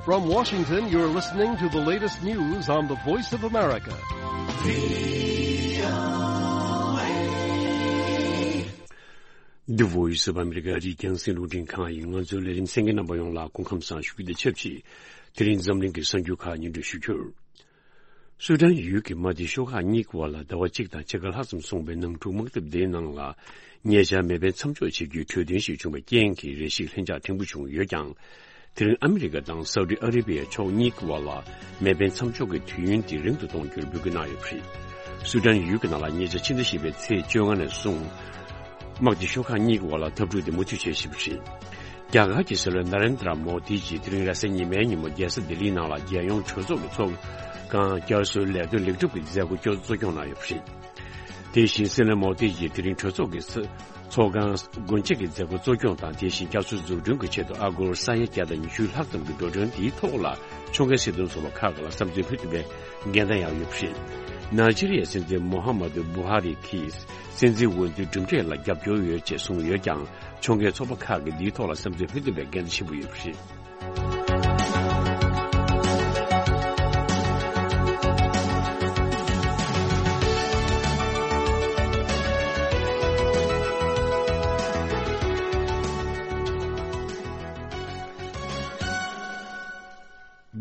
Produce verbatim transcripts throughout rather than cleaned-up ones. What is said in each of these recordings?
From Washington, you're listening to the latest news on the Voice of America. The Voice of America རྒྱང་སྲིང་རླུང་འཕྲིན་ཁང་ཡིན། ང་ཚོའི་ལས་རིམ་གསན་མཁན་རྣམ་པ་ཡོངས་ལ་སྐུ་ཁམས་བཟང་ཞུ་རྒྱུ་དང་ཆབས་ཅིག་དེ་རིང་འཛམ་གླིང་གི་གསར་འགྱུར་ཁག་སྙན་སྒྲོན་ཞུ་རྒྱུར། སུ་དཱན་ཡུལ་གྱི་མ་ཏི་ཤོག་ཁག་གཉིས་ཀྱི་བར་ལ་ཟླ་བ་གཅིག་དང་ཕྱེད་ཀ་ལྷག་ཙམ་སོང་བའི་ནང་འཁྲུག་དམག་འཐབ་དེའི་ནང་ལ་ཉེ་ཆར་མེ་འཕེན་མཚམས་འཇོག་བྱེད་རྒྱུའི་གྲོས་མཐུན་ཞིག་བྱུང་བའི་རྐྱེན་གྱིས་རེ་ཞིག་ལྷིང་འཇགས་ཕྲན་བུ་བྱུང་ཡོད་ཀྱང་། དེ་རིང་ཨ་མི་རི་ཀ་དང་སའུ་ཏི་ཨ་རེ་བི་ཡའི་ཕྱོགས་གཉིས་ཀྱི་བར་ལ་མེ་འཕེན་མཚམས་འཇོག་གི་དུས་ཡུན་དེ་རིང་དུ་གཏོང་རྒྱུར་འབོད་སྐུལ་གནང་ཡོད་པ་རེད། སུ་དཱན་ཡུལ་གྱི་ནང་ལ་ཉེ་ཆར་ཕྱི་ཟླ་བཞི་པའི་ཚེས་བཅོ་ལྔ་ནས་བཟུང་། དམག་སྡེ་ཤོག་ཁག་གཉིས་ཀྱི་བར་ལ་འཐབ་འཁྲུག་དེ་མུ་མཐུད་བྱེད་བཞིན་པ་རེད། རྒྱ་གར་གྱི་སྲིད་བློན་ན་རེན་དྲ་མོ་དི་ཡིས་དེ་རིང་རེས་གཟའ་ཉི་མའི་ཉིན་མོ་རྒྱལ་ས་ལྡི་ལིའི་ནང་ལ་རྒྱལ་ཡོངས་གྲོས་ཚོགས་ཀྱི་ཚོགས་ཁང་བསྐྱར་གསོའི་ལས་དོན་ལེགས་གྲུབ་ཀྱི་མཛད་སྒོ་གཙོ་སྐྱོང་གནང་ཡོད་པ་རེད། དེ་བཞིན་སྲིད་བློན་མོ་དི་ཡིས་དེ་རིང་གྲོས་ཚོགས་ཀྱི་ཚོགས་ཁང་སྒོ་འབྱེད་ཀྱི་མཛད་སྒོ་གཙོ་སྐྱོང་དང་། དེ་བཞིན་བསྐྱར་གསོ་འཛུགས་སྐྲུན་གྱི་ཆེད་དུ་ཨ་སྒོར་ས་ཡ་བརྒྱ་དང་ཉི་ཤུ་ལྷག་ཙམ་གྱི་འགྲོ་གྲོན་དེའི་ཐོག་ལ་ཕྱོགས་འགལ་སྲིད་དོན་ཚོགས་པ་ཁག་ལ་བསམ་ཚུལ་ཕུལ་ཐུབ་པའི་འགན་ལེན་ཡང་ཡོད་པ་རེད། ནཱི་ཇི་རི་ཡའི་སྲིད་འཛིན་མོ་ཧ་མ་དུ་བུ་ཧ་རི་གྱིས་སྲིད་འཛིན་འོས་བསྡུའི་གྲུབ་འབྲས་ལ་རྒྱབ་སྐྱོར་ཡོད་ཅེས་གསུངས་ཡོད་ཀྱང་། ཕྱོགས་འགལ་ཚོགས་པ་ཁག་གིས་འདིའི་ཐོག་ལ་བསམ་ཚུལ་ཕུལ་ཐུབ་པའི་འགན་ཆེན་པོ་ཡོད་པ་རེད།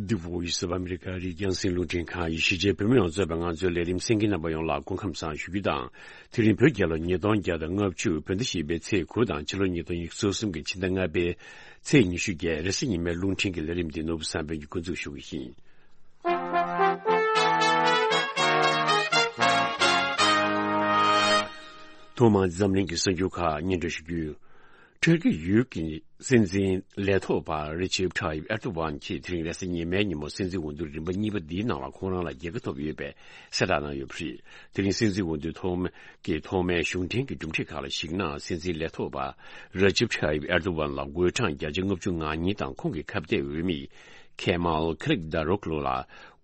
The Voice of America རྒྱང་སྲིང་རླུང་འཕྲིན་ཁང་ཡི་གཞིས་བྱེས་བོད་མི་ཡོངས་གཙོས་པའི་ང་ཚོའི་ལས་རིམ་གསན་མཁན་རྣམ་པ་ཡོངས་ལ་སྐུ་ཁམས་བཟང་ཞུ་རྒྱུ་དང་། དེ་རིང་བོད་རྒྱལ་ལོ་ཉིས་སྟོང་བརྒྱ་དང་ལྔ་བཅུ་བོད་ཟླ་བཞི་པའི་ཚེས་དགུ་དང་ཕྱི་ལོ་ཉིས་སྟོང་ཉི་ཤུ་རྩ་གསུམ་གྱི་ཕྱི་ཟླ་ལྔ་པའི་ཚེས་ཉི་ཤུ་བརྒྱད་རེས་གཟའ་ཉི་མའི་རླུང་འཕྲིན་གྱི་ལས་རིམ་འདི་ནོར་བུ་བསམ་འཕེལ་གྱིས་འགོ་འཛུགས་ཞུ་གི་ཡིན། ཐོག་མར་འཛམ་གླིང་གི་གསར་འགྱུར་ཁག་སྙན་སྒྲོན་ཞུ་རྒྱུ། ཐུར་ཀི་ཡུལ་གྱི་སྲིད་འཛིན་ལས་ཐོག་པ་རི་ཅེབ་ཊ་ཡིབ་ཨེར་ཏོ་ཝན་གྱིས་དེ་རིང་རེས་གཟའ་ཉི་མའི་ཉིན་མོ་སྲིད་འཛིན་འོས་བསྡུ་རིམ་པ་གཉིས་པ་འདིའི་ནང་ལ་ཁོང་རང་ལ་རྒྱལ་ཁ་ཐོབ་ཡོད་པའི་གསལ་བསྒྲགས་གནང་ཡོད་པ་རེད། དེ་རིང་སྲིད་འཛིན་འོས་བསྡུ་ཐོག་མའི་གི་ཐོག་མའི་གཞུང་འབྲེལ་གྱི་གྲུབ་འབྲས་ཁག་ལ་གཞིགས་ན། སྲིད་འཛིན་ལས་ཐོག་པ་རི་ཅེབ་ཊ་ཡིབ་ཨེར་ཏོ་ཝན་ལ་དགུ་གྲངས་བརྒྱ་ཆ་ལྔ་བཅུ་ང་གཉིས་དང་། ཁོང་གི་ཁ་གཏད་འོས་མི་ཁེ་མལ་ཁི་ལིག་དཱ་རོག་ལུ་ལ་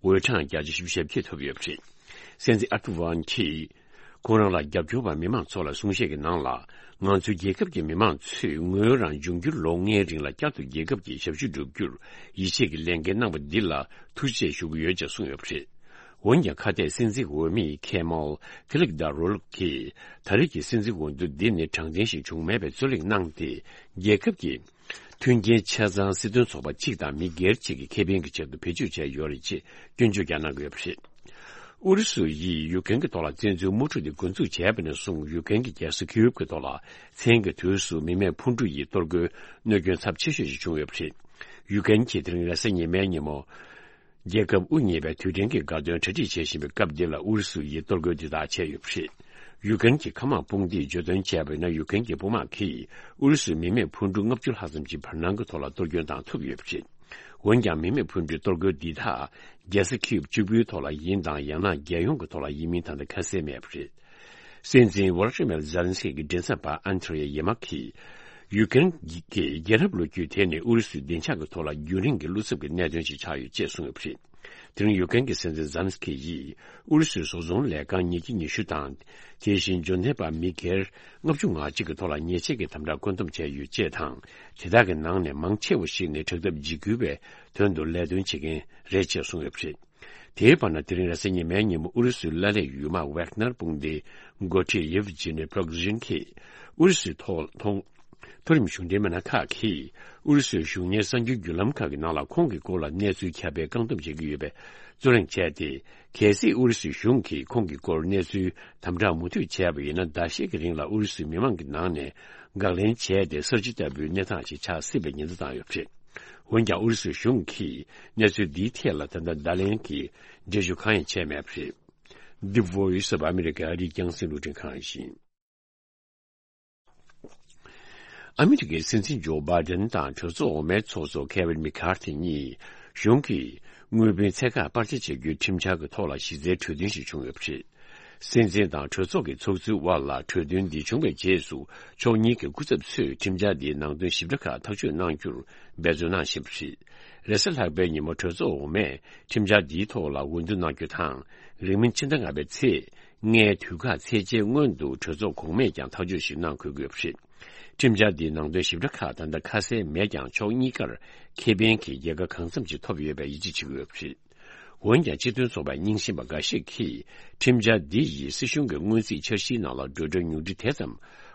དགུ་གྲངས་བརྒྱ་ཆ་བཞི་བཅུ་ཞེ་བརྒྱད་ཐོབ་ཡོད་པ་རེད། སྲིད་འཛིན་ཨེར་ཏོ་ཝན་གྱིས། ཁོང་རང་ལ་རྒྱབ་སྐྱོར་བ་མི་མང་ཚོ་ལ་གསུང་བཤད་ཀྱི་ནང་ལ། ང་ཚོའི་རྒྱལ་ཁབ་ཀྱི་མི་མང་ཚོས་ངོས་རང་འབྱུང་འགྱུར་ལོ་ལྔའི་རིང་ལ་བསྐྱར་དུ་རྒྱལ་ཁབ་ཀྱི་ཞབས་ཞུ་བསྒྲུབ་རྒྱུར་ཡིད་ཆེས་ཀྱི་ལས་འགན་གནང་བ་འདི་ལ་ཐུགས་རྗེ་ཆེ་ཞུ་གི་ཡོད་ཅེས་གསུངས་ཡོད་པ་རེད། འོན་ཀྱང་ཁ་གཏད་སྲིད་འཛིན་འོས་མི་ཁེ་མལ་ཁི་ལིག་དཱ་རོ་ལུག་གིས་ད་རེས་ཀྱི་སྲིད་འཛིན་འོས་བསྡུ་འདི་ནི་དྲང་བདེན་ཞིག་བྱུང་མེད་པའི་རྩོད་གླེང་གནང་སྟེ། རྒྱལ་ཁབ་ཀྱི་མཐུན་རྐྱེན་ཆ་ཚང་སྲིད་དོན་ཚོགས་པ་གཅིག་དང་མི་སྒེར་གཅིག་གི་ཁེ་ཕན་གྱི་ཆེད་དུ་བེད་སྤྱོད་བྱས་ཡོད་རེད་ཅེས་སྐྱོན་བརྗོད་ཀྱང་གནང་གི་ཡོད་པ་རེད། ཨུ་རུ་སུ་ཡིས་ཡུ་ཀེན་གྱི་ཐོག་ལ་བཙན་འཛུལ་དམག་འཁྲུག་དེ་འགོ་འཛུགས་བྱས་པ་ནས་བཟུང་། ཡུ་ཀེན་གྱི་རྒྱལ་ས་ཁིའུབ་ཀྱི་ཐོག་ལ་མཚན་གྱི་དུས་སུ་མི་མེད་འཕུར་གྲུ་ཡིས་གཏོར་རྒོལ་གནོད་སྐྱོན་ཚབས་ཆེ་ཤོས་ཤིག་བྱུང་ཡོད་པ་རེད། ཡུ་ཀེན་གྱིས་དེ་རིང་རེས་གཟའ་ཉི་མའི་ཉིན་མོ། རྒྱལ་ཁབ་དབུ་བརྙེས་པའི་དུས་དྲན་གྱི་དགའ་སྟོན་གྲ་སྒྲིག་བྱེད་བཞིན་པའི་སྐབས་འདི་ལ་ཨུ་རུ་སུ་ཡིས་གཏོར་རྒོལ་འདི་དག་བྱས་ཡོད་པ་རེད། ཡུ་ཀེན་གྱི་མཁའ་དམག་དཔུང་སྡེས་བརྗོད་དོན་བྱས་པ་ཡིན་ན། ཡུ་ཀེན་གྱི་དཔུང་དམག་གིས་ཨུ་རུ་སུའི་མི་མེད་འཕུར་གྲུ་ལྔ་བཅུ་ལྷག་ཙམ་གྱི་བར་སྣང་གི་ཐོག་ལ་གཏོར་སྐྱོན་བཏང་ཐུབ་ཡོད་པ་རེད། འོན་ཀྱང་མི་མེད་འཕུར་གྲུའི་གཏོར་རྒོལ་འདི་དག་རྒྱལ་ས་ཁིབ་གཅིག་པུའི་ཐོག་ལ་ཡིན་དང་། ཡང་ན་རྒྱལ་ཡོངས་ཀྱི་ཐོག་ལ་ཡིན་མིན་ད་ལྟ་ཁ་གསལ་མེད་པ་རེད། སྲིད་འཛིན་ཝོ་ལོ་ཏི་མེར་ཛེ་ལན་སི་ཀི་གི་མགྲིན་ཚབ་པ་ཨན་ཐྲེ་ཡེ་མ་གིས། ཡུ་ཀེན་གྱི་རྒྱལ་རབས་ལོ་རྒྱུས་དེ་ནི་ཨུ་རུ་སུའི་བདེ་འཇགས་ཀྱི་ཐོག་ལ་རྒྱུན་རིང་གི་བློ་འཚབ་ཀྱི་གནད་དོན་ཞིག་ཆགས་ཡོད་ཅེས་གསུངས་ཡོད་པ་རེད། དེ་རིང་ཡུ་ཀེན་གྱི་སྲིད་འཛིན་ཛེ་ལན་སི་ཀི་ཡིས་ཨུ་རུ་སུའི་བཟོ་ཚོང་ལས་ཁང་ཉིས་བརྒྱ་ཉི་ཤུ་དང་། དེ་བཞིན་འབྱོར་ལྡན་པ་མི་སྒེར་ལྔ་བཅུ་ང་གཅིག་གི་ཐོག་ལ་ཉེས་ཆད་ཀྱི་དམ་དྲག་བཀོད་འདོམས་བྱས་ཡོད་ཅེས་དང་། དེ་དག་གི་ནང་ནས་མང་ཆེ་བ་ཞིག་ནི་དྲག་འཐབ་འཇིགས་སྐུལ་བའི་དོན་དུ་ལས་དོན་བྱེད་མཁན་རེད་ཅེས་གསུངས་ཡོད་པ་རེད། དེའི་བར་ན། དེ་རིང་རེས་གཟའ་ཉི་མའི་ཉིན་མོ་ཨུ་རུ་སུའི་ལ་ལས་ཡུལ་དམག་ཝེག་ནར་དཔུང་སྡེའི་འགོ་ཁྲིད་ཡེབ་ཇི་ནི་པྲོག་ཇིན་གྱིས། ཨུ་རུ་སུའི་ཐོག་མཐོ་རིམ་གཞུང་འབྲེལ་མི་སྣ་ཁག་གིས་ཨུ་རུ་སུའི་གཞུང་གཉེར་གསར་འགྱུར་བརྒྱུད་ལམ་ཁག་གི་ནང་ལ་ཁོང་གི་སྐོར་ལ་གནས་ཚུལ་ཁྱབ་སྤེལ་བཀག་སྡོམ་བྱེད་ཀྱི་ཡོད་པའི་རྩོད་གླེང་བྱས་ཏེ། གལ་སྲིད་ཨུ་རུ་སུའི་གཞུང་གིས་ཁོང་གི་སྐོར་གནས་ཚུལ་དམ་དྲག་མུ་མཐུད་བྱས་པ་ཡིན་ན། ཟླ་ཤས་ཀྱི་རིང་ལ་ཨུ་རུ་སུའི་མི་མང་གི་ནང་ནས་དགག་ལན་བྱས་ཏེ། གསར་བརྗེ་ལྟ་བུའི་གནས་སྟངས་ཤིག་ཆགས་སྲིད་པའི་ཉེན་བརྡ་བཏང་ཡོད་པ་རེད། འོན་ཀྱང་ཨུ་རུ་སུའི་གཞུང་གིས་གནས་ཚུལ་འདིའི་ཐད་ལ་ད་ལྟ་བརྡ་ལན་གྱི་འགྲེལ་བརྗོད་གང་ཡང་བྱས་མེད་པ་རེད། The Voice of America རྒྱང་སྲིང་རླུང་འཕྲིན་ཁང་ཡིན། ཨ་མི་རི་ཀའི་སྲིད་འཛིན་ཇོ་བྷའི་ཌེན་དང་གྲོས་ཚོགས་འོག་མའི་ཚོགས་གཙོ་ཁེ་ཝིན་མེ་ཁར་ཐི་གཉིས་གཞུང་གིས་དངུལ་བུན་ཚད་བཀག་སྤར་ཆ་བྱ་རྒྱུའི་ཁྲིམས་འཆར་གྱི་ཐོག་ལ་གཞི་རྩའི་གྲོས་མཐུན་ཞིག་བྱུང་ཡོད་པ་རེད། སྲིད་འཛིན་དང་གྲོས་ཚོགས་ཀྱི་ཚོགས་གཙོའི་དབར་ལ་གྲོས་མཐུན་འདི་བྱུང་བའི་རྗེས་སུ། ཕྱོགས་གཉིས་ཀྱི་སྐུ་ཚབ་ཚོས་ཁྲིམས་འཆར་འདིའི་ནང་དོན་ཞིབ་ཕྲ་ཁག་ཐག་གཅོད་གནང་རྒྱུར་འབད་བརྩོན་གནང་བཞིན་པ་རེད། རེས་གཟའ་ལྷག་པའི་ཉིན་མོ་གྲོས་ཚོགས་འོག་མས་ཁྲིམས་འཆར་འདིའི་ཐོག་ལ་འོས་བསྡུ་གནང་རྒྱུ་དང་། རིང་མིན་ཕྱི་ཟླ་ལྔ་པའི་ཚེས་ ལྔའི་དུས་བཀག་ཚེས་བཅད་སྔོན་དུ་གྲོས་ཚོགས་གོང་མས་ཀྱང་ཐག་གཅོད་ཞིག་གནང་དགོས་ཀྱི་ཡོད་པ་རེད། ཁྲིམས་འཆར་འདིའི་ནང་དོན་ཞིབ་ཕྲ་ཁག་ད་ལྟ་ཁ་གསལ་མེད་ཀྱང་ཕྱོགས་གཉིས་ཀར་ཁེ་ཕན་གྱི་རྒྱལ་ཁ་གང་འཚམ་ཅིག་ཐོབ་ཡོད་པའི་ཡིད་ཆེས་བྱེད་ཀྱི་ཡོད་པ་རེད། འོན་ཀྱང་སྤྱི་མཐུན་ཚོགས་པའི་རྙིང་ཞེན་པ་འགའ་ཤས་ཀྱིས་ཁྲིམས་འཆར་འདི་ཡིས་སྲིད་གཞུང་གི་སྔོན་རྩིས་འཆར་གཞིའི་ནང་ལ་འགྲོ་གྲོན་ཉུང་འཕྲི་དེ་ཙམ་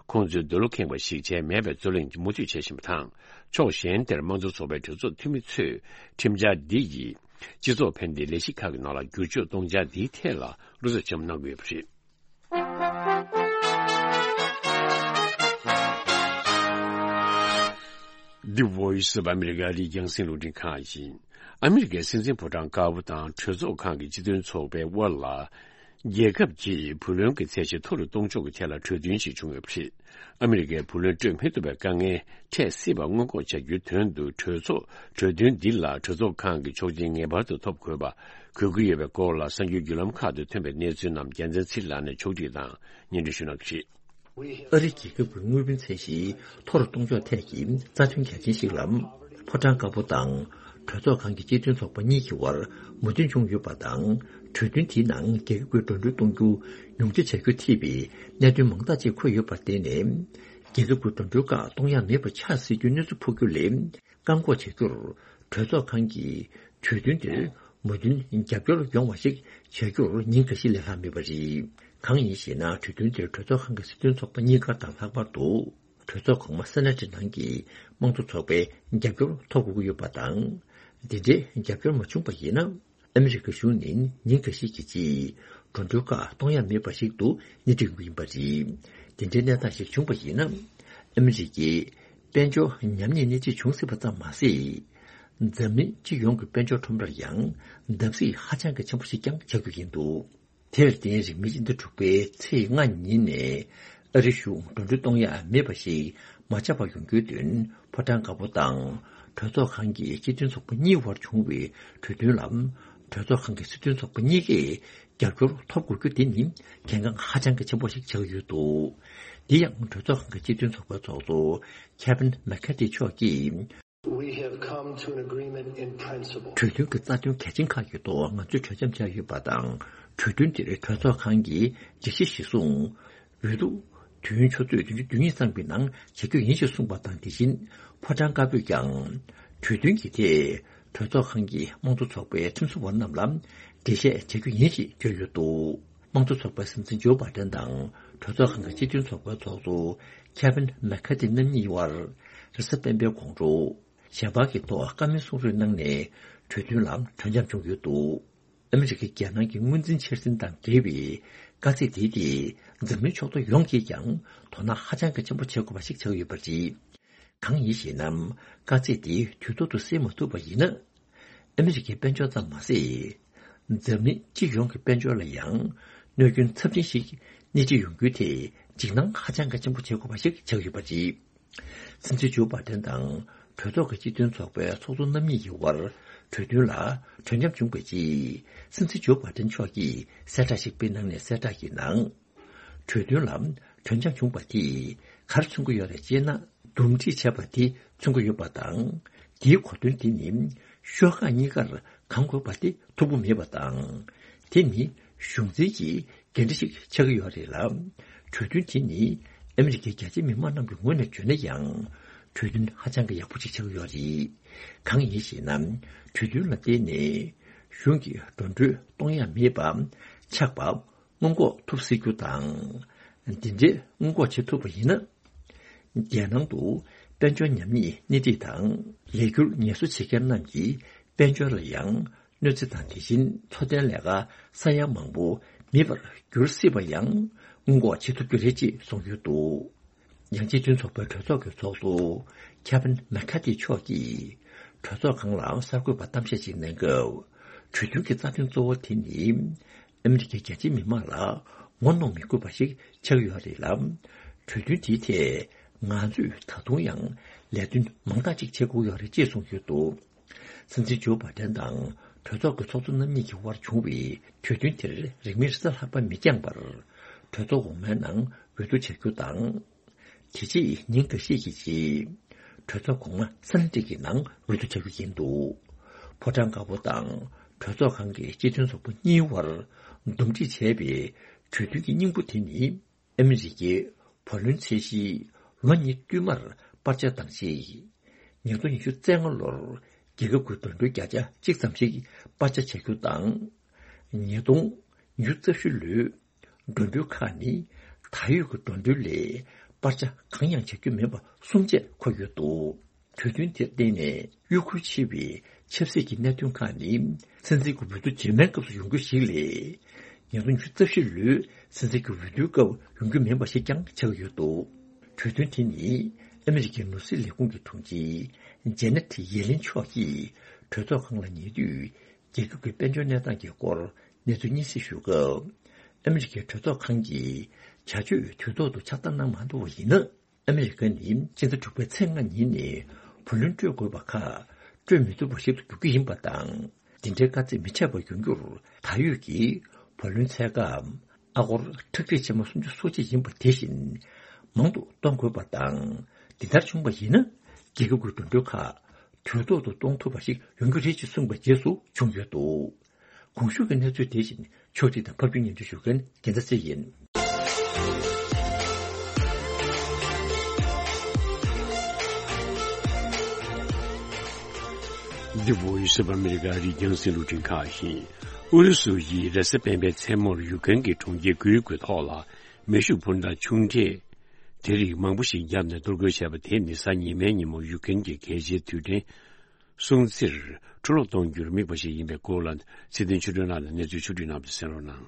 ཁོང་ཚོའི་འདོད་བློ་ཁེངས་པ་ཞིག་བྱས་མེད་པའི་རྩོད་གླེང་མུ་མཐུད་བྱེད་བཞིན་པ་དང་། ཕྱོགས་གཞན་དེར་དམངས་གཙོ་ཚོགས་པའི་གྲོས་ཚོགས་འཐུས་མི་ཚོས་ཁྲིམས་འཆར་འདི་ཡིས་སྤྱི་ཚོགས་ཕན་བདེའི་ལས་གཞི་ཁག་གི་ནང་ལ་བསྒྱུར་བཅོས་གཏོང་འཆར་འདིའི་ཐད་ལ་བློ་འཚབ་ཆེན་པོ་གནང་གི་ཡོད་པ་རེད། The Voice of America རིགས་རྒྱང་སྲིང་རླུང་འཕྲིན་ཁང་ཡིན། ཨ་མི་རི་ཀའི་སྲིད་འཛིན་ཕོ་བྲང་དཀར་པོ་དང་གྲོས་ཚོགས་ཁང་གི་སྤྱི་མཐུན་ཚོགས་པའི་དབར་ལ། རྒྱལ་ཁབ་ཀྱིས་བུ་ལོན་གྱི་ཚད་གཞི་མཐོ་རུ་གཏོང་ཕྱོགས་ཀྱི་ཐད་ལ་གྲོས་མཐུན་ཞིག་བྱུང་ཡོད་པ་རེད། ཨ་མི་རི་ཀའི་བུ་ལོན་སྤྲོད་མི་ཐུབ་པའི་དཀའ་ངལ་འཕྲད་སྲིད་པ་སྔོན་འགོག་བྱ་རྒྱུའི་དོན་དུ་གྲོས་ཚོགས་གྲོས་མཐུན་འདི་ལ་གྲོས་ཚོགས་ཁང་གི་ཆོག་མཆན་ངེས་པར་དུ་ཐོབ་དགོས་པ་དགོས་ཀྱི་ཡོད་པའི་སྐོར་ལ་གསར་འགྱུར་བརྒྱུད་ལམ་ཁག་ཏུ་ཐོན་པའི་གནས་ཚུལ་རྣམས་རྒྱལ་མཚན་ཚེ་རིང་ལགས་ནས་ཕྱོགས་སྒྲིག་དང་སྙན་སྒྲོན་ཞུ་གནང་གི་རེད། ཨ་རིའི་རྒྱལ་ཁབ་ཀྱི་དངུལ་བུན་ཚད་གཞི་མཐོ་རུ་གཏོང་ཕྱོགས་ཐད་ཀྱི་རྩ་དོན་གལ་ཆེན་ཞིག་ལ། ཕོ་བྲང་དཀར་པོ་དང་གྲོས་ཚོགས་ཁང་གི་སྤྱི་མཐུན་ཚོགས་པ་གཉིས་ཀྱི་དབར་མོས་མཐུན་བྱུང་ཡོད་པ་དང་། གྲོས་མཐུན་དེའི་ནང་རྒྱལ་ཁབ་ཀྱི་འགྲོ་གྲོན་གཏོང་རྒྱུ་ཉུང་ཆ་བྱ་རྒྱུ་ཐེ་བའི་གནད་དོན་མང་དག་ཅིག་འཁོད་ཡོད་པར་བརྟེན་ནས། རྒྱལ་ཁབ་ཀྱི་འགྲོ་གྲོན་ཁག་གཏོང་ཡ་མེད་པ་ཆགས་སྲིད་རྒྱུའི་གནས་ཚུལ་ཕོག་རྒྱུ་ལས། བཀག་འགོག་བྱ་རྒྱུར་གྲོས་ཚོགས་ཁང་གིས་གྲོས་མཐུན་དེར་མོས་མཐུན་རྒྱབ་སྐྱོར་ཡོང་བ་ཞིག་བྱ་རྒྱུར་ཉིན་འགའ་ཤས་ལས་ལྷག་མེད་པ་རེད། གང་ཡིན་ཞེ་ན། གྲོས་མཐུན་དེར་གྲོས་ཚོགས་ཁང་གི་སྲིད་དོན་ཚོགས་པ་གཉིས་ཀ་དང་ལྷག་པར་དུ། གྲོས་ཚོགས་གོང་མ་སེ་ནེ་ཊི་ནང་གི་དམངས་གཙོ་ཚོགས་པའི་རྒྱབ་སྐྱོར་ཐོབ་དགོས་ཀྱི་ཡོད་པ་དང་། འདི་འདྲའི་རྒྱབ་སྐྱོར་མ་བྱུང་པ་ཡིན་ན། ཨ་མི་རི་ཀ་གཞུང་ནི་ཉིན་འགའ་ཤས་ཀྱི་རྗེས་འགྲོ་གྲོན་ཁག་གཏོང་ཡ་མེད་པ་ཞིག་ཏུ་སྣེ་ཁྲིད་ཡོང་གི་ཡིན་པ་རེད། དེ་འདྲའི་གནས་སྟངས་ཤིག་བྱུང་བ་ཡིན་ན། ཨ་མི་རི་ཀའི་དཔལ་འབྱོར་ཉམས་ཉེས་སྣེ་ཁྲིད་བྱུང་སྲིད་པ་ཙམ་མ་ཟད། འཛམ་གླིང་སྤྱི་ཡོངས་ཀྱི་དཔལ་འབྱོར་ཁྲོམ་རར་ཡང་བརྡབ་གསིག་ཧ་ཅང་གི་ཆེན་པོ་ཞིག་ཀྱང་ཆགས་རྒྱུ་ཡིན་འདུག་དེར་བརྟེན་རིང་མིན་སྤྱི་ཟླ་དྲུག་པའི་ཚེས་ལྔ་ཉིན་ནས་ཨ་རི་གཞུང་འགྲོ་གྲོན་གཏོང་ཡ་མེད་པ་ཞིག་མ་ཆགས་པ་ཡོང་རྒྱུའི་དོན་ཕོ་བྲང་དཀར་པོ་དང་གྲོས་ཚོགས་ཁང་གི་སྤྱི་མཐུན་ཚོགས་པ་གཉིས་དབར་བྱུང་བའི་གྲོས་མཐུན་ལ་གྲོས་ཚོགས་ཁང་གི་སྲིད་དོན་ཚོགས་པ་གཉིས་ཀས་རྒྱབ་སྐྱོར་ཐོབ་དགོས་རྒྱུ་དེ་ནི་གལ་འགངས་ཧ་ཅང་གི་ཆེན་པོ་ཞིག་ཆགས་ཡོད་འདུག་འདི་ཡང་གྲོས་ཚོགས་ཁང་གི་སྤྱི་མཐུན་ཚོགས་པའི་ཚོགས་གཙོ་ཁེ་ཝིན་མེག་ཁ་ཐི་མཆོག་གིས། We have come to an agreement in principle. གྲོས་མཐུན་གྱི་རྩ་དོན་གལ་ཆེན་ཁག་གི་ཐོག་ང་ཚོས་གྲོས་འཆམ་བྱས་ཡོད་པ་དང་། གྲོས་མཐུན་དེར་གྲོས་ཚོགས་ཁང་གིས་སྒྲིག་གཞི་གཞིར་བཟུང་། འོས་བསྡུ་དུས་ཡུན་ཆུ་ཚོད་བདུན་ཅུ་དོན་གཉིས་ཙམ་གྱི་ནང་བྱ་རྒྱུ་ཡིན་ཞེས་གསུངས་པ་དང་། དེ་བཞིན་ཕོ་བྲང་དཀར་པོས་ཀྱང་གྲོས་མཐུན་གྱི་ཐད་གྲོས་ཚོགས་ཁང་གི་དམངས་གཙོ་ཚོགས་པའི་ཁྲིམས་བཟོ་བ་རྣམས་ལ་འགྲེལ་བཤད་བྱ་རྒྱུ་ཡིན་ཞེས་བརྗོད་ཡོད་འདུག་དམངས་གཙོ་ཚོགས་པའི་སྲིད་འཛིན་ཇོ་བྷ་ཏན་དང་གྲོས་ཚོགས་ཁང་གི་སྤྱི་མཐུན་ཚོགས་པའི་ཚོགས་གཙོ་ཁེ་ཝིན་མེག་ཁ་ཐི་རྣམ་གཉིས་དབར་རེས་གཟའ་སྤེན་པའི་དགོང་དྲོ་ཞལ་པར་གྱི་ཐོག་བཀའ་མོལ་གསུང་རོལ་གནང་ནས་གྲོས་མཐུན་ལ་གྲོས་འཆམ་བྱུང་ཡོད་འདུག་ཨ་མི་རི་ཀའི་རྒྱལ་ནང་གི་དངུལ་འཛིན་འཆར་ཟིན་དང་འབྲེལ་བའི་དཀའ་ཚེགས་དེ་དེས་འཛམ་གླིང་ཕྱོགས་གཏོགས་ཡོངས་ཀྱིས་ཀྱང་དོ་སྣང་ཧ་ཅང་གི་ཆེན་པོ་བྱེད་དགོས་པ་ཞིག་ཆགས་ཡོད་པ་རེད། གང་ཡིན་ཞེ་ན། དཀའ་ཚེགས་དེ་དུས་ཐོག་ཏུ་སེལ་མ་ཐུབ་པ་ཡིན་ན། ཨ་མི་རི་ཀའི་དཔལ་འབྱོར་ཙམ་མ་ཟད། འཛམ་གླིང་སྤྱི་ཡོངས་ཀྱི་དཔལ་འབྱོར་ལ་ཡང་གནོད་སྐྱོན་ཚབས་ཆེན་ཞིག་སྣེ་ཁྲིད་ཡོང་རྒྱུའི་ཐད་འཇིགས་སྣང་ཧ་ཅང་གི་ཆེན་པོ་བྱེད་དགོས་པ་ཞིག་ཆགས་ཡོད་པ་རེད། སྲིད་འཛིན་ཇོ་བྷ་ཏན་དང་གྲོས་ཚོགས་ཀྱི་སྤྱི་མཐུན་ཚོགས་པའི་ཚོགས་གཙོ་རྣམ་གཉིས་ཀྱི་དབར་གྲོས་མཐུན་ལ་གྲོས་འཆམ་བྱུང་བའི་རྗེས། སྲིད་འཛིན་ཇོ་བྷ་ཏན་མཆོག་གིས་གསལ་བསྒྲགས་ཤིག་སྤེལ་གནང་ནས། གསལ་བསྒྲགས་ཀྱི་ནང་། གྲོས་མཐུན་ལ་གྲོས་འཆམ་བྱུང་བ་དེས་ག་རེ་མཚོན་གྱི་ཡོད་རེད་ཅེ་ན། འདུམ་འགྲིག་བྱས་པ་དེ་མཚོན་གྱི་ཡོད་པ་དང་། དེའི་གོ་དོན་དེ་ནི་ཤོག་ཁག་གཉིས་ཀར་གང་དགོས་པ་དེ་ཐུག་པོ་མེད་པ་དང་། དེ་ནི་གཞུང་འཛིན་གྱི་འགན་འཁྲི་ཞིག་ཆགས་ཀྱི་ཡོད་རེད་ལ། གྲོས་མཐུན་དེ་ནི་ཨ་མི་རི་ཀའི་རྒྱ་ཆེ་མི་མང་རྣམས་ཀྱི་ངོས་ནས་བརྗོད་ན་ཡང་། གྲོས་མཐུན་ཧ་ཅང་གི་ཡག་པོ་ཞིག་ཆགས་ཀྱི་ཡོད་རེད། གང་ཡིན་ཞེ་ན། གྲོས་མཐུན་ལ་བརྟེན་ནས་གཞུང་གི་འགྲོ་གྲོན་གཏོང་ཡ་མེད་པ་ཆགས་པ། སྔོན་འགོག་ཐུབ་སྲིད་རྒྱུ་དང་། འདི་འདྲའི་སྔོན་འགོག་བྱེད་ཐུབ་པ་ཡིན་ན། རྒྱལ་ནང་དུ་དཔལ་འབྱོར་ཉམས་ཉེས་སྣེ་ཁྲིད་དང་། ལས་འཁྱུར་ངལ་གསོ་བྱེད་མཁན་རྣམས་ཀྱི་དཔལ་འབྱོར་ལ་ཡང་གནོད་འཚེ་དང་། དེ་བཞིན་འཚོ་རྟེན་ལས་ཀ་ས་ཡ་མང་པོ་མེད་པར་འགྱུར་སྲིད་པ་ཡང་སྔོན་འགོག་བྱེད་ཐུབ་རྒྱུ་རེད་ཅེས་གསུངས་ཡོད་འདུག་ཡང་སྤྱི་མཐུན་ཚོགས་པའི་གྲོས་ཚོགས་ཀྱི་ཚོགས་གཙོ་ཁེ་ཝིན་མེག་ཁ་ཐི་མཆོག་གིས་གྲོས་ཚོགས་ཁང་ལ་གསར་འགོད་པར་གཏམ་བཤད་ཅིག་གནང་སྐབས། གྲོས་མཐུན་གྱི་རྩ་དོན་གཙོ་བོ་དེ་ནི། ཨ་མི་རི་ཀའི་རྒྱལ་སྤྱིའི་མི་མང་ལ་ངོ་གནོང་མི་དགོས་པ་ཞིག་ཆགས་ཡོད་རེད་ལ། གྲོས་མཐུན་དེའི་ཐད་ང་ཚོས་ད་དུང་ཡང་ལས་དོན་མང་དག་ཅིག་བྱེད་དགོས་ཡོད་རེད་ཅེས་གསུངས་ཡོད་འདུག་སྲིད་འཛིན་ཇོ་བྷ་ཏན་དང་གྲོས་ཚོགས་ཀྱི་ཚོགས་གཙོ་རྣམ་གཉིས་ཀྱི་དབར་བྱུང་བའི་གྲོས་མཐུན་དེར་རིང་མིན་རེས་གཟའ་ལྷག་པ་མི་འགྱངས་པར་གྲོས་ཚོགས་འོག་མའི་ནང་འོས་བསྡུ་བྱ་རྒྱུ་དང་། དེ་རྗེས་ཉིན་འགའ་ཤས་ཀྱི་རྗེས། གྲོས་ཚོགས་གོང་མ་སེ་ནེ་ཊི་གི་ནང་འོས་བསྡུ་བྱ་རྒྱུ་ཡིན་འདུག་ཕོ་བྲང་དཀར་པོ་དང་གྲོས་ཚོགས་ཁང་གི་སྤྱི་མཐུན་ཚོགས་པ་གཉིས་དབར་འདུམ་འགྲིག་བྱས་པའི་ གྲོས་མཐུན་གྱི་སྙིང་པོ་དེ་ནི། ཨ་མི་རི་ཀའི་བུ་ལོན་ཚད་གཞི་ལོ་གཉིས་བསྟུད་མར་སྤར་ཆ་བཏང་རྗེས། ཉིས་སྟོང་ཉི་ཤུ་རྩ་ལྔ་ལོར་རྒྱལ་ཁབ་ཀྱི་འགྲོ་གྲོན་བརྒྱ་ཆ་གཅིག་ཙམ་ཞིག་སྤར་ཆ་བྱ་རྒྱུ་དང་། ཉིས་སྟོང་ཉི་ཤུ་རྩ་བཞི་ལོའི་འགྲོ་གྲོན་ཁག་ནི་ད་ཡོད་ཀྱི་འགྲོ་གྲོན་ལས་སྤར་ཆ་གང་ཡང་བྱ་རྒྱུ་མེད་པ་གསུམ་བཅས་འཁོད་ཡོད་འདུག་གྲོས་མཐུན་དེར་བརྟེན་ནས་གཡོ་འགུལ་ཆེ་བའི་ཆབ་སྲིད་ཀྱི་གནད་དོན་ཁག་ནི་སྲིད་འཛིན་གྱི་འོས་བསྡུ་རྗེས་མའི་སྐབས་སུ་ཡོང་རྒྱུ་ཞིག་ལས། ཉིས་སྟོང་ཉི་ཤུ་རྩ་བཞི་ལོའི་སྲིད་འཛིན་གྱི་འོས་བསྡུའི་སྐབས་ཡོང་རྒྱུ་མིན་པ་ཞིག་ཀྱང་ཆགས་ཡོད་འདུག་གྲོས་མཐུན་དེ་ནི་ཨ་མི་རི་ཀའི་ནོར་སྲིད་ལས་ཁུངས་ཀྱི་དྲུང་ཆེ་ཇེ་ནེ་ཊི་ཡེ་ལིན་མཆོག་གིས་གྲོས་ཚོགས་ཁང་ལ་ཉེ་དུས་རྒྱལ་ཁབ་ཀྱི་དཔལ་འབྱོར་གནས་སྟངས་ཀྱི་སྐོར་གནས་ཚུལ་སྙན་སེང་ཞུ་སྐབས། ཨ་མི་རི་ཀའི་གྲོས་ཚོགས་ཁང་གིས་བྱ་སྤྱོད་དུས་ཐོག་ཏུ་ཕྱག་བསྟར་གནང་མ་ཐུབ་པ་ཡིན་ན། ཨ་མི་རི་ཀ་ནི་སྤྱི་ཟླ་དྲུག་པའི་ཚེས་ལྔ་ཉིན་ནས་བུ་ལོན་སྤྲོད་དགོས་པ་ཁག་སྤྲོད་མི་ཐུབ་པ་ཞིག་ཏུ་འགྱུར་གྱི་ཡིན་པ་དང་། འདི་འདྲའི་དཀའ་ཚེགས་མི་འཆད་པར་ཡོང་རྒྱུར་ད་ཡོད་ཀྱི་བུ་ལོན་འཚོལ་སྐབས་ཨ་སྒོར་ཁྲག་ཁྲིག་ཆེན་མོ་སུམ་ཅུ་སོ་གཅིག་ཡིན་པ་དེ་བཞིན་མང་དུ་གཏོང་དགོས་པ་དང་། འདི་ལྟར་བྱུང་བ་ཡིན་ན་རྒྱལ་ཁབ་ཀྱི་འགྲོ་གྲོན་ཁག་དུས་ཐོག་ཏུ་གཏོང་ཐུབ་པ་ཞིག་ཡོང་རྒྱུ་རེད་ཅེས་གསུངས་པའི་རྗེས་སུ་བྱུང་ཡོད་འདུག་གོང་ཞུས་ཀྱི་གནས་ཚུལ་དེ་བཞིན་ཕྱོགས་སྒྲིག་དང་ཕབ་སྒྱུར་སྙན་སྒྲོན་ཞུ་མཁན་རྒྱལ་མཚན་ཚེ་ཡིན། འདི་Voice of America རིགས་རྒྱང་སྲིང་རླུང་འཕྲིན་ཁང་ཡིན། ཨུ་རུ་སུ་ཡིས་རེས་གཟའ་སྤེན་པའི་མཚན་མོར་ཡུཀ་རེན་གྱི་གྲོང་ཁྱེར་དགུའི་དགུ་ཐོག་ལ་མེ་ཤུགས་འཕུར་མདའ་ཆུང་གྲས་དེ་རིགས་མང་པོ་ཞིག་བརྒྱབ་ནས་གཏོར་རྒོལ་བྱས་པ་དེ་ནི་གཟའ་ཉི་མའི་ཉིན་མོ་ཡུཀ་རེན་གྱི་གལ་ཆེའི་རྡུལ་ཕྲན། སྲུང་བརྩིར་འཕྲོ་བརླག་གཏོང་རྒྱུར་དམིགས་པ་ཞིག་ཡིན་པའི་སྐོར་ལ་ཚེ་བརྟན་ཆོས་སྒྲོན་ལགས་ནས་གནས་ཚུལ་ཕྱོགས་སྒྲིག་གནང་བ་གསན་རོགས་གནང་།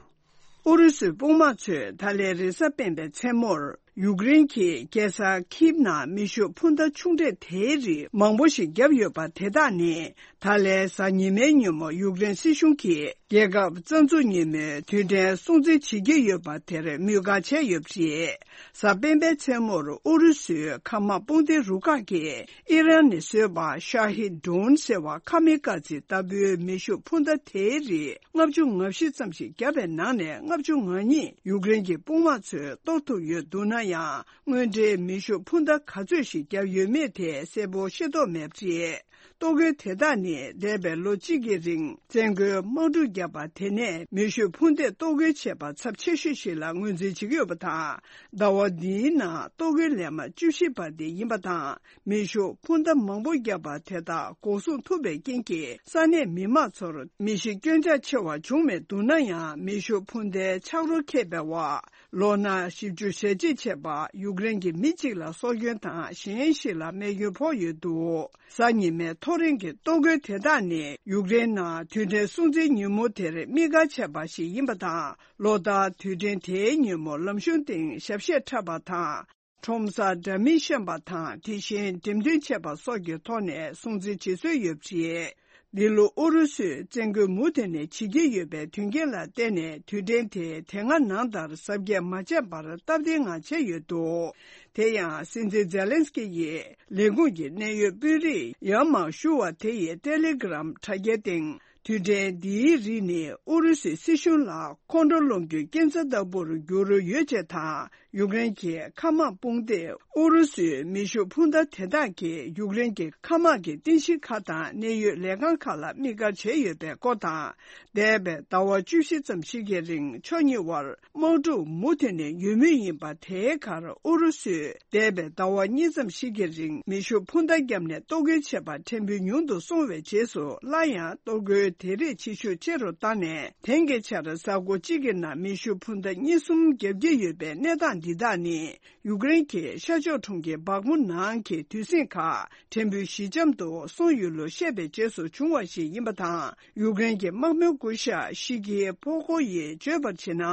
ཨུ་རུ་སུའི་དཔུང་དམག་ཚོས་ད་ལན་རེས་གཟའ་སྤེན་པའི་མཚན་མོར་ཡུཀ་རེན་གྱི་རྒྱལ་ས་ཁིབ་ནང་མེ་ཤུགས་འཕུར་མདའ་ཆུང་གྲས་དེའི་རིགས་མང་པོ་ཞིག་བརྒྱབ་ཡོད་པ་དེ་དག་ནི་ད་ལན་གཟའ་ཉི་མའི་ཉིན་མོ་ཡུཀ་རེན་སྲིད་གཞུང་གིས་རྒྱལ་ཁབ་རྩ་འཛུགས་ཉིན་མོའི་དུས་དྲན་སྲུང་བརྩི་བྱེད་ཀྱི་ཡོད་པ་དེར་དམིགས་བཀར་བྱས་ཡོད་པ་རེད། གཟའ་སྤེན་པའི་མཚན་མོར་ཨུ་རུ་སུའི་མཁའ་དམག་དཔུང་སྡེ་རུ་ཁག་གིས་ཨི་རན་ནས་བཟོས་པ་ཤ་ཧི་ཌྲོན་ཟེར་བ་ཁ་མི་ཀ་ཛི་ལྟ་བུའི་མེ་ཤུགས་འཕུར་མདའ་དེའི་རིགས་ལྔ་བཅུ་ང་བཞི་ཙམ་ཞིག་བརྒྱབ་པའི་ནང་ནས་ལྔ་བཅུ་ང་གཉིས་ཡུཀ་རེན་གྱི་དཔུང་དམག་ཚོས་གཏོར་ཐུབ་ཡོད་འདུག་ན་ཡང་། དངོས་འབྲེལ་མེ་ཤུགས་འཕུར་མདའ་ག་ཚོད་ཞིག་བརྒྱབ་ཡོད་མེད་དེ་གསལ་པོ་ཤེས་རྟོགས་མེད་པ་རེད། གཏོར་རྒོལ་དེ་དག་ནི་འདས་པའི་ལོ་གཅིག་གི་རིང་བཙན་རྒོལ་དམག་འཁྲུག་བརྒྱབ་པ་དེ་ནས་མེ་ཤུགས་འཕུར་མདས་གཏོར་རྒོལ་བྱས་པ་ཚབས་ཆེ་ཤོས་ཤིག་ལ་ངོས་འཛིན་བྱེད་ཀྱི་ཡོད་པ་དང་། ཟླ་བ་འདིའི་ནང་གཏོར་རྒོལ་ལན་མ་བཅུ་བཞི་བར་དེ་ཡིན་པ་དང་། མེ་ཤུགས་འཕུར་མདའ་མང་པོ་བརྒྱབ་པ་དེ་དག་འགོག་སྲུང་ཐུབ་པའི་རྐྱེན་གྱིས་ས་གནས་མི་མང་ཚོར་མི་ཤི་སྐྱོན་ཆག་ཆེ་བ་བྱུང་མེད་འདུག་ན་ཡང་། མེ་ཤུགས་འཕུར་མདའི་ཆག་རོ་ཁེབས་པའི་འོག་ལོ་ན་བཞི་བཅུ་ཞེ་གཅིག་བྱས་པ་ཡུཀ་རེན་གྱི་མི་གཅིག་ལ་སྲོག་སྐྱོན་དང་གཞན་ཞིག་ལ་རྨས་སྐྱོན་ཕོག་ཡོད་འདུག་གཟའ་ཉི་མའི་ཐོ་རེངས་ཀྱི་གཏོར་རྒོལ་དེ་དག་ནི་ཡུཀ་རེན་ནང་དུས་དྲན་སྲུང་བརྩིའི་ཉིན་མོ་དེར་དམིགས་བཀར་བྱས་པ་ཞིག་ཡིན་པ་དང་། ལོ་ལྟར་དུས་དྲན་དེའི་ཉིན་མོ་ལམ་གཞུང་སྟེང་ཞབས་གཞས་འཁྲབ་པ་དང་། ཁྲོམ་སར་སྒྲ་མི་ཤེས་པ་དང་དེ་བཞིན་འགྲེམས་སྟོན་བྱེད་པ་སོགས་ཀྱི་ཐོག་ནས་སྲུང་བརྩི་བྱེད་སྲོལ་ཡོད་པ་རེད། འདི་ལོ་ཨུ་རུ་སུས་བཙན་རྒོལ་མུ་མཐུད་ནས་བྱེད་ཀྱི་ཡོད་པའི་དོན་རྐྱེན་ལ་བརྟེན་ནས་དུས་དྲན་དེ་དེ་སྔ་ནང་ལྟར་གཟབ་རྒྱས་མ་བྱས་པར་སྟབས་བདེའི་ངང་བྱས་ཡོད་འདུག་དེ་ཡང་སྲིད་འཛིན་ཛེ་ལན་སི་ཀི་ཡིས་ལས་ཁུངས་ཀྱི་གནད་ཡོད་དཔོན་རིགས་ཡར་མར་ཞུ་བ་དེ་ཡི་ཏེ་ལེ་གྷི་རམ་དྲ་རྒྱའི་སྟེང་། དུས་དྲན་འདིའི་རིགས་ནི་ཨུ་རུ་སུའི་སྲིད་གཞུང་ལ་ཁོང་ཁྲོ་སློང་རྒྱུའི་རྐྱེན་རྩ་ལྟ་བུར་གྱུར་ཡོད་ཅེས་དང་། ཡུཀ་རེན་གྱི་མཁའ་དམག་དཔུང་སྡེས་ཨུ་རུ་སུའི་མེ་ཤུགས་འཕུར་མདའ་དེ་དག་གིས་ཡུཀ་རེན་གྱི་མཁའ་དམག་གི་རྟེན་གཞི་ཁག་དང་གནད་ཡོད་ལས་ཁང་ཁག་ལ་དམིགས་བཀར་བྱས་ཡོད་པའི་སྐོར་དང་། འདས་པའི་ཟླ་བ་བཅུ་བཞི་ཙམ་ཞིག་གི་རིང་ཕྱོགས་གཉིས་དབར་དམག་འཁྲུག་མུ་མཐུད་ནས་ཡོད་མུས་ཡིན་པ་དེའི་ཁར་ཨུ་རུ་སུས་འདས་པའི་ཟླ་བ་གཉིས་ཙམ་ཞིག་གི་རིང་མེ་ཤུགས་འཕུར་མདའ་བརྒྱབ་ནས་གཏོར་རྒོལ་བྱས་པ་ཕྲན་བུ་ཉུང་དུ་སོང་བའི་རྗེས་སུ་སླར་ཡང་གཏོར་རྒོལ་དེ་རིགས་བྱེད་ཤུགས་ཆེ་རུ་བཏང་ནས། དེང་གི་ཆར་གཟའ་འཁོར་གཅིག་གི་ནང་མེ་ཤུགས་འཕུར་མདའ་གཉིས་གསུམ་བརྒྱབ་ཀྱི་ཡོད་པའི་གནས་སྟངས་འདི་དག་ནི། ཡུཀ་རེན་གྱི་ཤར་ཕྱོགས་གྲོང་ཁྱེར་སྦག་མུ་ནང་གི་དུས་ཟིང་ཁག་ཕྲན་བུ་ཞི་འཇམ་དུ་སོང་ཡོད་ལུགས་བཤད་པའི་རྗེས་སུ་བྱུང་བ་ཞིག་ཡིན་པ་དང་། ཡུཀ་རེན་གྱི་དམག་དཔོན་སྐུ་ཞབས་ཤི་ཀི་ཕོ་ཁོ་ཡིས་བརྗོད་པར་བྱས་ན།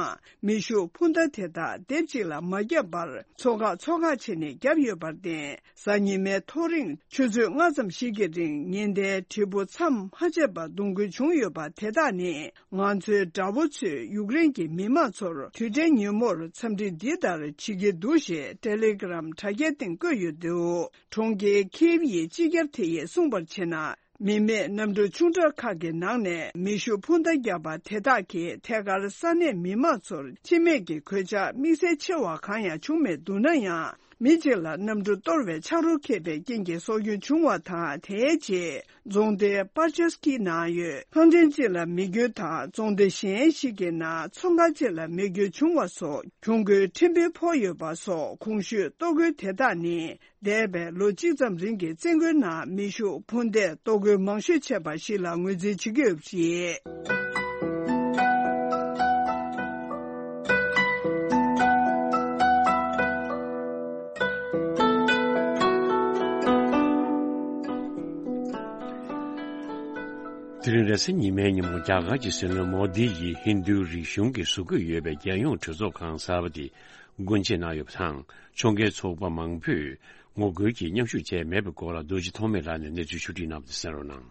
མེ་ཤུགས་འཕུར་མདའ་དེ་དག་སྡེབ་གཅིག་ལ་མ་བརྒྱབ་པར། ཚོ་ཁག་ཚོ་ཁག་བྱས་ནས་བརྒྱབ་ཡོད་པར་བརྟེན། གཟའ་ཉི་མའི་ཐོ་རེངས་ཆུ་ཚོད་ལྔ་ཙམ་ཞིག་གི་རིང་ཉེན་བརྡའི་དྲིལ་བུ་མཚམས་མ་ཆད་པར་གདོང་འགུལ་བྱུང་ཡོད་པ་དེ་དག་ནི། ང་ཚོའི་དགྲ་བོ་ཚོས་ཡུཀ་རེན་གྱི་མི་དམངས་ཚོར་དུས་དྲན་ཉིན་མོར་འཚམས་འདྲི་འདི་ལྟར་བྱེད་ཀྱི་འདུག་ཞེས་ཏེ་ལེ་གྷི་རམ་དྲ་རྒྱའི་སྟེང་བཀོད་ཡོད་འདུག་གྲོང་ཁྱེར་ཁིབ་ཡི་སྤྱི་ཁྱབ་དེ་ཡིས་གསུངས་པར་བྱས་ན། མི་མེད་གནམ་གྲུ་ཆུང་དྲགས་ཁག་གི་ནང་ནས་མེ་ཤུགས་འཕུར་མདའ་བརྒྱབ་པ་དེ་དག་གིས་ཐད་ཀར་ས་གནས་མི་དམངས་ཚོར་འཆི་རྨས་ཀྱི་གོད་ཆག་དམིགས་བསལ་ཆེ་བ་གང་ཡང་བྱུང་མེད་འདུག་ན་ཡང་། མི་གཅིག་ལ་གནམ་གྲུ་གཏོར་བའི་ཆག་རོ་ཁེབས་པའི་རྐྱེན་གྱིས་སྲོག་སྐྱོན་བྱུང་བ་དང་། དེའི་རྗེས་རྫོང་སྡེ་པར་ཆ་སི་ཀི་ནང་ཡོད་ལྷ་འདྲེན་སྤྱི་ལ་མེ་སྐྱོན་དང་། རྫོང་སྡེ་གཞན་ཞིག་གི་ནང་ཚོང་ཁང་ཅིག་ལ་མེ་སྐྱོན་བྱུང་བ་སོགས་གྱོང་གུན་ཕྲན་བུ་ཕོག་ཡོད་པ་སོགས། གོང་ཞུས་གཏོར་རྒོལ་དེ་དག་ནི་འདས་པའི་ལོ་གཅིག་ཙམ་རིང་གི་བཙན་རྒོལ་ནང་མེ་ཤུགས་འཕུར་མདེལ་གཏོར་རྒོལ་མང་ཤོས་ཆེ་བ་ཞིག་ལ་ངོས་འཛིན་བྱེད་ཀྱི་ཡོད་པ་རེད། དེ་རིང་རེས་གཟའ་ཉི་མའི་ཉིན་མོ་རྒྱ་གར་གྱི་སྲིད་བློན་མོ་དི་ཡིས་ཧིན་རྡུའི་རིག་གཞུང་གིས་བཟོ་དགོས་ཡོད་པའི་རྒྱལ་ཡོངས་གྲོས་ཚོགས་ཁང་གསར་པ་དེ་སྒོ་འབྱེད་གནང་ཡོད་པ་དང་། ཕྱོགས་འགལ་ཚོགས་པ་མང་པོས་ངོ་རྒོལ་གྱིས་མཉམ་ཞུགས་བྱས་མེད་པའི་སྐོར་ལ་རྡོ་རྗེ་ཐོགས་མེད་ལགས་ནས་གནས་ཚུལ་ཕྱོགས་སྒྲིག་གནང་བ་དེ་གསན་རོགས་གནང་།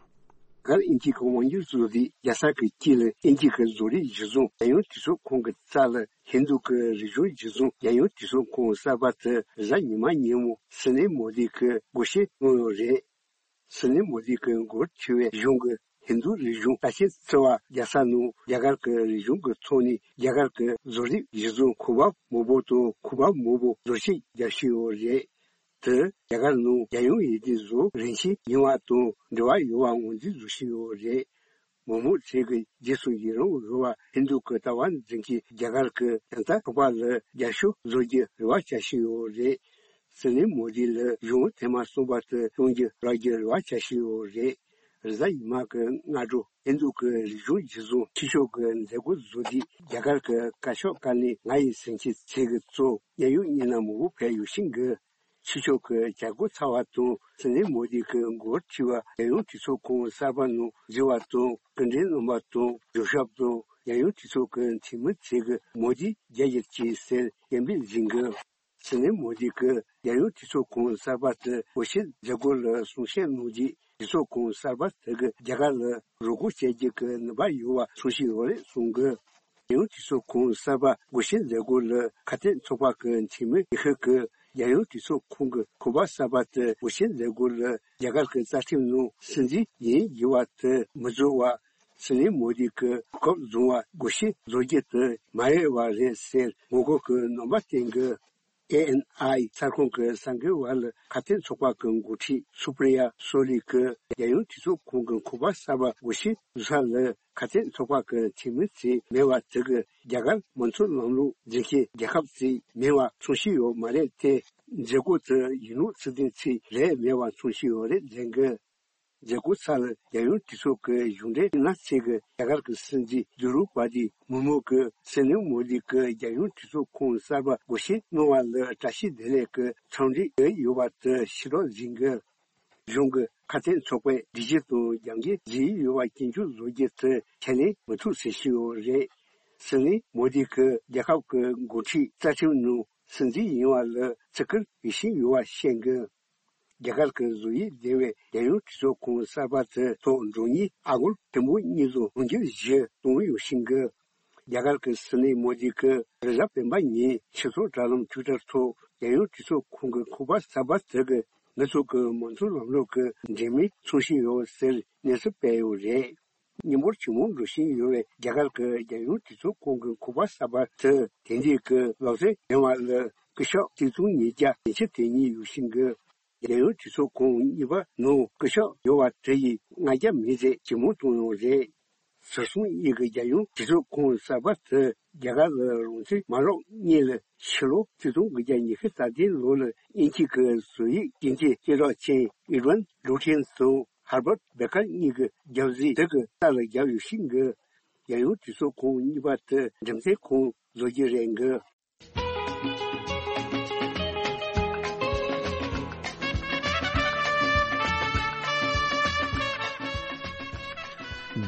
སྒར་དབྱིན་ཇི་གི་དབང་སྒྱུར་བཟོ་རིགས་རྒྱག་ས་གི་དཀྱིལ་ལ་དབྱིན་ཇི་གི་བཟོ་རིགས་གཞི་བཟུང་རྒྱལ་ཡོངས་གྲོས་ཚོགས་ཁང་གི་རྩ་ལ་ཧིན་རྡུ་གི་རིག་གཞུང་གཞི་བཟུང་རྒྱལ་ཡོངས་གྲོས་ཚོགས་ཁང་གསར་པ་དེ་རེས་གཟའ་ཉི་མ་ཉིན་མོ་སྲིད་བློན་མོ་དི་གིས་སྒོ་ཕྱེ་གནང་ཡོད་རེད། སྲིད་བློན་མོ་དི་གིས་འགོ་ཁྲིད་པའི་གཞུང་གིས་ཧིན་རྡུ་རིག་གཞུང་ལྟ་ཞིབ་བརྩི་བ་རྒྱག་ས་ནང་རྒྱ་གར་གྱི་རིག་གཞུང་གི་ཐོག་ནས་རྒྱ་གར་གྱི་བཟོ་རིག་གཞི་བཟུང་གོ་བ་མང་པོ་དང་གོ་བ་མང་པོ་བཟོ་ཞིབ་རྒྱག་བཞིན་ཡོད་རེད། དེ་རྒྱ་གར་ནང་རྒྱལ་ཡོངས་ཡིག་རྒྱུགས་བཟོ་རིན་ཆེན་ཡིན་པ་དང་འབྲེལ་བ་ཡོད་པ་ངོས་འཛིན་བཟོ་བཞིན་ཡོད་རེད། མི་མང་ཚོས་ཀྱི་རྗེས་སུ་ཡི་རང་འོས་པ་ཧིན་རྡུ་གི་ལྟ་བ་འཛིན་མཁན་རྒྱ་གར་གྱི་ཡང་དག་ཚོགས་པ་ལ་རྒྱབ་སྐྱོར་བཟོ་རྒྱུ་རེ་བ་བྱ་བཞིན་ཡོད་རེད། སྲིད་བློན་མོ་དི་ལ་གཞུང་ཐེངས་མ་གསུམ་པ་དེ་གཏོང་རྒྱུ་རག་རྒྱུ་རེ་བ་བྱ་བཞིན་ཡོད་རེད། རེས་གཟའ་ཉི་མ་གི་སྔ་དྲོ་ཧིན་རྡུ་གི་རིག་གཞུང་གཞི་བཟུང་ཕྱི་ཕྱོགས་ཀྱི་མཛད་སྒོ་བཟོ་དུས་རྒྱ་གར་གྱི་བཀའ་ཤོག་བཀའ་བློན་ང་ཡི་ཟིན་བྲིས་ཚིག་གི་གཙོ་གཉའ་ཡོད་གཉིས་ན་མང་པོ་ཕེབས་ཡོད་ཤིང་གི། ཕྱི་ཕྱོགས་ཀྱི་བྱ་སྒོ་ཚར་བ་དང་སྲིད་བློན་མོ་དི་གི་འགོ་ཁྲིད་པ་རྒྱལ་ཡོངས་གྲོས་ཚོགས་ཁང་གསར་པ་ནང་འཛུལ་བ་དང་སྐུ་མགྲོན་རྣམ་པ་དང་རྒྱབ་ཤོག་དང་རྒྱལ་ཡོངས་གྲོས་ཚོགས་ཀྱི་འཐུས་མི་ཚོས་ཀྱི་མོ་དི་རྒྱལ་གྱུར་ཅིག་ཟེར་སྐད་འབོད་བྱེད་ཀྱི། སྲིད་བློན་མོ་དི་གིས་རྒྱལ་ཡོངས་གྲོས་ཚོགས་ཁང་གསར་པ་དེ་སྒོ་ཕྱེ་མཛད་སྒོ་ལ་གསུང་བཤད་གནང་རྗེས་གྲོས་ཚོགས་ཁང་གསར་པ་དེ་གིས་རྒྱ་གར་ལ་རོགས་སྐྱོར་བྱེད་རྒྱུ་གི་ནུས་པ་ཡོད་པ་མཚོན་བཞིན་ཡོད་རེད་གསུངས་ཀྱི། རྒྱལ་ཡོངས་གྲོས་ཚོགས་ཁང་གསར་པ་སྒོ་ཕྱེ་མཛད་སྒོ་ལ་ཁ་གཏད་ཚོགས་པ་གི་འཐུས་མི་ཉི་ཤུ་གིས་རྒྱལ་ཡོངས་གྲོས་ཚོགས་ཁང་གི་ཁང་པ་གསར་པ་དེ་སྒོ་ཕྱེ་མཛད་སྒོ་ལ་རྒྱ་གར་གྱི་རྩ་ཁྲིམས་ནང་སྲིད་འཛིན་ཡིན་དགོས་པ་དེ་མི་བཟོ་བར་སྲིད་བློན་མོ་དི་གིས་སྐབས་བཟང་བར་སྒོ་ཕྱེ་བཟོ་རྒྱུ་དེ་མ་འོས་པ་རེད་ཟེར་ངོ་རྒོལ་གྱི་རྣམ་པ་བསྟན་གྱི། ཨེ་ཨེན་ཨའི་གསར་ཁང་གི་གསར་འགོད་པ་ལ་ཁ་གཏད་ཚོགས་པ་གི་འགོ་ཁྲིད་སུ་པྲི་ཡ་སོ་ལི་གིས་རྒྱལ་ཡོངས་གྲོས་ཚོགས་ཁང་གི་ཁང་པ་གསར་པ་སྒོ་ཕྱེ་བཟོ་ས་ལ་ཁ་གཏད་ཚོགས་པ་གི་འཐུས་མི་ཚོས་མེད་པ་དེ་གིས་རྒྱ་གར་མང་གཙོ་ལམ་ལུགས་འཛིན་མཁན་རྒྱལ་ཁབ་ཅིག་མིན་པ་མཚོན་བཞིན་ཡོད་མ་རེད་དེ། མཛད་སྒོ་དེ་ཡུལ་ལུགས་ཚིག་དོན་ཚིག་ལས་མེད་པ་མཚོན་བཞིན་ཡོད་རེད་ལན་གི། མཛད་སྒོ་ཚར་ལ་རྒྱལ་ཡོངས་གྲོས་ཚོགས་ཀྱི་གཞུང་འབྲེལ་མི་སྣ་ཚོས་ཀྱི་རྒྱ་གར་གྱི་སྲིད་འཛིན་དུ་ལུ་པ་ཏི་མུར་མུ་གིས་སྲིད་བློན་མོ་དི་གིས་རྒྱལ་ཡོངས་གྲོས་ཚོགས་ཁང་གསར་པ་སྒོ་ཕྱེ་གནང་བ་ལ་བཀྲ་ཤིས་བདེ་ལེགས་ཀྱི་འཚམས་འདྲི་ཡོད་པ་དེ་ཕྱི་ལོགས་འཛིན་གྱི། གཞུང་གི་ཁ་གཏད་ཚོགས་པས་སྒྲིག་གཞི་དང་རྒྱབ་འགལ་བྱས་ཡོད་པ་སྐྱོན་བརྗོད་བཟོ་རྒྱུ་དེ་ཁས་ལེན་མི་ཐུབ་ཟེར་བཞིན་ཡོད་རེད། སྲིད་བློན་མོ་དི་གིས་རྒྱལ་ཁབ་ཀྱི་འགོ་ཁྲིད་རྩ་ཁྲིམས་ནང་སྲིད་འཛིན་ཡིན་པ་ལ་བརྩི་བཀུར་ཡོད་བཞིན་ཡོད་པ་བཤད་གི། རྒྱ་གར་གྱི་བཟོ་དབྱིབས་ལྡན་པའི་རྒྱལ་ཡོངས་གྲོས་ཚོགས་ཁང་གསར་པ་དེ་ཐོག་མགྲོན་གཉེར་ཨ་སྒོར་ཐེར་འབུམ་གཉིས་དང་དུང་ཕྱུར་བཞི་གཏོང་ཡོད་བཞིན་གི། རྒྱ་གར་གྱི་སྲིད་བློན་མོ་དི་གིས་རེས་གཟའ་སྤེན་པ་ཉིན་སྤྱི་ཚོགས་དྲ་ལམ་ཊུའི་ཊར་ཐོག་རྒྱལ་ཡོངས་གྲོས་ཚོགས་ཁང་གི་ཁང་པ་གསར་པ་དེ་གིས་ང་ཚོ་གི་མང་གཙོ་ལམ་ལུགས་ཀྱི་འབྲེལ་མོལ་མཚོན་བཞིན་ཡོད་ཟེར་གནས་ཚུལ་སྤེལ་ཡོད་རེད། མི་འབོར་ཇེ་མང་འགྲོ་བཞིན་ཡོད་པའི་རྒྱ་གར་གྱི་རྒྱལ་ཡོངས་གྲོས་ཚོགས་ཁང་གི་ཁང་པ་གསར་པ་དེ་དེང་དུས་ཀྱི་ལག་རྩལ་ལྡན་པ་ལ་སྐུ་ཞབས་ཆིག་སྟོང་ཉིས་བརྒྱ་ཉི་ཤུ་དེ་ཉིད་ཡོད་བཞིན་གི། རྒྱལ་ཡོངས་གྲོས་ཚོགས་ཁང་གཉིས་པ་ནང་སྐུ་ཞབས་ཡོད་པ་དེ་ཡིས་ལྔ་བརྒྱ་མི་ཚད་ཇེ་མང་བཏང་ཡོད་རེད། ཟུར་གསུམ་གཉིས་ཀྱི་རྒྱལ་ཡོངས་གྲོས་ཚོགས་ཁང་གསར་པ་དེ་རྒྱ་གར་ལ་རང་བཙན་མ་རག་སྔོན་ལ་ཕྱི་ལོ་ཆིག་སྟོང་དགུ་བརྒྱ་ཉི་ཤུ་རྩ་བདུན་ལོ་ལ་དབྱིན་ཇི་གི་བཟོ་དབྱིབས་སྐྱེལ་འདྲེན་སྐྱེལ་གྲགས་ཅན་ཨེ་ཌི་ཝན་ལུ་ཊིན་དང་ཧར་བར་བེ་ཀར་གཉིས་ཀྱི་རྒྱབ་གཟིགས་དེ་གི་རྩ་ལ་བརྒྱབ་ཡོད་བཞིན་གི། རྒྱལ་ཡོངས་གྲོས་ཚོགས་ཁང་གཉིས་པ་དེ་འགྲེམས་སྟོན་ཁང་བཟོ་རྒྱུ་རེད་གི།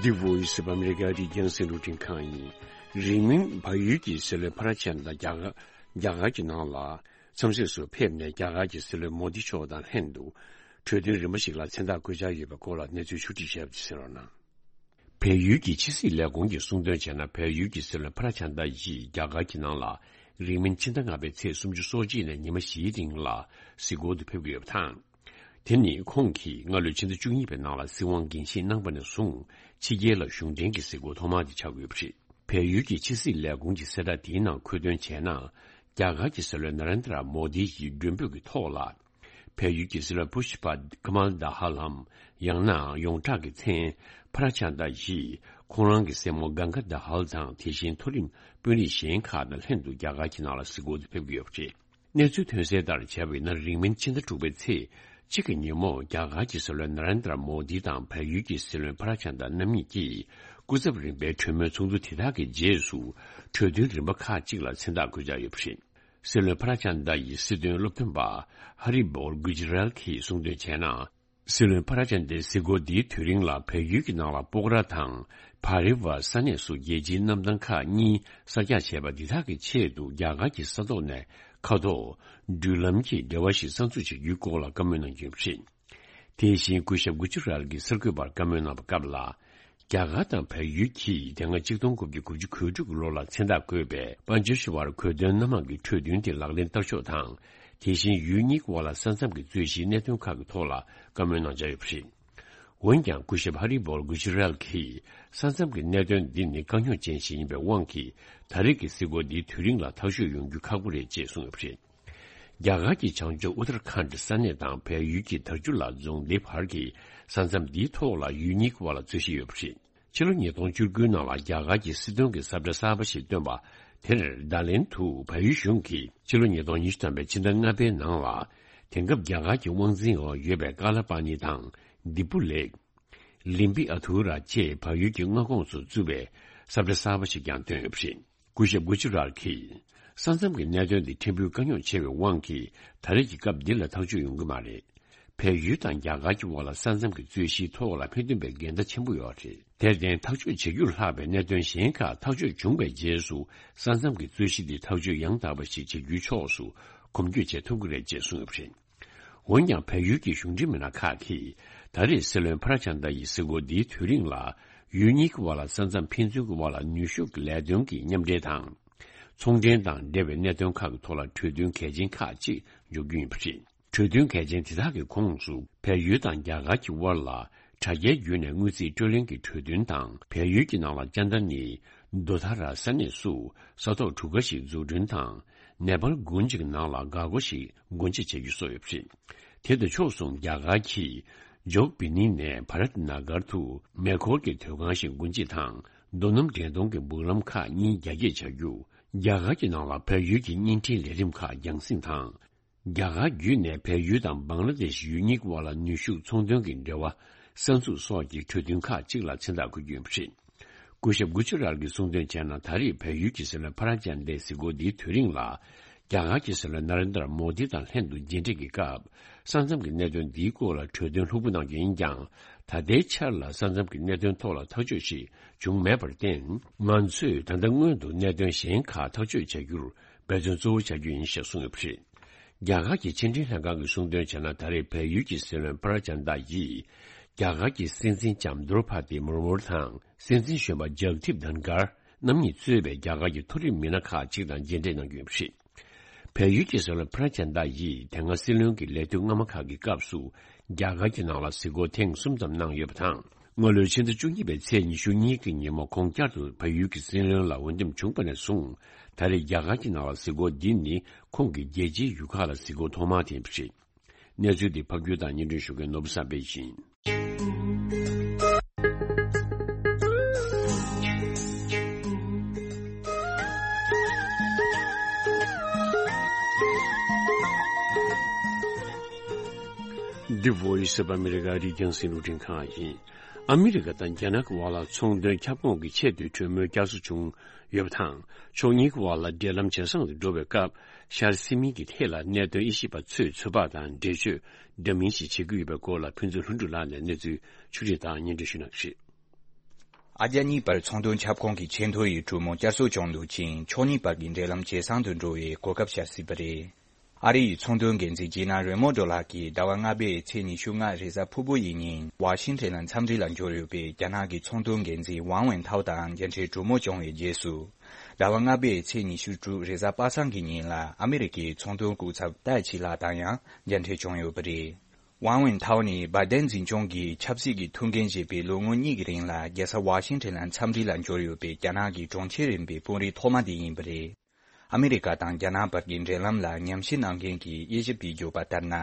འདི་Voice of America རི་རྒྱང་སྲིད་འགྲོ་འཕྲིན་ཁང་ཡིན། རིང་མིན་བལ་ཡུལ་གྱི་སྲིད་བློན་ཕ་ར་ཆན་དང་རྒྱ་གར་རྒྱ་གར་གྱི་ནང་ལ་འཚམས་གཟིགས་སུ་ཕེབས་ནས་རྒྱ་གར་གྱི་སྲིད་བློན་མོ་དི་མཆོག་དང་ལྷན་དུ་གྲོས་མཐུན་རིམ་པ་ཞིག་ལ་མཚན་རྟགས་བཀོད་འཆར་ཡོད་པའི་སྐོར་ལ་གནས་ཚུལ་ཕྱོགས་སྒྲིག་བྱས་པ་དེ་གསན་རོགས་གནང་། བལ་ཡུལ་གྱི་ཕྱི་སྲིད་ལས་ཁུངས་ཀྱིས་གསུངས་དོན་བྱས་ན། བལ་ཡུལ་གྱི་སྲིད་བློན་ཕ་ར་ཆན་ཏ་ཡིས་རྒྱ་གར་གྱི་ནང་ལ་རིང་མིན་ཕྱི་ཟླ་ལྔ་པའི་ཚེས་སུམ་ཅུ་སོ་གཅིག་ནས་ཉི་མ་བཞིའི་རིང་ལ་གཟིགས་སྐོར་དུ་ཕེབས་ཀྱི་ཡོད་པ་དང་། དེ་ནི་ཁོང་གིས་སྔ་ལོའི་ཕྱི་ཟླ་བཅུ་གཉིས་པའི་ནང་ལ་སྲིད་དབང་འགན་བཞེས་གནང་པ་ནས་བཟུང་ཕྱི་རྒྱལ་ལ་གཞུང་འབྲེལ་གྱི་གཟིགས་སྐོར་ཐོག་མ་དེ་ཆགས་ཀྱི་ཡོད་པ་རེད། བལ་ཡུལ་གྱི་ཕྱི་སྲིད་ལས་ཁུངས་ཀྱི་གསལ་བསྒྲགས་དེའི་ནང་འཁོད་དོན་བྱས་ན། རྒྱ་གར་གྱི་སྲིད་བློན་ན་རེན་དྲ་མོ་དི་ཡི་མགྲོན་འབོད་ཀྱི་ཐོག་ལ། བལ་ཡུལ་གྱི་སྲིད་བློན་བྷུ་ཤ་པ་ཀ་མལ་དཱ་ཧ་ལམ། ཡང་ན་ཡོངས་གྲགས་ཀྱི་མཚན་ཕ་ར་ཆན་དཱ་ཡིས་ཁོང་རང་གི་སྲས་མོ་གང་ག་དཱ་ཧལ་དང་། དེ་བཞིན་མཐོ་རིམ་དཔོན་རིགས་གཞན་ཁག་དང་ལྷན་དུ་རྒྱ་གར་གྱི་ནང་ལ་གཟིགས་སྐོར་དུ་ཕེབས་ཀྱི་ཡོད་པ་རེད། གནས་ཚུལ་ཐོན་གསལ་ལྟར་བྱས་པ་ཡིན་ན། རིང་མིན་ཕྱི་ཟླ་དྲུག་པའི་ཚེས་གཅིག་གི་ཉིན་མོ། རྒྱ་གར་གྱི་སྲིད་བློན་ན་རེན་དྲ་མོ་དི་དང་བལ་ཡུལ་གྱི་སྲིད་བློན་ཕ་ར་ཆན་དཱ་རྣམ་གཉིས་ཀྱིས་སྐུ་ཚབ་རིམ་པའི་གྲོས་མོལ་ཚོགས་འདུ་དེ་དག་གི་རྗེས་སུ། གྲོས་མཐུན་རིམ་པ་ཁག་ཅིག་ལ་མཚན་རྟགས་བཀོད་འཆར་ཡོད་པ་རེད། སྲིད་བློན་ཕ་ར་ཆན་དཱ་ཡི་སྲིད་དོན་སློབ་སྟོན་པ་ཧ་རི་བོལ་གུ་ཇི་རལ་གྱིས་གསུངས་དོན་བྱས་ན། སྲིད་བློན་ཕ་ར་ཆན་དཱའི་གཟིགས་སྐོར་འདིའི་དུས་རིང་ལ། བལ་ཡུལ་གྱི་ནང་ལ་སྤོག་ར་དང་བྷ་རེ་བ་ས་གནས་སུ་རྒྱལ་སྤྱིའི་གནམ་ཐང་ཁག་གཉིས་གསར་རྒྱག་བྱས་པ་འདི་དག་གི་ཆེད་དུ། རྒྱ་གར་གྱི་ས་ཐོག་ནས་མཁའ་ཐོག་འགྲུལ་ལམ་གྱི་འབྲེལ་བ་ཞིག་གསར་འཛུགས་བྱ་རྒྱུའི་སྐོར་ལ་བཀའ་མོལ་གནང་རྒྱུ་རེད། དེ་བཞིན་སྐུ་ཞབས་གུ་ཆུ་རལ་གྱིས་གསར་འགོད་པར་བཀའ་མོལ་གནང་བའི་སྐབས་ལ། རྒྱ་གར་དང་བལ་ཡུལ་གྱིས་དེ་སྔ་གཅིག་སྟོང་དགུ་བརྒྱ་དགུ་བཅུ་གོ་དྲུག་གི་ལོ་ལ་མཚན་རྟགས་བཀོད་པའི་པཱན་ཇ་ཤི་བར་གོ་དོན་སྣ་མང་གི་གྲོས་མཐུན་དེ་ལག་ལེན་བསྟར་ཕྱོགས་དང་། དེ་བཞིན་ཡུལ་གཉིས་ཀྱི་དབར་ལ་ས་མཚམས་ཀྱི་རྩོད་གཞིའི་གནད་དོན་ཁག་གི་ཐོག་ལ་བཀའ་མོལ་གནང་འཆར་ཡོད་པ་རེད། འོན་ཀྱང་། སྐུ་ཞབས་ཧ་རི་བོལ་གུ་ཇི་རལ་གྱིས། ས་མཚམས་ཀྱི་གནད་དོན་འདི་ནི་དཀའ་རྙོག་ཅན་ཞིག་ཡིན་པའི་དབང་གིས། ད་རེས་ཀྱི་གཟིགས་སྐོར་འདིའི་དུས་རིང་ལ་ཐག་གཅོད་ཡོང་རྒྱུ་ཁག་པོ་རེད་ཅེས་གསུངས་ཡོད་པ་རེད། རྒྱ་གར་གྱི་བྱང་ཕྱོགས་ཨུ་ཏར་ཁཱན་ཌི་ས་གནས་དང་བལ་ཡུལ་གྱི་དར་ཆུ་ལ་རྫོང་སྡེ་བར་གྱི་ས་མཚམས་འདིའི་ཐོག་ལ་ཡུལ་གཉིས་ཀྱི་དབར་ལ་རྩོད་གཞི་ཡོད་པ་རེད། ཕྱི་ལོ་ཉིས་སྟོང་བཅུ་དགུའི་ནང་ལ་རྒྱ་གར་གྱི་སྲིད་དོན་གྱི་ས་བཀྲ་གསར་པ་ཞིག་བཏོན་པ་དེར། བརྡ་ལན་དུ་བལ་ཡུལ་གཞུང་གིས་ཕྱི་ལོ་ཉིས་སྟོང་ཉི་ཤུ་ཐམ་པའི་ཕྱི་ཟླ་ལྔ་པའི་ནང་ལ། དེང་སྐབས་རྒྱ་གར་གྱི་དབང་འཛིན་འོག་ཡོད་པའི་ཀ་ལ་པ་ནི་དང་། དི་པུ་ལེག་ལིམ་པི་ཨ་ཐུ་ར་བཅས་བལ་ཡུལ་གྱི་མངའ་ཁོངས་སུ་བཙུགས་པའི་ས་བཀྲ་གསར་པ་ཞིག་ཀྱང་བཏོན་ཡོད་པ་རེད། སྐུ་ཞབས་གུ་ཆུ་རལ་གྱིས། ས་མཚམས་ཀྱི་གནད་དོན་འདི་ཕྲན་བུ་དཀའ་རྙོག་ཆེ་བའི་དབང་གིས། ད་རེས་ཀྱི་སྐབས་འདི་ལ་ཐག་གཅོད་ཡོང་གི་མ་རེད། བལ་ཡུལ་དང་རྒྱ་གར་གྱི་དབར་ལ་ས་མཚམས་ཀྱི་རྩོད་གཞིའི་ཐོག་ལ་ཕན་ཐོགས་པའི་འགལ་ཟླ་ཆེན་པོ་ཡོད་རེད། དེར་བརྟེན། ཐག་གཅོད་བྱེད་རྒྱུར་ལྷག་པའི་གནད་དོན་གཞན་ཁག་ཐག་གཅོད་བྱུང་བའི་རྗེས་སུ། ས་མཚམས་ཀྱི་རྩོད་གཞི་འདི་ཐག་གཅོད་ཡང་དག་པ་ཞིག་བྱེད་རྒྱུའི་ཕྱོགས་སུ་གོམ་བགྲོད་བྱེད་ཐུབ་ཀྱི་རེད་ཅེས་གསུངས་ཡོད་པ་རེད། འོན་ཀྱང་། བལ་ཡུལ་གྱི་གཞུང་འབྲེལ་མི་སྣ་ཁག་གིས། ད་རེས་སྲིད་བློན་ཕ་ར་ཆན་དཱ་ཡི་གཟིགས་སྐོར་འདིའི་དུས་རིང་ལ། ཡུལ་གཉིས་ཀྱི་དབར་ལ་ས་མཚམས་ཕན་ཚུན་གྱི་དབར་ལ་ནུས་ཤུགས་ཀྱི་ལས་དོན་གྱི་མཉམ་འབྲེལ་དང་། ཚོང་འབྲེལ་དང་འབྲེལ་བའི་གནད་དོན་ཁག་གི་ཐོག་ལ་གྲོས་མཐུན་གལ་ཆེན་ཁག་ཅིག་འཇོག་རྒྱུ་ཡིན་པ་རེད། གྲོས་མཐུན་གལ་ཆེན་དེ་དག་གི་ཁོངས་སུ། བལ་ཡུལ་དང་རྒྱ་གར་གྱི་དབར་ལ་དྲ་རྒྱའི་བརྒྱུད་ནས་དངུལ་རྩིས་སྤྲོད་ལེན་གྱི་གྲོས་མཐུན་དང་། བལ་ཡུལ་གྱི་ནང་ལ་ཅན་ད་ནི་རྡོ་ཐ་ར་ས་གནས་སུ་ས་ཐོག་གྲུ་ཁ་ཞིག་འཛུགས་སྐྲུན་དང་། ནེ་པཱལ་དགུན་གྱི་ནང་ལ་འགག་སྒོ་ཞིག་སྒོ་འབྱེད་བྱ་རྒྱུ་སོགས་ཡོད་པ་རེད། དེ་དང་ཕྱོགས་མཚུངས། རྒྱ་གར་གྱིས་ཇོག་བི་ནི་ནས་བྷ་རཏ་ན་གར་དུ་མེ་འཁོར་གྱི་མཐོ་སྒང་ཞིག་སྒོ་འབྱེད་དང་། རྡོ་སྣུམ་འདྲེན་གཏོང་གི་སྦུག་ལམ་ཁག་གཉིས་རྒྱ་སྐྱེད་བྱ་རྒྱུ། རྒྱ་གར་གྱི་ནང་ལ་བལ་ཡུལ་གྱི་བརྙན་འཕྲིན་ལས་རིམ་ཁག་རྒྱང་སྲིང་དང་། རྒྱ་གར་བརྒྱུད་ནས་བལ་ཡུལ་དང་བང་ལ་དེ་ཤི་ཡུལ་གཉིས་ཀྱི་དབར་ལ་ནུས་ཤུགས་ཚོང་དོན་གྱི་འབྲེལ་བ་གསར་འཛུགས་སོགས་ཀྱི་གྲོས་མཐུན་ཁག་ཅིག་ལ་མཚན་རྟགས་འཁོད་རྒྱུ་ཡིན་པ་རེད། སྐུ་ཞབས་གུ་ཆུ་རལ་གྱིས་གསུངས་དོན་བྱས་ན། ད་རེས་བལ་ཡུལ་གྱི་སྲིད་བློན་ཕ་ར་ཅན་དེའི་གཟིགས་སྐོར་འདིའི་དུས་རིང་ལ། རྒྱ་གར་གྱི་སྲིད་བློན་ན་རེན་དྲ་མོ་དི་དང་ལྷན་དུ་མཇལ་འཕྲད་ཀྱི་སྐབས། ས་མཚམས་ཀྱི་གནད་དོན་འདིའི་སྐོར་ལ་གྲོས་མཐུན་ལྷུག་པོ་གནང་རྒྱུ་ཡིན་ཀྱང་། ད་ལྟའི་ཆར་ལ་ས་མཚམས་ཀྱི་གནད་དོན་ཐོག་ལ་ཐག་གཅོད་ཞིག་བྱུང་མེད་པར་བརྟེན། ང་ཚོས་ད་ལྟ་སྔོན་དུ་གནད་དོན་གཞན་ཁག་ཐག་གཅོད་བྱ་རྒྱུར་འབད་བརྩོན་གཙོ་བོ་བྱ་རྒྱུ་ཡིན་ཞེས་གསུངས་ཡོད་པ་རེད། རྒྱ་གར་གྱི་ཕྱི་འབྲེལ་ལྷན་ཁང་གིས་གསུངས་དོན་བྱས་ན། ད་རེས་བལ་ཡུལ་གྱི་སྲིད་བློན་པྲ་ཅན་ད་ཡིས། རྒྱ་གར་གྱི་སྲིད་འཛིན་ལྕམ་དྲོ་པ་དི་མུར་མུར་དང་། སྲིད་འཛིན་གཞོན་པ་ཇག་དིབ་དྷན་གར་རྣམ་གཉིས་གཙོས་པའི་རྒྱ་གར་གྱི་མཐོ་རིམ་མི་སྣ་ཁག་ཅིག་དང་མཇལ་འཕྲད་གནང་རྒྱུ་ཡིན་པ་རེད། བལ་ཡུལ་གྱི་སྲིད་བློན་པྲ་ཅན་ད་ཡིས་དེ་སྔ་སྲིད་བློན་གྱི་ལས་དུས་སྔ་མ་ཁག་གི་སྐབས་སུ། རྒྱ་གར་གྱི་ནང་ལ་གཟིགས་སྐོར་ཐེངས་གསུམ་ཙམ་གནང་ཡོད་པ་དང་། སྔ་ལོའི་ཕྱི་ཟླ་བཅུ་གཉིས་པའི་ཚེས་ཉི་ཤུ་གཉིས་ཀྱི་ཉིན་མོ། ཁོང་བསྐྱར་དུ་བལ་ཡུལ་གྱི་སྲིད་བློན་ལ་འོས་འདེམས་བྱུང་བ་ནས་བཟུང་། ད་རེས་རྒྱ་གར་གྱི་ནང་ལ་གཟིགས་སྐོར་འདི་ནི་ཁོང་གི་རྒྱལ་སྤྱིའི་ཡུལ་ཁག་ལ་གཟིགས་སྐོར་ཐོག་མ་དེ་ཡིན་པ་རེད། གནས་ཚུལ་འདི་ཕབ་སྒྱུར་དང་སྙན་སྒྲོན་ཞུ་མཁན་ནོར་བུ་བསམ་འཕེལ་ཡིན། འདི་Voice of America རིག་རྒྱང་སྲིད་ལུགས་འཕྲིན་ཁང་ཡིན། ཨ་མི་རི་ཀ་དང་རྒྱ་ནག་གི་དབར་ལ་ཚོང་དོན་ཁྱབ་ཁོངས་ཀྱི་ཆེས་མཐོའི་གྲོས་མོལ་བསྐྱར་གསོ་བྱུང་ཡོད་པ་དང་། ཕྱོགས་གཉིས་ཀྱི་དབར་ལ་འབྲེལ་ལམ་ཇེ་བཟང་དུ་འགྲོ་བའི་སྐབས། ཤར་སི་མིང་གི་ཐད་ལ་གནད་དོན་དབྱེ་ཞིབ་པ་ཚོས་ཚོད་དཔག་དང་འགྲེལ་བརྗོད་འདྲ་མིན་ཞིག་བྱེད་ཀྱི་ཡོད་པའི་སྐོར་ལ། ཕུན་ཚོགས་ལྷུན་གྲུབ་ལགས་ནས་གནས་ཚུལ་ཕྱོགས་སྒྲིག་དང་སྙན་སྒྲོན་ཞུ་གནང་གི་རེད། ཨ་རྒྱ་གཉིས་བར་ཚོང་དོན་ཁྱབ་ཁོངས་ཀྱི་ཆེས་མཐོའི་གྲོས་མོལ་བསྐྱར་གསོ་བྱུང་འདུག་ཅིང་། ཕྱོགས་གཉིས་བར་གྱི་འབྲེལ་ལམ་ཇེ་བཟང་དུ་འགྲོ་བའི་གོ་སྐབས་ཤར་སྲིད་པ་རེད། ཨ་རི་ཡི་ཚོང་དོན་འགན་འཛིན་ཇི་ན་རེ་མོ་ཌོ་ལགས་ཀྱིས་ཟླ་བ་ལྔ་པའི་ཚེས་ཉི་ཤུ་ལྔ་རེས་གཟའ་ཕུར་བུ་ཡི་ཉིན་ཝ་ཤིང་ཊོན་ལ་འཚམས་འདྲི་ལ་འབྱོར་ཡོད་པའི་རྒྱ་ནག་གི་ཚོང་དོན་འགན་འཛིན་ཝང་ཝེན་ཐའོ་དང་མཇལ་འཕྲད་གྲོས་མོལ་བྱུང་བའི་རྗེས་སུ། ཟླ་བ་ལྔ་པའི་ཚེས་ཉི་ཤུ་དྲུག་རེས་གཟའ་པ་སངས་ཀྱི་ཉིན་ལ་ཨ་མི་རི་ཀའི་ཚོང་དོན་སྐུ་ཚབ་ཏཱ་ཆི་ལགས་དང་ཡང་མཇལ་འཕྲད་བྱུང་ཡོད་པ་རེད། ཝང་ཝེན་ཐའོ་ནི་བྷའི་ཏན་འཛིན་སྐྱོང་གི་ཆབ་སྲིད་ཀྱི་ཐུགས་འགན་བཞེས་པའི་ལོ་ངོ་གཉིས་ཀྱི་རིང་ལ་རྒྱལ་ས་ཝ་ཤིང་ཊོན་ལ་འཚམས་འདྲི་ལ་འབྱོར་ཡོད་པའི་རྒྱ་ནག་གི་གྲོང་ཁྱེར་རིམ་པའི་དཔོན་རིགས་ཐོག་མ་དེ་ཡིན་པ་རེད། ཨ་མི་རི་ཀ་དང་རྒྱ་ནག་བར་གྱི་འབྲེལ་ལམ་ལ་ཉམས་ཞིབ་གནང་མཁན་གྱི་དབྱེ་ཞིབ་པས་བརྗོད་པ་ལྟར་ན།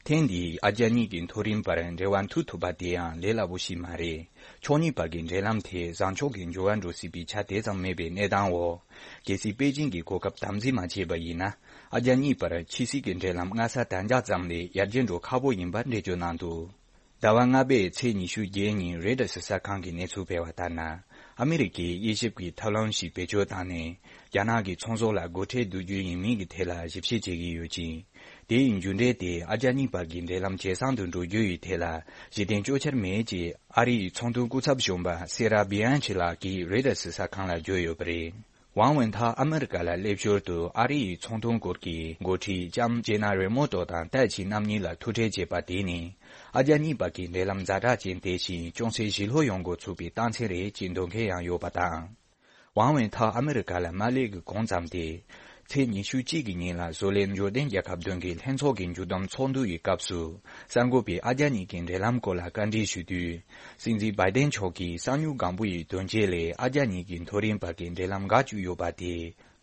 ཐེངས་འདིའི་ཨ་རྒྱ་གཉིས་ཀྱི་མཐོ་རིམ་བར་འབྲེལ་བ་མཐུད་ཐུབ་པ་དེ་ཡང་ལས་སླ་པོ་ཞིག་མ་རེད། ཕྱོགས་གཉིས་བར་གྱི་འབྲེལ་ལམ་དེ་བཟང་ཕྱོགས་ཀྱི་འགྱུར་བ་འགྲོ་སྲིད་པའི་ཆ་དེ་ཙམ་མེད་པའི་གནས་སྟངས་འོག་གལ་སྲིད་པེ་ཅིང་གིས་གོ་སྐབས་དམ་འཛིན་མ་བྱས་པ་ཡིན་ན། ཨ་རྒྱ་གཉིས་བར་ཕྱི་སྲིད་ཀྱི་འབྲེལ་ལམ་སྔ་ས་གདན་འཇགས་ཙམ་ལས་ཡར་རྒྱས་འགྲོ་ཁག་པོ་ཡིན་པ་འགྲེལ་བརྗོད་གནང་འདུག་ཟླ་བ་ལྔ་པའི་ཚེས་ཉི་ཤུ་བརྒྱད་ཉིན་རོའི་ཊར་སི་གསར་ཁང་གིས་གནས་ཚུལ་སྤེལ་བ་ལྟར་ན། ཨ་མི་རི་ཀའི་དབྱེ་ཞིབ་ཀྱིས་ཐབས་ལམ་ཞིག་བེད་སྤྱོད་བཏང་ནས། རྒྱ་ནག་གི་ཚོང་ཟོག་ལ་སྒོ་ཁྲལ་བསྡུ་རྒྱུ་ཡིན་མིན་གྱི་ཐད་ལ་ཞིབ་བཤེར་བྱེད་ཀྱི་ཡོད་ཅིང་། དེ་ཡི་མཇུག་འབྲས་དེ་ཨ་རྒྱ་གཉིས་བར་གྱི་འབྲེལ་ལམ་ཇེ་བཟང་དུ་འགྲོ་རྒྱུ་ཡི་ཐད་ལ་གཞི་རྟེན་ལྕོགས་འཆར་མེད་ཅེས་ཨ་རི་ཡི་ཚོང་དོན་སྐུ་ཚབ་གཞོན་པ་སེ་ར་བི་ཨན་ཆི་ལགས་ཀྱིས་རོའི་ཊར་སི་གསར་ཁང་ལ་བརྗོད་ཡོད་པ་རེད། ཝང་ཝེན་ཐའོ་ཨ་མི་རི་ཀ་ལ་སླེབས་ཞོར་དུ་ཨ་རི་ཡི་ཚོང་དོན་སྐོར་གྱི་འགོ་ཁྲིད་ལྕམ་ཇེ་ན་རེ་མོ་ཏོ་དང་ཏའེ་ཆི་རྣམ་གཉིས་ལ་ཐུག་འཕྲད་བྱས་པ་དེ་ནི། ཨ་རྒྱ་གཉིས་བར་གྱི་འབྲེལ་ལམ་ཛ་དྲག་ཅན་དེ་བཞིན་ཅུང་ཟད་ཞི་ལྷོད་ཡོང་འགོ་ཚུགས་པའི་རྟགས་མཚན་རེད་ཅེས་འདོད་མཁན་ཡང་ཡོད་པ་དང་། ཝང་ཝེན་ཐའོ་ཨ་མི་རི་ཀ་ལ་མ་སླེབས་ཀྱི་གོང་ཙམ་སྟེ། ཚེས་ཉི་ཤུ་གཅིག་གི་ཉིན་ལ་བཟོ་ལས་འབྱོར་ལྡན་རྒྱལ་ཁབ་བདུན་གྱི་ལྷན་ཚོགས་ཀྱི་མཇུག་བསྡོམས་ཚོགས་འདུ་ཡི་སྐབས་སུ། གསར་འགོད་པས་ཨ་རྒྱ་གཉིས་ཀྱི་འབྲེལ་ལམ་སྐོར་ལ་བཀའ་འདྲི་ཞུས་དུས། སྲིད་འཛིན་བྷའི་ཏན་མཆོག་གིས་གསང་མྱུལ་སྒང་པོ་ཡི་དོན་རྐྱེན་ལས་ཨ་རྒྱ་གཉིས་ཀྱི་མཐོ་རིམ་བར་གྱི་འབྲེལ་ལམ་འགག་བཅུག་ཡོད་པ་དེ།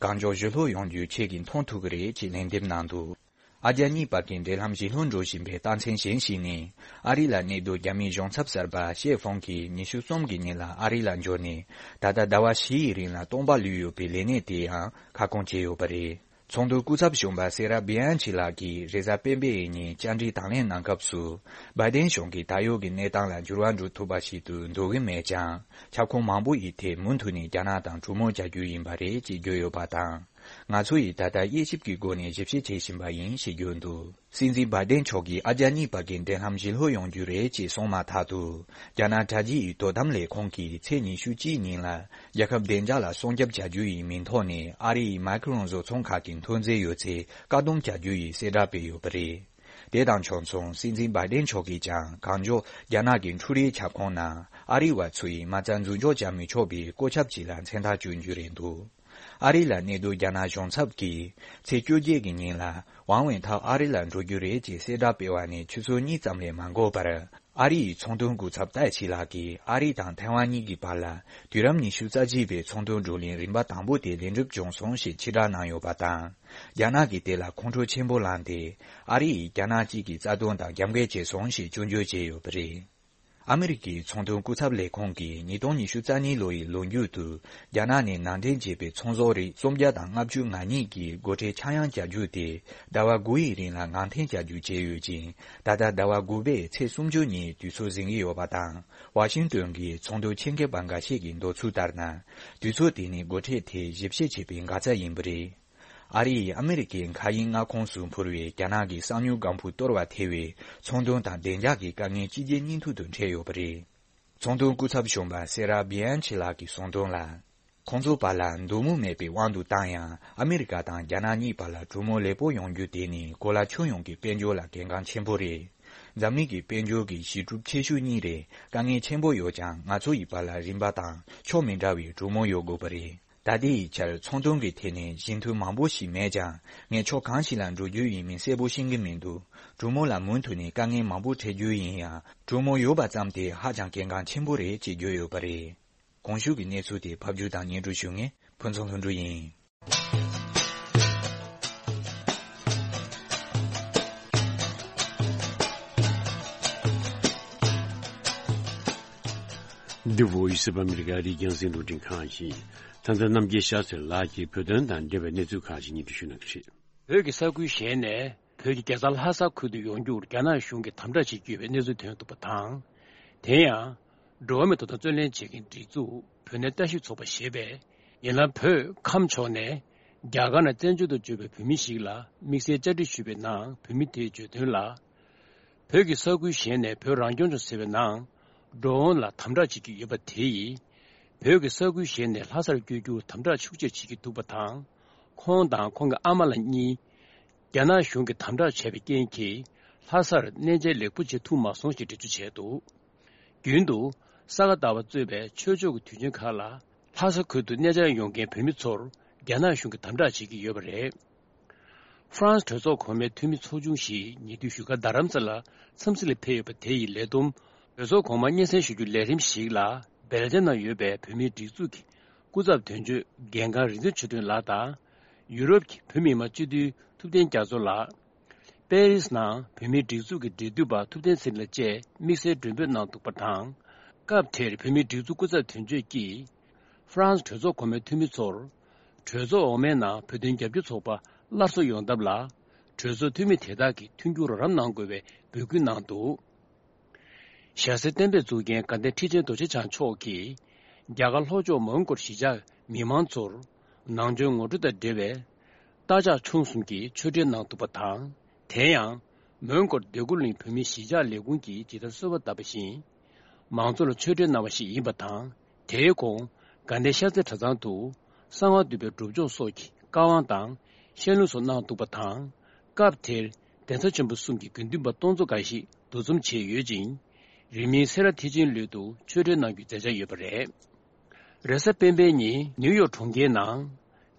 གང་མགྱོགས་ཞི་ལྷོད་ཡོང་རྒྱུའི་ཆེད་ཀྱི་མཐོང་ཐུབ་ཀྱི་རེད་ཅེས་ལན་འདེབས་གནང་འདུག་ཨ་རྒྱ་གཉིས་བར་གྱི་འབྲེལ་ལམ་ཞི་ལྷོད་འགྲོ་བཞིན་པའི་རྟགས་མཚན་གཞན་ཞིག་ནི། ཨ་རི་ལ་གནས་སྡོད་རྒྱ་མིའི་གཞུང་ཚབ་གསར་པ་ཤེ་ཧྥོང་གིས་ཉི་ཤུ་གསུམ་གྱི་ཉིན་ལ་ཨ་རི་ལ་འབྱོར་ནས། ད་ལྟ་ཟླ་བ་བཞི་ཡི་རིང་ལ་སྟོང་པ་ལུས་ཡོད་པའི་ལས་གནས་དེ་ཡང་ཁ་སྐོང་བྱས་ཡོད་པ་རེད། ཚོགས་འདུའི་སྐུ་ཚབ་གཞོན་པ་སེ་ར་བི་ཨན་ཆི་ལགས་ཀྱིས་རེས་གཟའ་སྤེན་པའི་ཉིན་བཅར་འདྲི་དང་ལེན་གནང་སྐབས་སུ། བྷའི་ཏན་གཞུང་གིས་ད་ཡོད་ཀྱི་གནས་སྟངས་ལ་འགྱུར་བ་འགྲོ་ཐུབ་པ་ཞིག་ཏུ་འདོད་ཀྱི་མེད་ཀྱང་། ཁྱབ་ཁོངས་མང་པོ་ཡི་ཐད་མུ་མཐུད་ནས་རྒྱ་ནག་དང་གྲོས་མོལ་བྱ་རྒྱུ་ཡིན་པ་རེད་ཅེས་བརྗོད་ཡོད་པ་དང་། ང་ཚོ་ཡིས་ད་ལྟ་དབྱེ་ཞིབ་ཀྱི་སྒོ་ནས་ཞིབ་བཤེར་བྱེད་བཞིན་པ་ཡིན་ཞེས་བརྗོད་འདུག་སྲིད་འཛིན་བྷའི་ཏན་མཆོག་གིས་ཨ་རྒྱ་གཉིས་བར་གྱི་འབྲེལ་ལམ་ཞི་ལྷོད་ཡོང་རྒྱུ་རེད་ཅེས་གསུངས་མ་ཐག་ཏུ། རྒྱ་ནག་དྲ་རྒྱའི་དོ་དམ་ལས་ཁུངས་ཀྱིས་ཚེས་ཉི་ཤུ་གཅིག་ཉིན་ལ། རྒྱལ་ཁབ་བདེ་འཇགས་ལ་སྲུང་སྐྱོབ་བྱ་རྒྱུ་ཡི་མིང་ཐོག་ནས་ཨ་རི་ཡི་མའི་ཁི་རོན་བཟོ་ཚོང་ཁག་གི་མཐོ་འཛིན་ཡོད་ཚད་བཀག་སྡོམ་བྱ་རྒྱུ་ཡི་གསལ་བསྒྲགས་སྤེལ་ཡོད་པ་རེད། དེ་དང་ཕྱོགས་མཚུངས་སྲིད་འཛིན་བྷའི་ཏན་མཆོག་གིས་ཀྱང་གང་མགྱོགས་རྒྱ་ནག་གི་འཕྲུལ་རིག་ཁྱབ་ཁོངས་ནང་ཨ་རི་བ་ཚོ་ཡིས་མ་རྩ་འཛུགས་འཇོག་བྱ་མི་ཆོག་པའི་བཀོད་ཁྱབ་ཅིག་ལ་མཚན་རྟགས་བཅོལ་རྒྱུ་རེད་འདུག་ཨ་རི་ལ་གནས་སྡོད་རྒྱ་ནག་གཞུང་ཚབ་ཀྱིས་ཚེས་བཅོ་བརྒྱད་ཀྱི་ཉིན་ལ་ཝང་ཝེན་ཐའོ་ཨ་རི་ལ་འགྲོ་རྒྱུ་རེད་ཅེས་གསལ་བསྒྲགས་སྤེལ་བ་ནས་ཆུ་ཚོད་གཉིས་ཙམ་ལས་མ་འགོར་བར། ཨ་རི་ཡི་ཚོང་དོན་སྐུ་ཚབ་ཏའེ་ཆི་ལགས་ཀྱིས་ཨ་རི་དང་ཐའེ་ཝན་གཉིས་ཀྱི་བར་ལ་དུས་རབས་ཉི་ཤུ་རྩ་གཅིག་པའི་ཚོང་དོན་བགྲོ་གླེང་རིམ་པ་དང་པོ་དེ་ལེགས་འགྲུབ་བྱུང་སོང་ཞེས་ཕྱིར་བསྒྲགས་གནང་ཡོད་པ་དང་། རྒྱ་ནག་གིས་དེ་ལ་ཁོང་ཁྲོ་ཆེན་པོ་ལངས་ཏེ། ཨ་རི་ཡིས་རྒྱ་ནག་གཅིག་གི་རྩ་དོན་དང་རྒྱབ་འགལ་བྱས་སོང་ཞེས་སྐྱོན་བརྗོད་བྱས་ཡོད་པ་རེད། ཨ་མི་རི་ཀའི་ཚོང་དོན་སྐུ་ཚབ་ལས་ཁུངས་ཀྱིས་ཉིས་སྟོང་ཉི་ཤུ་རྩ་གཉིས་ལོ་ཡི་ལོ་མཇུག་ཏུ། རྒྱ་ནག་ནས་ནང་འདྲེན་བྱས་པའི་ཚོང་ཟོག་རིགས་སུམ་བརྒྱ་དང་ལྔ་བཅུ་ང་གཉིས་ཀྱི་སྒོ་ཁྲལ་ཆག་ཡང་བྱ་རྒྱུ་དེ། ཟླ་བ་དགུ་ཡི་རིང་ལ་ངང་འཐེན་བྱ་རྒྱུ་བྱས་ཡོད་ཅིང་། ད་ལྟ་ཟླ་བ་དགུ་པའི་ཚེས་སུམ་ཅུ་ཉིན་དུས་ཚོད་འཛིན་གྱི་ཡོད་པ་དང་། ཝ་ཤིང་ཏོན་གྱི་ཚོང་དོན་ཆེད་མཁས་པ་འགའ་ཤས་ཀྱིས་འདོད་ཚུལ་ལྟར་ན། དུས་ཚོད་དེ་ནི་སྒོ་ཁྲལ་དེ་ཞིབ་བཤེར་བྱེད་པའི་འགག་རྩ་ཡིན་པ་རེད། ཨ་རི་ཡིས་ཨ་མི་རི་ཀའི་མཁའ་དབྱིངས་མངའ་ཁོངས་སུ་འཕུར་བའི་རྒྱ་ནག་གི་གསང་མྱུལ་སྒམ་པོ་གཏོར་བ་ཐེ་བའི་ཚོང་དོན་དང་བདེ་འཇགས་ཀྱི་དཀའ་ངལ་ཕྱི་རྒྱལ་སྙིང་ཐུང་དུ་འཕྲད་ཡོད་པ་རེད། ཚོང་དོན་སྐུ་ཚབ་གཞོན་པ་སེ་ར་བི་ཨན་ཆི་ལགས་ཀྱིས་གསུངས་དོན་ལ། ཁོང་ཚོའི་བར་ལ་འདོད་མོས་མེད་པའི་དབང་དུ་བཏང་ཡང་ཨ་མི་རི་ཀ་དང་རྒྱ་ནག་གཉིས་བར་ལ་གྲོས་མོལ་ལེགས་པོ་ཡོང་རྒྱུ་དེ་ནི་གོ་ལ་ཁྱོན་ཡོངས་ཀྱི་དཔལ་འབྱོར་ལ་གལ་འགངས་ཆེན་པོ་རེད། འཛམ་གླིང་གི་དཔལ་འབྱོར་གྱི་གཞི་གྲུབ་ཆེ་ཤོས་གཉིས་རེད། དཀའ་ངལ་ཆེན་པོ་ཡོད་ཀྱང་ང་ཚོ་ཡི་བར་ལ་རིམ་པ་དང་ཕྱོགས་མི་འདྲ་བའི་གྲོས་མོལ་ཡོད་དགོས་པ་རེད། ད་ལྟའི་ཆར་ཚོང་དོན་གྱི་ཐད་ནས་ཞན་མཐུན་མང་པོ་ཞིག་མེད་ཀྱང་ངས་ཕྱོགས་གང་ཞིག་ལ་འགྲོ་རྒྱུ་ཡིན་མིན་གསལ་པོ་ཤེས་ཀྱི་མི་འདུག་གྲོས་མོལ་ལ་མུ་མཐུད་ནས་དཀའ་ངལ་མང་པོ་འཕྲད་རྒྱུ་ཡིན་ཡང་གྲོས་མོལ་ཡོད་པ་ཙམ་དེ་ཧ་ཅང་གལ་འགངས་ཆེན་པོ་རེད་ཅེས་བརྗོད་ཡོད་པ་རེད། གོང་ཞུས་ཀྱི་གནས་ཚུལ་དེ་ཕབ་སྒྱུར་དང་སྙན་སྒྲོན་ཞུ་མཁན་ཕུན་ཚོགས་ལྷུན་གྲུབ་ཡིན། འདི་Voice of America ཨ་རིའི་རྒྱང་སྲིང་རླུང་འཕྲིན་ཁང་ཡིན། ད་ལྟ་རྣམ་རྒྱལ་ཤཱ་ཚེ་ལགས་ཀྱིས་བོད་དོན་དང་འབྲེལ་བའི་གནས་ཚུལ་ཁག་ཅིག་སྙན་སྒྲོན་ཞུ་གནང་གི་རེད། བོད་ཀྱི་ས་ཁུལ་གཞན་ནས་བོད་ཀྱི་རྒྱལ་ས་ལྷ་ས་ཁུལ་དུ་ཡོང་རྒྱུར་རྒྱ་ནག་གཞུང་གིས་དམ་དྲག་བྱེད་ཀྱི་ཡོད་པའི་གནས་ཚུལ་ཐོན་འདུག་པ་དང་། དེ་ཡང་། འགྲོ་བ་མིའི་ཐོབ་ཐང་རྩོད་ལེན་བྱེད་མཁན་སྒྲིག་འཛུགས་བོད་གནས་ལྟ་ཞིབ་ཚོགས་པ་ཞེས་པས། ཡིན་ལ་བོད་ཁམས་ཕྱོགས་ནས་རྒྱ་གར་ནང་བཙན་བྱོལ་དུ་འབྱོར་བའི་བོད་མི་ཞིག་ལ་དམིགས་བསལ་བཅར་འདྲི་ཞུས་པའི་ནང་བོད་མི་དེས་བརྗོད་དོན་ལ། བོད་ཀྱི་ས་ཁུལ་གཞན་ནས་བོད་རང་སྐྱོང་ལྗོངས་ཟེར་བའི་ནང་འགྲོ་འོང་ལ་དམ་དྲག་བྱེད་ཀྱི་ཡོད་པ་དེ་ཡིས། བོད་ཀྱི་ས་ཁུལ་གཞན་ནས་ལྷ་སར་བསྐྱོད་རྒྱུར་དམ་དྲག་ཤུགས་ཆེ་བྱེད་ཀྱི་འདུག་པ་དང་། ཁོང་དང་ཁོང་གི་ཨ་མ་ལགས་གཉིས། རྒྱ་ནག་གཞུང་གིས་དམ་དྲག་བྱས་པའི་རྐྱེན་གྱིས་ལྷ་སར་གནས་མཇལ་ལེགས་པོ་བྱེད་ཐུབ་མ་སོང་ཞེས་འགྲེལ་བརྗོད་བྱས་འདུག་རྒྱུན་དུ་ས་ག་ཟླ་བ་གཙོས་པའི་ཆོས་ཕྱོགས་ཀྱི་དུས་ཆེན་ཁག་ལ་ལྷ་ས་ཁུལ་དུ་གནས་མཇལ་ཡོང་མཁན་བོད་མི་ཚོར་རྒྱ་ནག་གཞུང་གིས་དམ་དྲག་བྱེད་ཀྱི་ཡོད་པ་རེད། ཧྥ་རན་སི་གྲོས་ཚོགས་གོང་མའི་འཐུས་མི་ཚོགས་ཆུང་ཞིག་ཉེ་དུས་བཞུགས་སྒར་རྡ་རམ་ས་ལ་འཚམས་གཟིགས་ལ་ཕེབས་ཡོད་པ་དེ་ཡི་ལས་བསྡོམས་གྲོས་ཚོགས་གོང་མར་སྙན་སེང་ཞུ་རྒྱུའི་ལས་རིམ་ཞིག་ལ་སྦེལ་ཇམ་ནང་ཡོད་པའི་བོད་མིའི་སྒྲིག་འཛུགས་ཀྱི་སྐུ་ཚབ་དོན་གཅོད་རྒན་ཁང་རིག་འཛིན་ཆོས་སྒྲོན་ལགས་དང་། ཡུ་རོབ་ཀྱི་བོད་མི་མང་སྤྱི་འཐུས་ཐུབ་བསྟན་རྒྱ་མཚོ་ལགས། པེ་རིས་ནང་བོད་མིའི་སྒྲིག་འཛུགས་ཀྱི་འབྲེལ་མཐུད་པ་ཐུབ་བསྟན་ཚེ་རིང་ལགས་བཅས་དམིགས་བསལ་མགྲོན་འབོད་གནང་འདུག་པ་དང་། སྐབས་དེར་བོད་མིའི་སྒྲིག་འཛུགས་སྐུ་ཚབ་དོན་གཅོད་ཀྱིས། ཧྥ་རན་སི་གྲོས་ཚོགས་གོང་མའི་འཐུས་མི་ཚོར། གྲོས་ཚོགས་འོག་མའི་ནང་བོད་དོན་རྒྱབ་སྐྱོར་ཚོགས་པ་སླར་གསོ་ཡོང་ཐབས་ལ། གྲོས་ཚོགས་འཐུས་མི་དེ་དག་གིས་མཐུན་འགྱུར་རོགས་རམ་གནང་དགོས་པའི་འབོད་སྐུལ་གནང་འདུག། ཞྭ་སེར་བསྟན་པའི་གཙུག་རྒྱན་དགའ་ལྡན་ཁྲི་ཆེན་རྡོ་རྗེ་འཆང་མཆོག་གིས། རྒྱ་གར་ལྷོ་ཕྱོགས་མོན་གྷོར་གཞིས་ཆགས་མི་མང་ཚོར། ནང་ཆོས་ངོ་སྤྲོད་དང་འབྲེལ་བའི། རྟ་ཕྱག་མཆོང་གསུམ་གྱི་ཆོས་འབྲེལ་གནང་འདུག་པ་དང་། དེ་ཡང་། མོན་གྷོར་སྡེ་དགུ་གླིང་བོད་མིའི་གཞིས་ཆགས་ལས་ཁུངས་ཀྱིས་ཇི་ལྟར་གསོལ་བ་བཏབ་པ་བཞིན། མང་ཚོགས་ལ་ཆོས་འབྲེལ་གནང་བ་ཞིག་ཡིན་པ་དང་། དེའི་གོང་། དགའ་ལྡན་ཤར་རྩེ་གྲྭ་ཚང་དུ། གསང་བ་འདུས་པའི་སྒྲུབ་སྦྱོང་སོགས་ཀྱི་བཀའ་དབང་དང་། བཤད་ལུང་སོགས་གནང་འདུག་པ་དང་། སྐབས་དེར། གདན་ས་ཆེན་པོ་གསུམ་གྱི་དགེ་འདུན་པ་སྟོང་ཚོ་འགའ་ཞིག་འདུ་འཛོམས་བྱས་ཡོད་ཅིང་། རིང་མིན་སེ་ར་ཐེག་ཆེན་ལུས་དུ་ཆོས་འབྲེལ་གནང་རྒྱུའི་མཛད་འཆར་ཡོད་པ་རེད། རེས་གཟའ་སྤེན་པའི་ཉིན་ནིའུ་ཡོག་གྲོང་ཁྱེར་ནང་།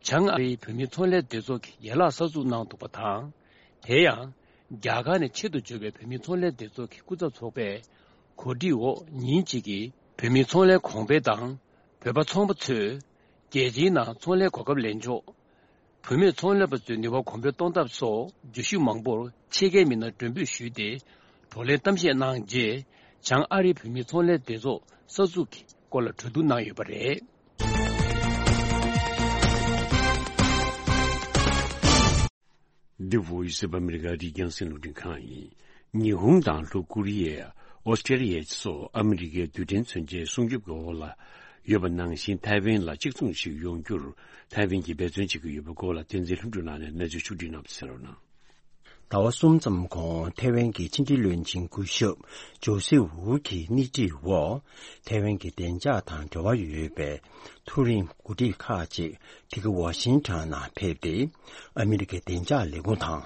བྱང་ཨ་རིའི་བོད་མིའི་ཚོང་ལས་སྡེ་ཚོགས་ཀྱི་ཡན་ལག་གསར་འཛུགས་གནང་འདུག་པ་དང་། དེ་ཡང་། རྒྱ་གར་ནས་ཆེད་དུ་འབྱོར་བའི་བོད་མིའི་ཚོང་ལས་སྡེ་ཚོགས་ཀྱི་སྐུ་ཚབ་ཚོགས་པས། གོ་སྒྲིག་འོག་ཉིན་གཅིག་གི་བོད་མིའི་ཚོང་ལས་གོང་འཕེལ་དང་། བོད་པ་ཚོང་པ་ཚོས། རྒྱལ་སྤྱིའི་ནང་ཚོང་ལས་གོ་སྐབས་ལེན་ཕྱོགས། བུད་མེད་ཚོང་ལས་པ་ཚོའི་ནུས་པ་གོང་འཕེལ་གཏོང་ཐབས་སོགས་བརྗོད་གཞི་མང་པོར་ཕྱེད་ཀའི་མི་སྣར་མགྲོན་འབོད་ཞུས་ཏེ། བགྲོ་གླེང་གཏམ་བཤད་གནང་རྗེས། བྱང་ཨ་རིའི་བོད་མིའི་ཚོང་ལས་སྡེ་ཚོགས་གསར་འཛུགས་ཀྱི་སྐོར་ལ་གྲོས་བསྡུར་གནང་ཡོད་པ་རེད། འདི་Voice of America རི་རྒྱང་སྲིན་རླུང་འཕྲིན་ཁང་ཡིན། ཉི་ཧོང་དང་ལྷོ་ཀོ་རི་ཡ། ཨོ་སི་ཀྲེ་ལི་ཡ་སོགས་ཨ་མི་རི་ཀའི་རྡུལ་ཕྲན་མཚོན་ཆའི་སྲུང་སྐྱོབ་ཀྱི་འོག་ལ་ཡོད་པ་ནང་བཞིན། ཐའེ་ཝན་ལ་གཅིག་མཚུངས་ཤིག་ཡོང་རྒྱུར་ཐའེ་ཝན་གྱིས་འབད་བརྩོན་བྱེད་ཀྱི་ཡོད་པའི་སྐོར་ལ། བསྟན་འཛིན་ལྷུན་གྲུབ་ལགས་ནས་གནས་ཚུལ་ཕྱོགས་བསྒྲིགས་གནང་བ་གསན་རོགས་གནང་། ཟླ་བ་གསུམ་ཙམ་གོང་ཐའེ་ཝན་གྱི་ཕྱི་འབྲེལ་བློན་ཆེན་སྐུ་ཞབས་ཇོ་སི་ཝུ་གིས་སྣེ་ཁྲིད་འོག་ཐའེ་ཝན་གྱི་བདེ་འཇགས་དང་འབྲེལ་བ་ཡོད་པའི་མཐོ་རིམ་འགོ་ཁྲིད་ཁག་ཅིག་འདི་ག་ཝ་ཤིང་ཊོན་ནང་ཕེབས་ཏེ། ཨ་མི་རི་ཀའི་བདེ་འཇགས་ལས་ཁུངས་དང་།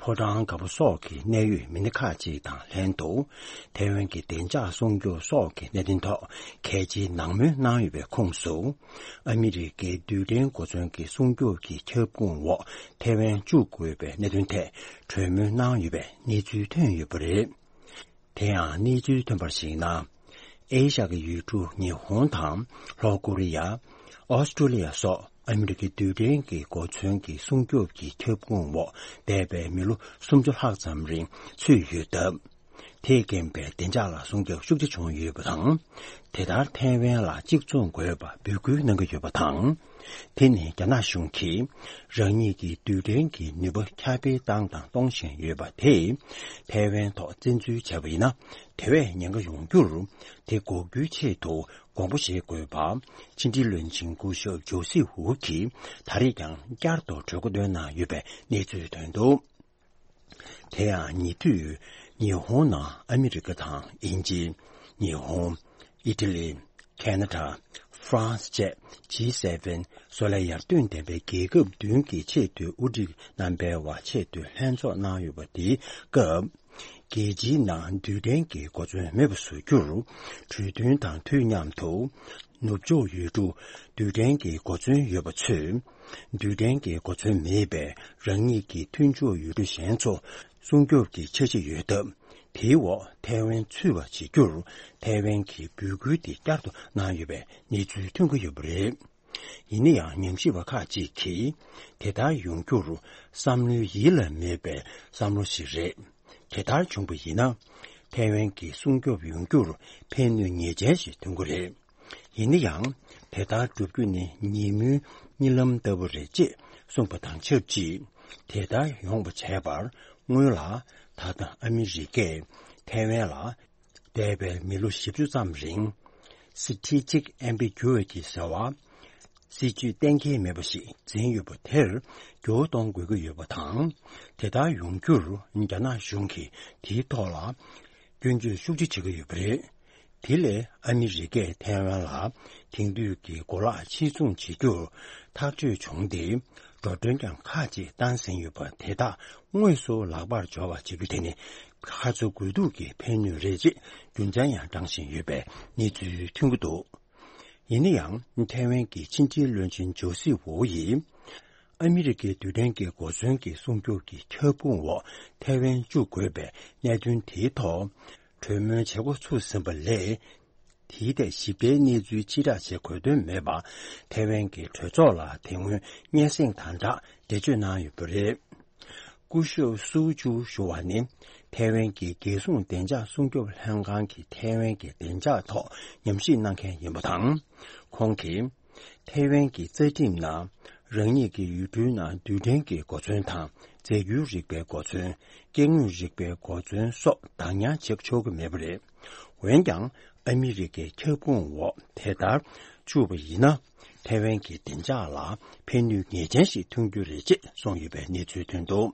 ཕོ་བྲང་དཀར་པོ་སོགས་ཀྱི་གནད་ཡོད་མི་སྣ་ཁག་ཅིག་དང་ལྷན་དུ། ཐའེ་ཝན་གྱི་བདེ་འཇགས་སྲུང་སྐྱོབ་སོགས་ཀྱི་གནད་དོན་ཐོག་གལ་ཆེའི་ནན་མོལ་གནང་ཡོད་པའི་ཁོངས་སུ། ཨ་མི་རི་ཀའི་རྡུལ་ཕྲན་གོ་མཚོན་གྱི་སྲུང་སྐྱོབ་ཀྱི་ཁྱབ་ཁོངས་འོག་ཐའེ་ཝན་བཅུག་དགོས་པའི་གནད་དོན་ཐད་གྲོས་མོལ་གནང་ཡོད་པའི་གནས་ཚུལ་ཐོན་ཡོད་པ་རེད། དེ་ཡང་གནས་ཚུལ་ཐོན་པར་གཞིགས་ན། ཨེ་ཤ་ཡའི་ཡུལ་གྲུ་ཉི་ཧོང་དང་ལྷོ་ཀོ་རི་ཡ། ཨོ་སི་ཀྲོ་ལི་ཡ་སོགས་ཨ་མི་རི་ཀའི་རྡུལ་ཕྲན་གྱི་གོ་མཚོན་གྱི་སྲུང་སྐྱོབ་ཀྱི་ཁྱབ་ཁོངས་འོག་འདས་པའི་མི་ལོ་སུམ་ཅུ་ལྷག་ཙམ་རིང་ཚུད་ཡོད་སྟབས། དེས་རྐྱེན་པས་བདེ་འཇགས་ལ་སྲུང་སྐྱོབ་ཤུགས་ཆེ་བྱུང་ཡོད་པ་དང་། དེ་ལྟར་ཐའེ་ཝན་ལ་གཅིག་མཚུངས་དགོས་པ་འབོད་སྐུལ་གནང་གི་ཡོད་པ་དང་། དེ་ནི་རྒྱ་ནག་གཞུང་གིས་རང་ཉིད་ཀྱི་རྡུལ་ཕྲན་གྱི་ནུས་པ་ཁྱབ་སྤེལ་བཏང་དང་གཏོང་བཞིན་ཡོད་པ་དེས། ཐའེ་ཝན་ཐོག་བཙན་འཛུལ་བྱས་པ་ཡིན་ན། དེ་བས་ཉེན་ཁ་ཡོང་རྒྱུར། དེ་འགོག་རྒྱུའི་ཆེད་དུ་དགོངས་པ་བཞེས་དགོས་པ། ཕྱི་འབྲེལ་བློན་ཆེན་སྐུ་ཞབས་ཇོ་སི་ཝུ་གིས་ད་རེས་ཀྱང་བསྐྱར་དུ་གྲོས་འགོ་བཏོན་གནང་ཡོད་པའི་གནས་ཚུལ་ཐོན་འདུག། དེ་ཡང་ཉེ་དུས་ཉི་ཧོང་ནང་ཨ་མི་རི་ཀ་དང་དབྱིན་ཇི། ཉི་ཧོང་། ཨི་ཊ་ལི། ཁེ་ན་ཌ། ཧྥ་རན་སི་བཅས་ཇི་སེ་ཝེན་བཟོ་ལས་ཡར་ཐོན་ལྡན་པའི་རྒྱལ་ཁབ་བདུན་གྱི་ཆེས་མཐོའི་དབུ་ཁྲིད་རྣམ་པའི་བར་ཆེས་མཐོའི་ལྷན་ཚོགས་གནང་ཡོད་པ་དེའི་སྐབས། རྒྱལ་སྤྱིའི་ནང་རྡུལ་ཕྲན་གྱི་གོ་མཚོན་མེད་པ་བཟོ་རྒྱུར་གྲོས་མཐུན་དང་དུས་མཉམ་དུ། ནུབ་ཕྱོགས་ཡུལ་གྲུ་རྡུལ་ཕྲན་གྱི་གོ་མཚོན་ཡོད་པ་ཚོས། རྡུལ་ཕྲན་གྱི་གོ་མཚོན་མེད་པའི་རང་ཉིད་ཀྱི་མཐུན་ཕྱོགས་ཡུལ་གྲུ་གཞན་ཚོ་སྲུང་སྐྱོབ་ཀྱི་འཆར་གཞི་ཡོད་སྟབས། དེའི་འོག་ཐའེ་ཝན་ཚུད་པ་བྱེད་རྒྱུར་ཐའེ་ཝན་གྱིས་འབོད་སྐུལ་དེ་བསྐྱར་དུ་གནང་ཡོད་པའི་གནས་ཚུལ་ཐོན་གྱི་ཡོད་པ་རེད། ཡིན་ན་ཡང་ཉམས་ཞིབ་པ་ཁག་ཅིག་གིས། དེ་ལྟར་ཡོང་རྒྱུར་བསམ་བློའི་ཡིད་ལ་མེད་པའི་བསམ་བློ་ཞིག་རེད། དེ་ལྟར་བྱུང་བ་ཡིན་ན། ཐའེ་ཝན་གྱི་སྲུང་སྐྱོབ་ཡོང་རྒྱུར་ཕན་གནོད་ངེས་ཅན་ཞིག་ཐོན་གྱི་རེད། ཡིན་ན་ཡང་། དེ་ལྟར་བསྒྲུབ་རྒྱུ་ནི་ཉིན་མོའི་གཉིད་ལམ་ལྟ་བུ་རེད་ཅེས་གསུངས་པ་དང་ཆབས་ཅིག། དེ་ལྟར་ཡོང་བ་བྱས་པར་སྔོན་ལ། ད་ལྟ་ཨ་མི་རི་ཀས་ཐའེ་ཝན་ལ། འདས་པའི་མི་ལོ་བཞི་བཅུ་ཙམ་རིང་། Strategic Ambiguity ཟེར་བ། སྲིད་ཇུས་གཏན་འཁེལ་མེད་པ་ཞིག་འཛིན་ཡོད་པ་དེར་འགྱུར་བ་གཏོང་དགོས་ཀྱི་ཡོད་པ་དང་། དེ་ལྟར་ཡོང་རྒྱུར་རྒྱ་ནག་གཞུང་གིས་དེའི་ཐོག་ལ་སྐྱོན་བརྗོད་ཤུགས་ཆེ་བྱེད་ཀྱི་ཡོད་པ་རེད། དེ་ལས་ཨ་མི་རི་ཀས་ཐའེ་ཝན་ལ་དེང་དུས་ཀྱི་གོ་ལག་ཕྱིར་ཚོང་བྱེད་རྒྱུར་ཐག་གཅོད་བྱུང་སྟེ། འགྲོ་གྲོན་ཀྱང་ཁག་ཅིག་བཏང་ཟིན་ཡོད་པ་དེ་དག་དངོས་སུ་ལག་པར་འབྱོར་བ་བྱེད་རྒྱུ་དེ་ནི་ཁ་ཚ་དགོས་གཏུགས་ཀྱི་ཕན་ནུས་རེད་ཅེས་རྒྱུ་མཚན་ཡང་བགྲངས་བཞིན་ཡོད་པའི་གནས་ཚུལ་ཐོན་གྱི་འདུག། ཡིན་ན་ཡང་ཐའེ་ཝན་གྱི་ཕྱི་འབྲེལ་བློན་ཆེན་ཇོ་སི་ཝོ་ཡིས། ཨ་མི་རི་ཀའི་རྡུལ་ཕྲན་གྱི་གོ་མཚོན་གྱི་སྲུང་སྐྱོབ་ཀྱི་ཁྱབ་ཁོངས་འོག་ཐའེ་ཝན་བཅུག་དགོས་པའི་གནད་དོན་དེའི་ཐོག་གྲོས་མོལ་བྱེད་འགོ་ཚུགས་ཟིན་པ་ལས། དེའི་ཐད་ཞིབ་ཕྲའི་གནས་ཚུལ་ཕྱིར་བསྒྲགས་བྱེད་དགོས་དོན་མེད་པ། ཐའེ་ཝན་གྱི་གྲོས་ཚོགས་ལ་དེ་སྔོན་སྙན་སེང་དང་སྦྲགས་ འགྲེལ་བརྗོད་གནང་ཡོད་པ་རེད། སྐུ་ཞབས་སུའུ་ཅུ་ཞུ་བ་ནི་ཐའེ་ཝན་གྱི་རྒྱལ་སྲུང་བདེ་འཇགས་སྲུང་སྐྱོབ་ལྷན་ཁང་གི་ཐའེ་ཝན་གྱི་བདེ་འཇགས་ཐོག་ཉམས་ཞིབ་གནང་མཁན་ཡིན་པ་དང་། ཁོང་གིས། ཐའེ་ཝན་གྱི་རྩ་ཁྲིམས་ནང་རང་ཉིད་ཀྱི་ཡུལ་གྲུའི་ནང་རྡུལ་ཕྲན་གྱི་གོ་མཚོན་དང་རྫས་འགྱུར་རིག་པའི་གོ་མཚོན། སྐྱེ་དངོས་རིག་པའི་གོ་མཚོན་སོགས་བདག་ཉར་བྱེད་ཆོག་གི་མེད་པ་རེད། འོན་ཀྱང་ཨ་མི་རི་ཀའི་ཁྱབ་ཁོངས་འོག་དེ་ལྟར་བཅུག་པ་ཡིན་ན། ཐའེ་ཝན་གྱི་བདེ་འཇགས་ལ་ཕན་ནུས་ངེས་ཅན་ཞིག་ཐོན་རྒྱུ་རེད་ཅེས་གསུངས་ཡོད་པའི་གནས་ཚུལ་ཐོན་འདུག་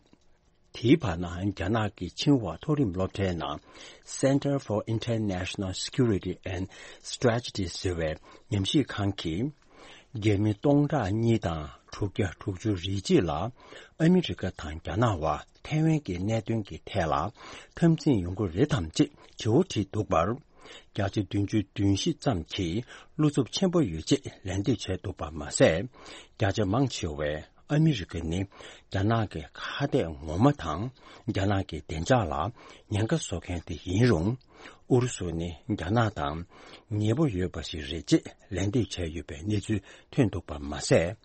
དེའི་བར་ན་རྒྱ་ནག་གི་ཆིང་ཧྭ་མཐོ་རིམ་སློབ་གྲྭའི་ནང་Center for International Security and Strategy ཟེར་བའི་ཉམས་ཞིབ་ཁང་གིས། རྒྱ་མི་སྟོང་ཕྲག་གཉིས་དང་དྲུག་བརྒྱ་དྲུག་ཅུ་རེ་གཅིག་ལ་ཨ་མི་རི་ཀ་དང་རྒྱ་ནག་དབར་ཐའེ་ཝན་གྱི་གནད་དོན་གྱི་ཐད་ལ་འཐབ་འཛིང་ཡོང་གི་རེད་དམ་ཅེས་དྲི་བ་དྲིས་འདུག་པར། བརྒྱ་ཆ་བདུན་ཅུ་དོན་བཞི་ཙམ་གྱིས་བློ་འཚབ་ཆེན་པོ་ཡོད་ཅེས་ལན་འདེབས་བྱས་འདུག་པ་མ་ཟད། བརྒྱ་ཆ་མང་ཆེ་བས། ཨ་མི་རི་ཀ་ནི་རྒྱ་ནག་གི་ཁ་གཏད་ངོ་མ་དང་། རྒྱ་ནག་གི་བདེ་འཇགས་ལ་ཉེན་ཁ་བཟོ་མཁན་དེ་ཡིན་རུང་། ཨུ་རུ་སུ་ནི་རྒྱ་ནག་དང་ཉེ་པོ་ཡོད་པ་ཞིག་རེད་ཅེས་ལན་འདེབས་བྱས་ཡོད་པའི་གནས་ཚུལ་ཐོན་འདུག་པ་མ་ཟད།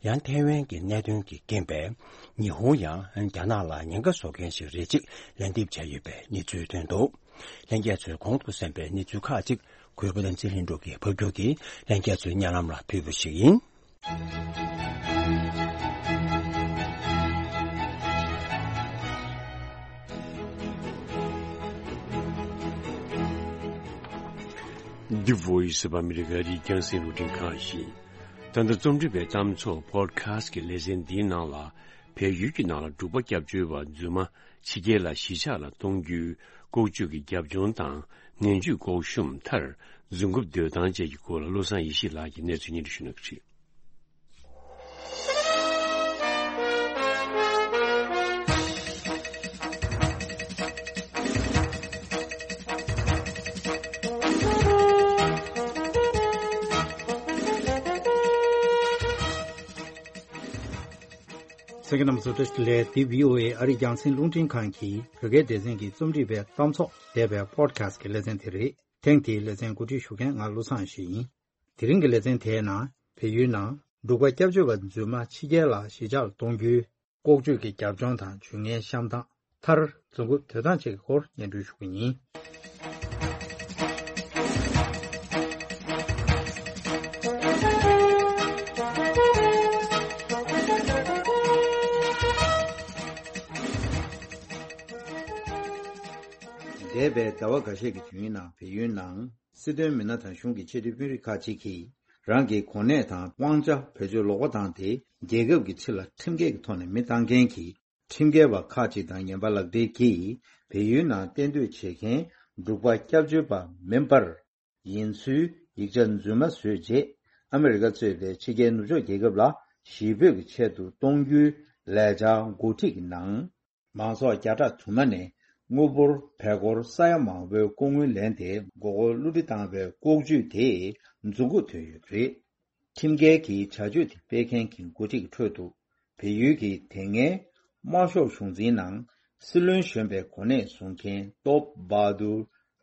ཡང་ཐའེ་ཝན་གྱི་གནད་དོན་གྱི་རྐྱེན་པས་ཉི་ཧོང་ཡང་རྒྱ་ནག་ལ་ཉེན་ཁ་བཟོ་མཁན་ཞིག་རེད་ཅེས་ལན་འདེབས་བྱས་ཡོད་པའི་གནས་ཚུལ་ཐོན་འདུག་ལྷན་རྒྱས་ཚོས་གོང་དུ་གསན་པའི་གནས་ཚུལ་ཁག་ཅིག་གུས་པ་བསྟན་འཛིན་ལྷུན་གྲུབ་ཀྱིས་ཕབ་སྒྱུར་གྱིས་ལྷན་རྒྱས་ཚོའི་སྙན་ལམ་ལ་ཕུལ་བ་ཞིག་ཡིན། The Voice of America རི་རྒྱང་སྲིང་རླུང་འཕྲིན་ཁང་ཡིན། ད་ལྟ་རྩོམ་སྒྲིག་པའི་གཏམ་ཚོགས་Podcast ཀྱི་ལེ་ཚན་འདིའི་ནང་ལ། བལ་ཡུལ་གྱི་ནང་ལ་འབྲུག་པ་སྐྱབས་བཅོལ་བ་རྫུན་མ་ཕྱི་རྒྱལ་ལ་གཞིས་ཆགས་ལ་གཏོང་རྒྱུའི་ལྐོག་ཇུས་ཀྱི་རྒྱབ་ལྗོངས་དང་། ངན་ཇུས་ལྐོག་ཤུམ་མཐར་རྫུན་རྐུབ་སྡོད་སྟངས་བཅས་ཀྱི་སྐོར་ལ་བློ་བཟང་ཡེ་ཤེས་ལགས་ཀྱིས་གནས་ཚུལ་སྙན་སྒྲོན་ཞུ་གནང་གི་རེད། གསན་མཁན་རྣམ་པ་ཚོ་བཀྲ་ཤིས་བདེ་ལེགས། འདི་བྷི་ཨོ་ཨེ་ཨ་རིའི་རྒྱང་སྲིང་རླུང་འཕྲིན་ཁང་གི་བོད་སྐད་སྡེ་ཚན་གྱི་རྩོམ་སྒྲིག་པའི་གཏམ་ཚོགས་འདས་པའི་Podcast ཀྱི་ལེ་ཚན་དེ་རེད། ཐེངས་འདིའི་ལེ་ཚན་གོ་སྒྲིག་ཞུ་མཁན་ང་བློ་བཟང་ཡེ་ཤེས་ཡིན། དེ་རིང་གི་ལེ་ཚན་དེའི་ནང་བལ་ཡུལ་ནང་འབྲུག་པ་སྐྱབས་བཅོལ་བ་རྫུན་མ་ཕྱི་རྒྱལ་ལ་གཞིས་ཆགས་ལ་གཏོང་རྒྱུའི་ལྐོག་ཇུས་ཀྱི་རྒྱབ་ལྗོངས་དང་ཇུས་ངན་བཤམས་སྟངས། མཐར་རྫུན་རྐུབ་སྡོད་སྟངས་བཅས་ཀྱི་སྐོར་སྙན་སྒྲོན་ཞུ་གི་ཡིན། འདས་པའི་ཟླ་བ་འགའ་ཤས་ཀྱི་དུས་ཡུན་ནང་བལ་ཡུལ་ནང་སྲིད་དོན་མི་སྣ་དང་གཞུང་གི་ཆེས་མཐོའི་དཔོན་རིགས་ཁག་ཅིག་གིས་རང་གི་གོ་གནས་དང་དབང་ཆ་བེད་སྤྱོད་ལོག་པ་བཏང་སྟེ་རྒྱལ་ཁབ་ཀྱི་ཕྱི་ལ་ཁྲིམས་འགལ་གྱི་ཐོག་ནས་མི་བཏང་མཁན་གྱི་ཁྲིམས་འགལ་བ་ཁག་ཅིག་དང་ངན་པ་ལག་སྦྲེལ་གྱིས་བལ་ཡུལ་ནང་གཏན་སྡོད་བྱེད་མཁན་འབྲུག་པ་སྐྱབས་བཅོལ་བ་མིན་པར་ཡིན་ཚུལ་ཡིག་ཆ་རྫུན་མ་བཟོས་རྗེས་ཨ་མི་རི་ཀ་གཙོས་པའི་ཕྱི་རྒྱལ་ནུབ་ཕྱོགས་རྒྱལ་ཁབ་ལ་གཞིས་སྤོས་ཀྱི་ཆེད་དུ་གཏོང་རྒྱུའི་ལས་འཆར་འགོ་ཁྲིད་ཀྱི་ནང་། མང་ཚོགས་བརྒྱ་ཕྲག་དུ་མ་ནས་དངུལ་འབོར་བལ་སྒོར་ས་ཡ་མང་པོའི་ལྐོག་དངུལ་ལེན་ཏེ་མགོ་སྐོར་བསླུ་བྲིད་བཏང་བའི་ལྐོག་ཇུས་དེ་རྫུན་རྐུབ་ཐོན་ཡོད་པ་རེད། ཁྲིམས་འགལ་གྱི་བྱ་སྤྱོད་དེ་སྤེལ་མཁན་གྱི་འགོ་ཁྲིད་ཀྱི་ཁྲོད་དུ། བལ་ཡུལ་གྱི་དེ་སྔའི་དམར་ཤོག་གཞུང་འཛིན་ནང་སྲིད་བློན་གཞོན་པའི་གོ་གནས་བཟུང་མཁན་ཏོབ་བྷ་དུར་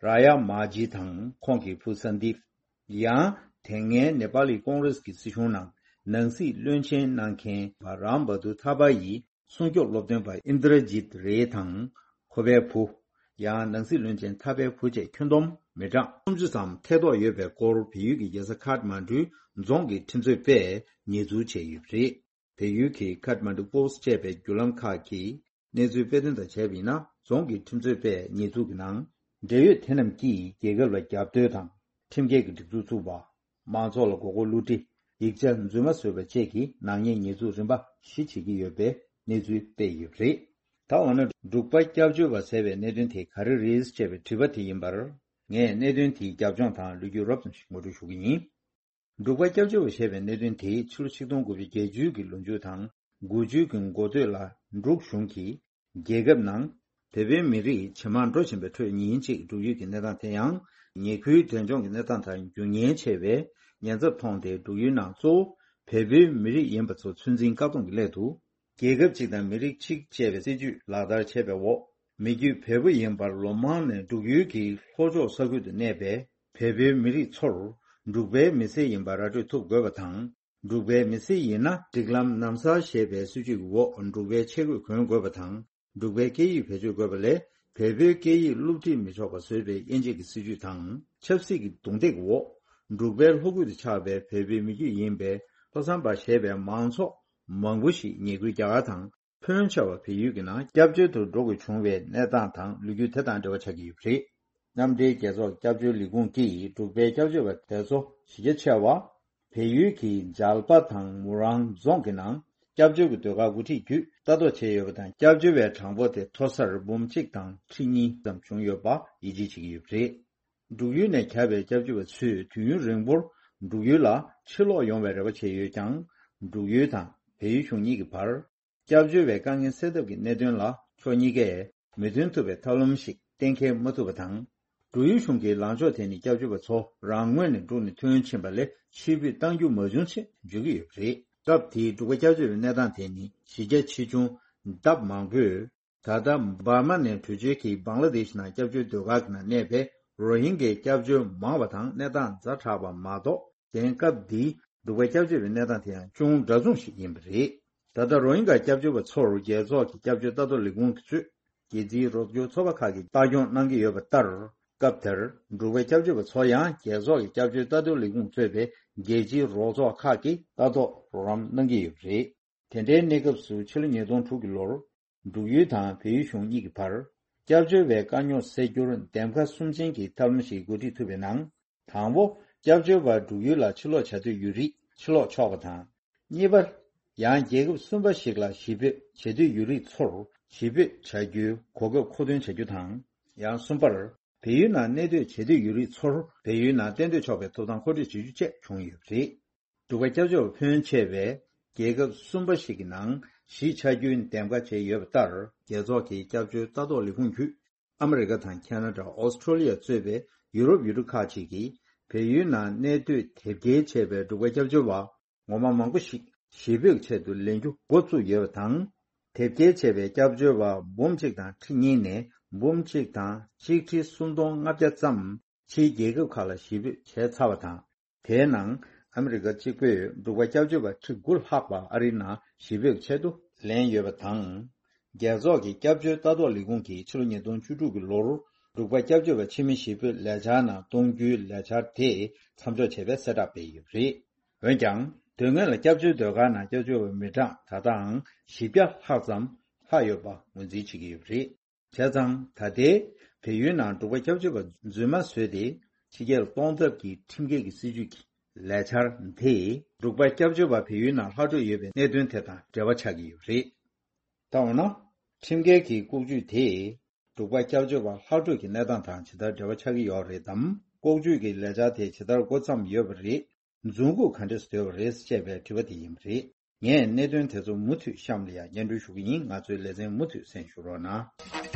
ར་ཡ་མ་ཇི་དང་ཁོང་གི་བུ་སན་དིབ། ཡང་དེ་སྔའི་ནེ་པ་ལི་ཀོང་རེས་ཀྱི་སྲིད་གཞུང་ནང་ནང་སྲིད་བློན་ཆེན་གནང་མཁན་བྷ་རམ་བྷ་དུ་ཐ་པ་ཡི་སྲུང་སྐྱོབ་སློབ་སྟོན་པ་ཨིན་དྲ་ཇིད་རེ་དང་ཁོ་པའི་བུ། ཡང་ནང་སྲིད་བློན་ཆེན་ཐ་པའི་བུ་བཅས་ཁྱོན་བསྡོམས་མི་གྲངས་སུམ་ཅུ་ཙམ་ཐེ་གཏོགས་ཡོད་པའི་སྐོར་བལ་ཡུལ་གྱི་རྒྱལ་ས་ཁཱཐ་མན་ཌུའི་རྫོང་གི་ཁྲིམས་རྩོད་པས་ཉེས་འཛུགས་བྱས་ཡོད་པ་རེད། བལ་ཡུལ་གྱི་ཁཱཐ་མན་ཌུ་པོ་སི་ཊི་ཅེས་པའི་བརྒྱུད་ལམ་ཁག་གིས་གནས་ཚུལ་སྤེལ་དོན་དང་བྱས་པ་ཡིན་ན། རྫོང་གི་ཁྲིམས་རྩོད་པས་ཉེས་འཛུགས་ཀྱི་ནང་འབྲེལ་ཡོད་དེ་རྣམས་ཀྱིས་རྒྱལ་ཁབ་ལ་རྒྱབ་གཏོད་དང་ཁྲིམས་འགལ་གྱི་སྒྲིག་འཛུགས་བཙུགས་པ། མང་ཚོགས་ལ་མགོ་སྐོར་བསླུ་བྲིད། ཡིག་ཆ་རྫུན་མ་བཟོས་པ་བཅས་ཀྱི་ནག་ཉེས་ཉེས་འཛུགས་རིམ་པ་བཞི་བྱེད་ཀྱི་ཡོད་པའི་གནས་ཚུལ་སྤེལ་ཡོད་པ་རེད། ད་འོ་ན་འབྲུག་པ་སྐྱབས་བཅོལ་བ་ཟེར་བའི་གནད་དོན་དེ་ག་རེ་རེད་ཅེས་པའི་དྲི་བ་དེ་ཡིན་པར། ངས་གནད་དོན་དེའི་རྒྱབ་ལྗོངས་དང་ལོ་རྒྱུས་རོབ་ཙམ་ཞིག་ངོ་སྤྲོད་ཞུ་གི་ཡིན། འབྲུག་པ་སྐྱབས་བཅོལ་བ་ཞེས་པའི་གནད་དོན་དེ་ཕྱི་ལོ་ཆིག་སྟོང་དགུ་བརྒྱ་བརྒྱད་ཅུ་གི་ལོ་མཇུག་དང་དགུ་བཅུ་གི་འགོ་སྟོད་ལ་འབྲུག་གཞུང་གིས་རྒྱལ་ཁབ་ནང་བོད་པའི་མི་རིགས་ཇེ་མང་འགྲོ་བཞིན་པའི་ཁྲོད་ཉིན་གཅིག་འབྲུག་ཡུལ་གྱི་གནས་སྟངས་དེ་ཡང་ཉེ་ཁུལ་འབྲས་ལྗོངས་ཀྱི་གནས་སྟངས་དང་རྒྱུ་ངན་ཆེ་བའི་ཉེན་ཚབས་མཐོང་སྟེ་འབྲུག་ཡུལ་ནང་གཙོ་བོ་བལ་པོའི་མི་རིགས་ཡིན་པ་ཚོ་ཚོད་འཛིན་བཀག་སྡོམ་གྱི་སླད་དུ། རྒྱལ་ཁབ་གཅིག་དང་མི་རིགས་གཅིག་ཅེས་པའི་སྲིད་ཇུས་ལག་བསྟར་བྱས་པའི་འོག་མི་རྒྱུད་བལ་པོ་ཡིན་པར་ལོ་མང་ནས་འབྲུག་ཡུལ་གྱི་ལྷོ་ཕྱོགས་ས་ཁུལ་དུ་གནས་པའི་བལ་པོའི་མི་རིགས་ཚོར་འབྲུག་པའི་མི་སེར་ཡིན་པ་ར་སྤྲོད་ཐུབ་དགོས་པ་དང་ འབྲུག་པའི་མི་སེར་ཡིན་ན་སྒྲིག་ལམ་ནམ་གསར་ཞེས་པའི་སྲིད་བྱུས་ཀྱི་འོག་འབྲུག་པའི་ཆས་གོས་གོན་དགོས་པ་དང་། འབྲུག་པའི་སྐད་ཡིག་བེད་སྤྱོད་དགོས་པ་ལས་བལ་པོའི་སྐད་ཡིག་སློབ་ཁྲིད་མི་ཆོག་པ་བཟོས་པའི་དབྱེ་འབྱེད་ཀྱི་སྲིད་བྱུས་དང་ཆབ་སྲིད་ཀྱི་རྡུང་རྡེག་འོག་འབྲུག་པའི་ལྷོ་ཁུལ་དུ་ཆགས་པའི་བལ་པོའི་མི་རྒྱུད་ཡིན་པའི་ལྷོ་བསམ་པ་ཞེས་པའི་མང་ཚོགས་མང་པོ་ཞིག་ཉེ་ཁུལ་རྒྱ་གར་དང་། ཕོན་ཆེ་བ་བལ་ཡུལ་གྱི་ནང་སྐྱབས་བཅོལ་དུ་འགྲོ་དགོས་བྱུང་བའི་གནས་སྟངས་དང་ལོ་རྒྱུས་དེ་དང་འབྲེལ་བ་ཆགས་ཀྱི་ཡོད་པ་རེད། མཉམ་འབྲེལ་རྒྱལ་ཚོགས་སྐྱབས་བཅོལ་ལས་ཁུངས་ཀྱིས་འབྲུག་པའི་སྐྱབས་བཅོལ་བ་དེ་ཚོ་གཞི་རྒྱ་ཆེ་བ། བལ་ཡུལ་གྱི་འཇལ་པ་དང་མུ་རང་རྫོང་གི་ནང་སྐྱབས་བཅོལ་གྱི་ཟློས་གར་འགོ་ཁྲིད་བརྒྱུད་ལྟ་རྟོག་བྱས་ཡོད་པ་དང་། སྐྱབས་བཅོལ་བའི་གྲངས་འབོར་དེ་མཐོ་སར་འབུམ་གཅིག་དང་ཁྲི་གཉིས་ཙམ་བྱུང་ཡོད་པ་ཡིད་ཆེས་བྱེད་ཀྱི་ཡོད་པ་རེད། འབྲུག་ཡུལ་ནས་གྱར་བའི་སྐྱབས་བཅོལ་བ་ཚོས་དུས་ཡུན་རིང་པོར་འབྲུག་ཡུལ་ལ་ཕྱིར་ལོག་ཡོང་བའི་རེ་བ་བྱས་ཡོད་ཀྱང་། འབྲུག་ཡུལ་དང་བལ་ཡུལ་གཞུང་གཉིས་ཀྱི་བར། སྐྱབས་བཅོལ་བའི་དཀའ་ངལ་སེལ་ཐབས་ཀྱི་གནད་དོན་ལ་ཕྱོགས་གཉིས་ཀས་མོས་མཐུན་ཐུབ་པའི་ཐབས་ལམ་ཞིག་གཏན་འཁེལ་མ་ཐུབ་པ་དང་། འབྲུག་ཡུལ་གཞུང་གི་ལངས་ཕྱོགས་དེ་ནི་སྐྱབས་བཅོལ་བ་ཚོ་རང་ངོས་ནས་འབྲུག་ནས་ཐོན་ཕྱིན་པ་ལས་ཕྱིར་འབུད་གཏང་རྒྱུ་མ་བྱུང་ཅེས་བརྗོད་ཀྱི་ཡོད་པ་རེད། སྐབས་དེའི་འབྲུག་པ་སྐྱབས་བཅོལ་བའི་གནས་སྟངས་དེ་ནི་གཞི་རྒྱ་ཆེ་ཆུང་ལྡབ་མང་པོས། ད་ལྟ་འབར་མ་ནས་བྲོས་བྱོལ་གྱིས་བང་ལ་དེཤ་ནང་སྐྱབས་བཅོལ་ཟློས་གར་གྱི་ནང་གནས་པའི་རོ་ཧིན་གྱའི་སྐྱབས་བཅོལ་མང་བ་དང་གནས་སྟངས་ཛ་དྲག་པ་མ་གཏོགས། དེང་སྐབས་འདིའི་འབྲུག་པའི་སྐྱབས་བཅོལ་བའི་གནས་སྟངས་དེ་ཡང་ཅུང་འདྲ་མཚུངས་ཤིག་ཡིན་པ་རེད། ད་ལྟ་རོ་ཧིན་གྱ་སྐྱབས་བཅོལ་བ་ཚོར་རྒྱལ་ཚོགས་ཀྱི་སྐྱབས་བཅོལ་ལྟ་རྟོག་ལས་ཁུངས་ཀྱིས་གཙོས་རྒྱལ་སྤྱིའི་རོགས་སྐྱོར་ཚོགས་པ་ཁག་གིས་ལྟ་སྐྱོང་གནང་གི་ཡོད་པ་ལྟར། སྐབས་དེར་འབྲུག་པའི་སྐྱབས་བཅོལ་བ་ཚོ་ཡང་རྒྱལ་ཚོགས་ཀྱི་སྐྱབས་བཅོལ་ལྟ་རྟོག་ལས་ཁུངས་གཙོས་པའི་རྒྱལ་སྤྱིའི་རོགས་ཚོགས་ཁག་གིས་ལྟ་རྟོག་རོགས་རམ་གནང་གི་ཡོད་པ་རེད། དེ་འདྲའི་གནས་སྐབས་སུ་ཕྱི་ལོ་ཉིས་སྟོང་དྲུག་གི་ལོར། འབྲུག་ཡུལ་དང་བལ་ཡུལ་གཞུང་གཉིས་ཀྱི་བར། སྐྱབས་བཅོལ་བའི་དཀའ་རྙོག་སེལ་རྒྱུར་འདེམས་ཀ་གསུམ་ཅན་གྱི་ཐབས་ལམ་ཞིག་འགོ་ཁྲིད་ཐུབ་པའི་ནང་། དང་པོ། སྐྱབས་བཅོལ་བ་འབྲུག་ཡུལ་ལ་ཕྱིར་ལོག་བྱ་འདོད་ཡོད་རིགས་ཕྱིར་ལོག་ཆོག་པ་དང་། གཉིས་པ། ཡང་རྒྱལ་ཁབ་གསུམ་པ་ཞིག་ལ་གཞིས་སྤོས་བྱེད་འདོད་ཡོད་རིགས་ཚོར་གཞིས་སྤོས་བྱ་རྒྱུའི་གོ་སྐབས་མཁོ་འདོན་བྱ་རྒྱུ་དང་། ཡང་གསུམ་པར། བལ་ཡུལ་ནང་གནས་སྡོད་བྱེད་འདོད་ཡོད་རིགས་ཚོར་བལ་ཡུལ་ནང་གཏན་སྡོད་ཆོག་པའི་ཐོབ་ཐང་མཁོ་སྤྲོད་བྱེད་རྒྱུ་བཅས་བྱུང་ཡོད་པ་རེད། འབྲུག་པ་སྐྱབས་བཅོལ་བ་ཕོན་ཆེ་བས་རྒྱལ་ཁབ་གསུམ་པ་ཞིག་གི་ནང་གཞིས་ཆགས་རྒྱུའི་འདེམས་ཀ་བྱས་ཡོད་པ་ལྟར། རྒྱལ་ཚོགས་ཀྱི་སྐྱབས་བཅོལ་ལྟ་རྟོག་ལས་ཁུངས་བརྒྱུད། ཨ་མི་རི་ཀ་དང་ཁ་ན་ཌ། ཨོ་སི་ཁྲོ་ལི་ཡ་གཙོས་པའི་ཡུ་རོབ་ཡུལ་གྲུ་ཁག་ཅིག་གིས་བལ་ཡུལ་ནང་གནས་སྡོད་དེབ་སྐྱེལ་བྱས་པའི་འབྲུག་པ་སྐྱབས་བཅོལ་བ་ངོ་མ་མང་པོ་ཞིག་གཞིས་སྤོས་ཆེད་དུ་ལེན་རྒྱུ་འགོ་བཙུགས་ཡོད་པ་དང་། དེབ་སྐྱེལ་བྱས་པའི་སྐྱབས་བཅོལ་བ་འབུམ་གཅིག་དང་ཁྲི་གཉིས་ནས་འབུམ་གཅིག་དང་ཆིག་ཁྲི་སུམ་སྟོང་ལྔ་བརྒྱ་ཙམ་ཕྱིའི་རྒྱལ་ཁབ་ཁག་ལ་གཞིས་སྤོས་བྱས་ཚར་བ་དང་། དེའི་ནང་ཨ་མི་རི་ཀ་གཅིག་པུས་འབྲུག་པ་སྐྱབས་བཅོལ་བ་ཁྲི་དགུ་ལྷག་པ་ཨ་རིའི་ནང་གཞིས་སྤོས་ཆེད་དུ་ལེན་ཡོད་པ་དང་། རྒྱལ་ཚོགས་ཀྱི་སྐྱབས་བཅོལ་ལྟ་རྟོག་ལས་ཁུངས་ཀྱིས་ཕྱི་ལོ་ཉིས་སྟོང་བཅུ་དྲུག་གི་ལོར་འབྲུག་པ་སྐྱབས་བཅོལ་བ་ཕྱི་མི་གཞིས་སྤོས་ལས་འཆར་ནང་གཏོང་རྒྱུའི་ལས་འཆར་དེ་མཚམས་འཇོག་བྱས་པའི་གསལ་བསྒྲགས་སྤེལ་ཡོད་པ་རེད། འོན་ཀྱང་། དོན་དངོས་ལ་སྐྱབས་བཅོལ་ཟློས་གར་ནང་སྐྱབས་བཅོལ་བའི་མི་གྲངས་ད་ལྟའང་བཞི་བརྒྱ་ལྷག་ཙམ་ལྷག་ཡོད་པ་ངོས་འཛིན་བྱེད་ཀྱི་ཡོད་པ་རེད། བྱས་ཙང་ད་ལྟའི་བལ་ཡུལ་ནང་འབྲུག་པ་སྐྱབས་བཅོལ་བ་རྫུན་མ་བཟོས་ཏེ་ཕྱི་རྒྱལ་གཏོང་ཐབས་ཀྱི་ཁྲིམས་འགལ་གྱི་སྲིད་བྱུས་ཀྱི་ལས་འཆར་དེས་འབྲུག་པ་སྐྱབས་བཅོལ་བ་བལ་ཡུལ་ནང་ལྷག་འཕྲོས་ཡོད་པའི་གནད་དོན་དེ་དང་འབྲེལ་བ་ཆགས་ཀྱི་ཡོད་པ་རེད། ད་འོ་ན། ཁྲིམས་འགལ་གྱི་ལྐོག་ཇུས་དེས་འབྲུག་པ་སྐྱབས་བཅོལ་བ་ལྷག་འཕྲོས་ཀྱི་གནས་སྟངས་དང་ཇི་ལྟར་འབྲེལ་བ་ཆགས་ཀྱི་ཡོད་རེད་དམ། ལྐོག་ཇུས་ཀྱི་ལས་འཆར་དེ་ཇི་ལྟར་འགོ་བརྩམས་ཡོད་པ་རེད། མཛུབ་གུ་ག་འདྲས་སུ་སྡོད་པ་རེད་ཅེས་པའི་དྲི་བ་དེ་ཡིན་པ་རེད། ངས་གནད་དོན་དེ་ཚོ་མུ་མཐུད་གཤམ་ལ་ཡང་སྙན་སྒྲོན་ཞུ་གི་ཡིན། ང་ཚོའི་ལེ་ཚན་མུ་མཐུད་གསན་ཞུ་རོགས་གནང་།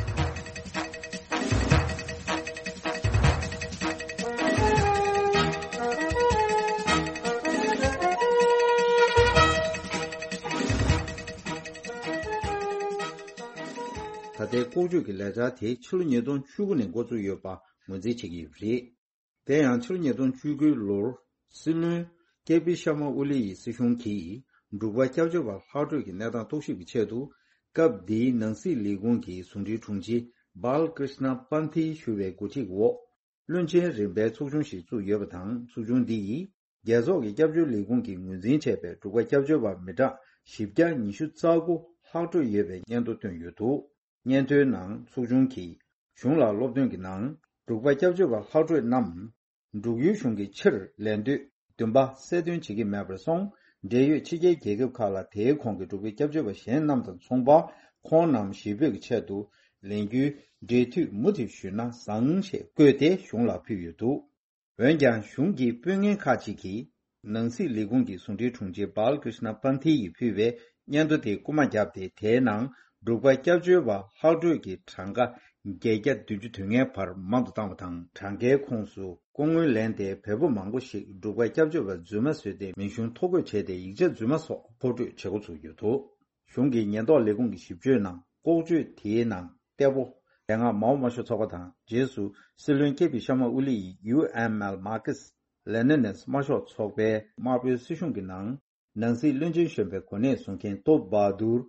ད་ལྟའི་ལྐོག་ཇུས་ཀྱི་ལས་འཆར་དེ་ཕྱི་ལོ་ཉིས་སྟོང་བཅུ་དགུ་ནས་འགོ་བཙུགས་ཡོད་པ་ངོས་འཛིན་བྱེད་ཀྱི་ཡོད་པ་རེད། དེ་ཡང་ཕྱི་ལོ་ཉིས་སྟོང་བཅུ་དགུའི་ལོར་སྲིད་བློན་ཀེ་པི་ཤར་མ་ཨོ་ལི་ཡི་སྲིད་གཞུང་གིས་འབྲུག་པ་སྐྱབས་བཅོལ་བ་ལྷག་འཕྲོས་ཀྱི་གནས་སྟངས་རྟོག་ཞིབ་ཀྱི་ཆེད་དུ་སྐབས་དེའི་ནང་སྲིད་ལས་ཁུངས་ཀྱི་ཟུང་འབྲེལ་དྲུང་ཆེ་བྷལ་ཀྲིཤ་ན་པན་ཐི་ཞུ་བའི་འགོ་ཁྲིད་འོག་བློན་ཆེན་རིམ་པའི་ཚོགས་ཆུང་ཞིག་བཙུགས་ཡོད་པ་དང་། ཚོགས་ཆུང་འདི་ཡིས་རྒྱལ་ཚོགས་ཀྱི་སྐྱབས་བཅོལ་ལས་ཁུངས་ཀྱིས་ངོས་འཛིན་བྱས་པའི་འབྲུག་པ་སྐྱབས་བཅོལ་བ་མི་གྲངས་བཞི་བརྒྱ་ཉི་ཤུ་རྩ་དགུ་ལྷག་འཕྲོས་ཡོད་པའི་སྙན་ཐོ་བཏོན་ཡོད་འདུག་སྙན་ཐོའི་ནང་ཚོགས་ཆུང་གིས་གཞུང་ལ་སློབ་སྟོན་གྱི་ནང་འབྲུག་པ་སྐྱབས་བཅོལ་བ་ལྷག་འཕྲོས་རྣམས་འབྲུག་ཡུལ་གཞུང་གིས་ཕྱིར་ལེན་འདོད་འདུན་པ་གསལ་སྟོན་བྱེད་ཀྱི་མེད་པར་སོང་། འབྲེལ་ཡོད་ཕྱི་རྒྱལ་རྒྱལ་ཁབ་ཁག་ལ་དེའི་གོང་གི་འབྲུག་པའི་སྐྱབས་བཅོལ་བ་གཞན་རྣམས་དང་མཚུངས་པར་ཁོང་རྣམས་གཞིས་སྤོས་ཀྱི་ཆེད་དུ་ལེན་རྒྱུའི་འབྲེལ་མཐུད་མུ་མཐུད་ཞུས་ན་བཟང་ཞེས་བཀོད་དེ་གཞུང་ལ་ཕུལ་ཡོད་འདུག་འོན་ཀྱང་གཞུང་གི་དཔོན་ངན་ཁག་ཅིག་གིས་ནང་སྲིད་ལས་ཁུངས་ཀྱི་ཟུང་འབྲེལ་དྲུང་ཆེ་བྷལ་ཀྲིཤ་ན་པན་ཐི་ཡིས་ཕུལ་བའི་སྙན་ཐོ་དེ་རྐུ་མ་བརྒྱབ་སྟེ། དེའི་ནང་འབྲུག་པ་སྐྱབས་བཅོལ་བ་ལྷག་འཕྲོས་ཀྱི་གྲངས་ཀ་བརྒྱད་བརྒྱ་བདུན་ཅུ་དོན་ལྔའི་བར་མང་དུ་བཏང་བ་དང་། གྲངས་ཀའི་ཁོངས་སུ་སྐུ་ངོ་ལེན་ཏེ་བལ་པོ་མང་པོ་ཞིག་འབྲུག་པ་སྐྱབས་བཅོལ་བ་རྫུན་མ་བཟོས་ཏེ་མིང་གཞུང་ཐོ་འགོད་བྱས་ཏེ་ཡིག་ཆ་རྫུན་མ་སོགས་མཁོ་སྤྲོད་བྱེད་འགོ་ཚུགས་ཡོད་འདུག་གཞུང་གི་ཉེན་རྟོག་ལས་ཁུངས་ཀྱི་ཞིབ་དཔྱོད་ནང་ལྐོག་ཇུས་དེའི་ནང་གཏེ་པོ་དེ་སྔ་མའོ་དམར་ཤོག་ཚོགས་པ་དང་། རྗེས་སུ་སྲིད་བློན་ཀེ་པི་ཤར་མ་ཨོ་ལི་ཡིས་ཡུ་ཨེམ་ཨེལ་མར་ཁེ་སི་ལེ་ནི་ནིས་དམར་ཤོག་ཚོགས་པའི་དམར་པོའི་སྲིད་གཞུང་གི་ནང་ ནང་སྲིད་བློན་ཆེན་གཞོན་པའི་གོ་གནས་བཟུང་མཁན་ཏོབ་བྷ་དུར་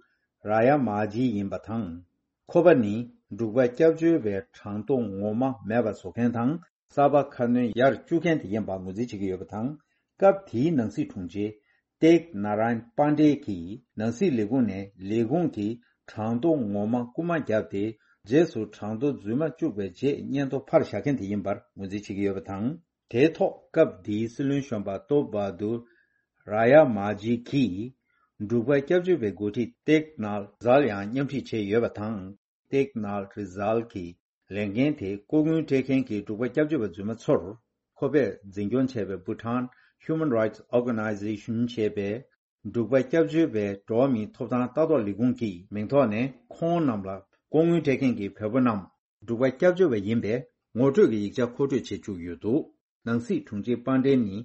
ར་ཡ་མ་ཇི་ཡིན་པ་དང་། ཁོ་པ་ནི་འབྲུག་པ་སྐྱབས་བཅོལ་བའི་གྲངས་ཐོ་ངོ་མ་མེད་པ་བཟོ་མཁན་དང་། གསར་པ་ཁ་སྣོན་ཡར་བཅུག་མཁན་དེ་ཡིན་པ་ངོས་འཛིན་བྱེད་ཀྱི་ཡོད་པ་དང་། སྐབས་དེའི་ནང་སྲིད་དྲུང་ཆེ་ཏེག་ན་རན་པན་ཌེ་གིས་ནང་སྲིད་ལས་ཁུངས་ནས་ལས་ཁུངས་ཀྱི་གྲངས་ཐོ་ངོ་མ་རྐུ་མ་བརྒྱབ་སྟེ། རྗེས་སུ་གྲངས་ཐོ་རྫུན་མ་བཅུག་པའི་རྗེས་སྙན་ཐོ་ཕར་བཞག་མཁན་དེ་ཡིན་པར་ངོས་འཛིན་བྱེད་ཀྱི་ཡོད་པ་དང་། དེའི་ཐོག་སྐབས་དེའི་སྲིད་བློན་གཞོན་པ་ཏོབ་བྷ་དུར་ར་ཡ་མ་ཇི་གིས་འབྲུག་པ་སྐྱབས་བཅོལ་བའི་འགོ་ཁྲིད་ཏེག་ན་རི་ཛལ་ཡང་མཉམ་ཁྲིད་བྱས་ཡོད་པ་དང་། ཏེག་ན་རི་ཛལ་གྱི་ལས་འགན་དེ་ལྐོག་དངུལ་སྤྲད་མཁན་གྱི་འབྲུག་པ་སྐྱབས་བཅོལ་བ་རྫུན་མ་ཚོར། ཁོ་པས་འཛིན་སྐྱོང་བྱས་པའི་Bhutan Human Rights Organization ཞེས་པའི་འབྲུག་པ་སྐྱབས་བཅོལ་བའི་འགྲོ་བ་མིའི་ཐོབ་ཐང་ལྟ་རྟོག་ལས་ཁུངས་ཀྱི་མིང་ཐོག་ནས་ཁོང་རྣམས་ལ་ལྐོག་དངུལ་སྤྲད་མཁན་གྱི་བོད་པ་རྣམས་འབྲུག་པ་སྐྱབས་བཅོལ་བ་ཡིན་པའི་ངོ་སྤྲོད་ཀྱི་ཡིག་ཆ་མཁོ་སྤྲོད་བྱེད་བཅུག་ཡོད་འདུག་ནང་སྲིད་དྲུང་ཆེ་པན་ཌེ་ནི་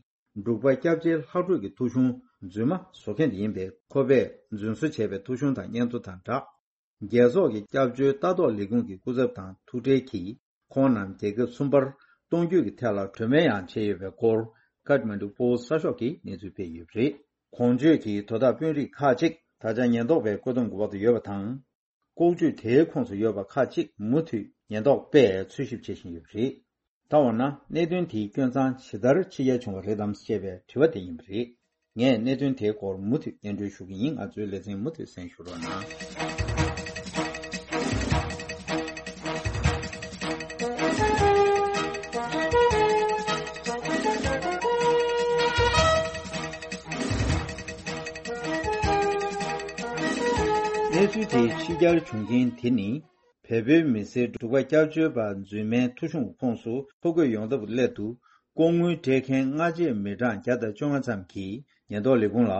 འབྲུག་པ་སྐྱབས་བཅོལ་ལྷག་འཕྲོས་ཀྱི་ཐོ་གཞུང་རྫུན་མ་བཟོ་མཁན་དེ་ཡིན་པས། ཁོ་པས་རྫུན་བཟོ་བྱས་པའི་ཐོ་གཞུང་དང་སྙན་ཐོ་དང་སྦྲགས། རྒྱལ་ཚོགས་ཀྱི་སྐྱབས་བཅོལ་ལྟ་རྟོག་ལས་ཁུངས་ཀྱི་སྐུ་ཚབ་དང་ཐུག་འཕྲད་ཀྱིས་ཁོང་རྣམས་རྒྱལ་ཁབ་གསུམ་པར་གཏོང་རྒྱུ་གི་ཐད་ལ་གྲོས་མོལ་ཡང་བྱས་ཡོད་པའི་སྐོར་ཀཏ་མན་ཌུ་པོ་སི་གསར་ཤོག་གིས་གནས་ཚུལ་སྤེལ་ཡོད་པ་རེད། གོང་བརྗོད་ཀྱི་དོ་བདག་དཔོན་རིགས་ཁག་ཅིག་ད་ཆ་ཉེན་རྟོག་པའི་བཀོད་འདོམས་འོག་ཏུ་ཡོད་པ་དང་། ལྐོག་ཇུས་དེའི་ཁོངས་སུ་ཡོད་པ་ཁག་ཅིག་མུ་མཐུད་ཉེན་རྟོག་པས་འཚོལ་ཞིབ་བྱེད་བཞིན་ཡོད་པ་རེད། ད་འོ་ན་གནད་དོན་དེའི་སྐྱོན་མཚང་ཇི་ལྟར་ཕྱེ་རྒྱ་བྱུང་བ་རེད་དམ་ཞེས་པའི་དྲི་བ་དེ་ཡིན་པ་རེད། ངས་གནད་དོན་དེའི་སྐོར་མུ་མཐུད་སྙན་སྒྲོན་ཞུ་གི་ཡིན། ང་ཚོའི་ལེ་ཚན་མུ་མཐུད་གསན་ཞུ་རོགས་གནང་། གནས་ཚུལ་དེ་ཕྱི་གྱར་བྱུང་རྐྱེན་དེ་ནི། བལ་པོའི་མི་སེར་འབྲུག་པ་སྐྱབས་བཅོལ་བ་རྫུན་མའི་ཐོ་གཞུང་ཁོངས་སུ་ཐོ་འགོད་ཡོང་ཐབས་སླད་དུ་ལྐོག་དངུལ་སྤྲད་མཁན་སྔ་རྗེས་མི་གྲངས་བརྒྱ་དང་བཅོ་ལྔ་ཙམ་གྱིས་ཉེན་རྟོག་ལས་ཁུངས་ལ་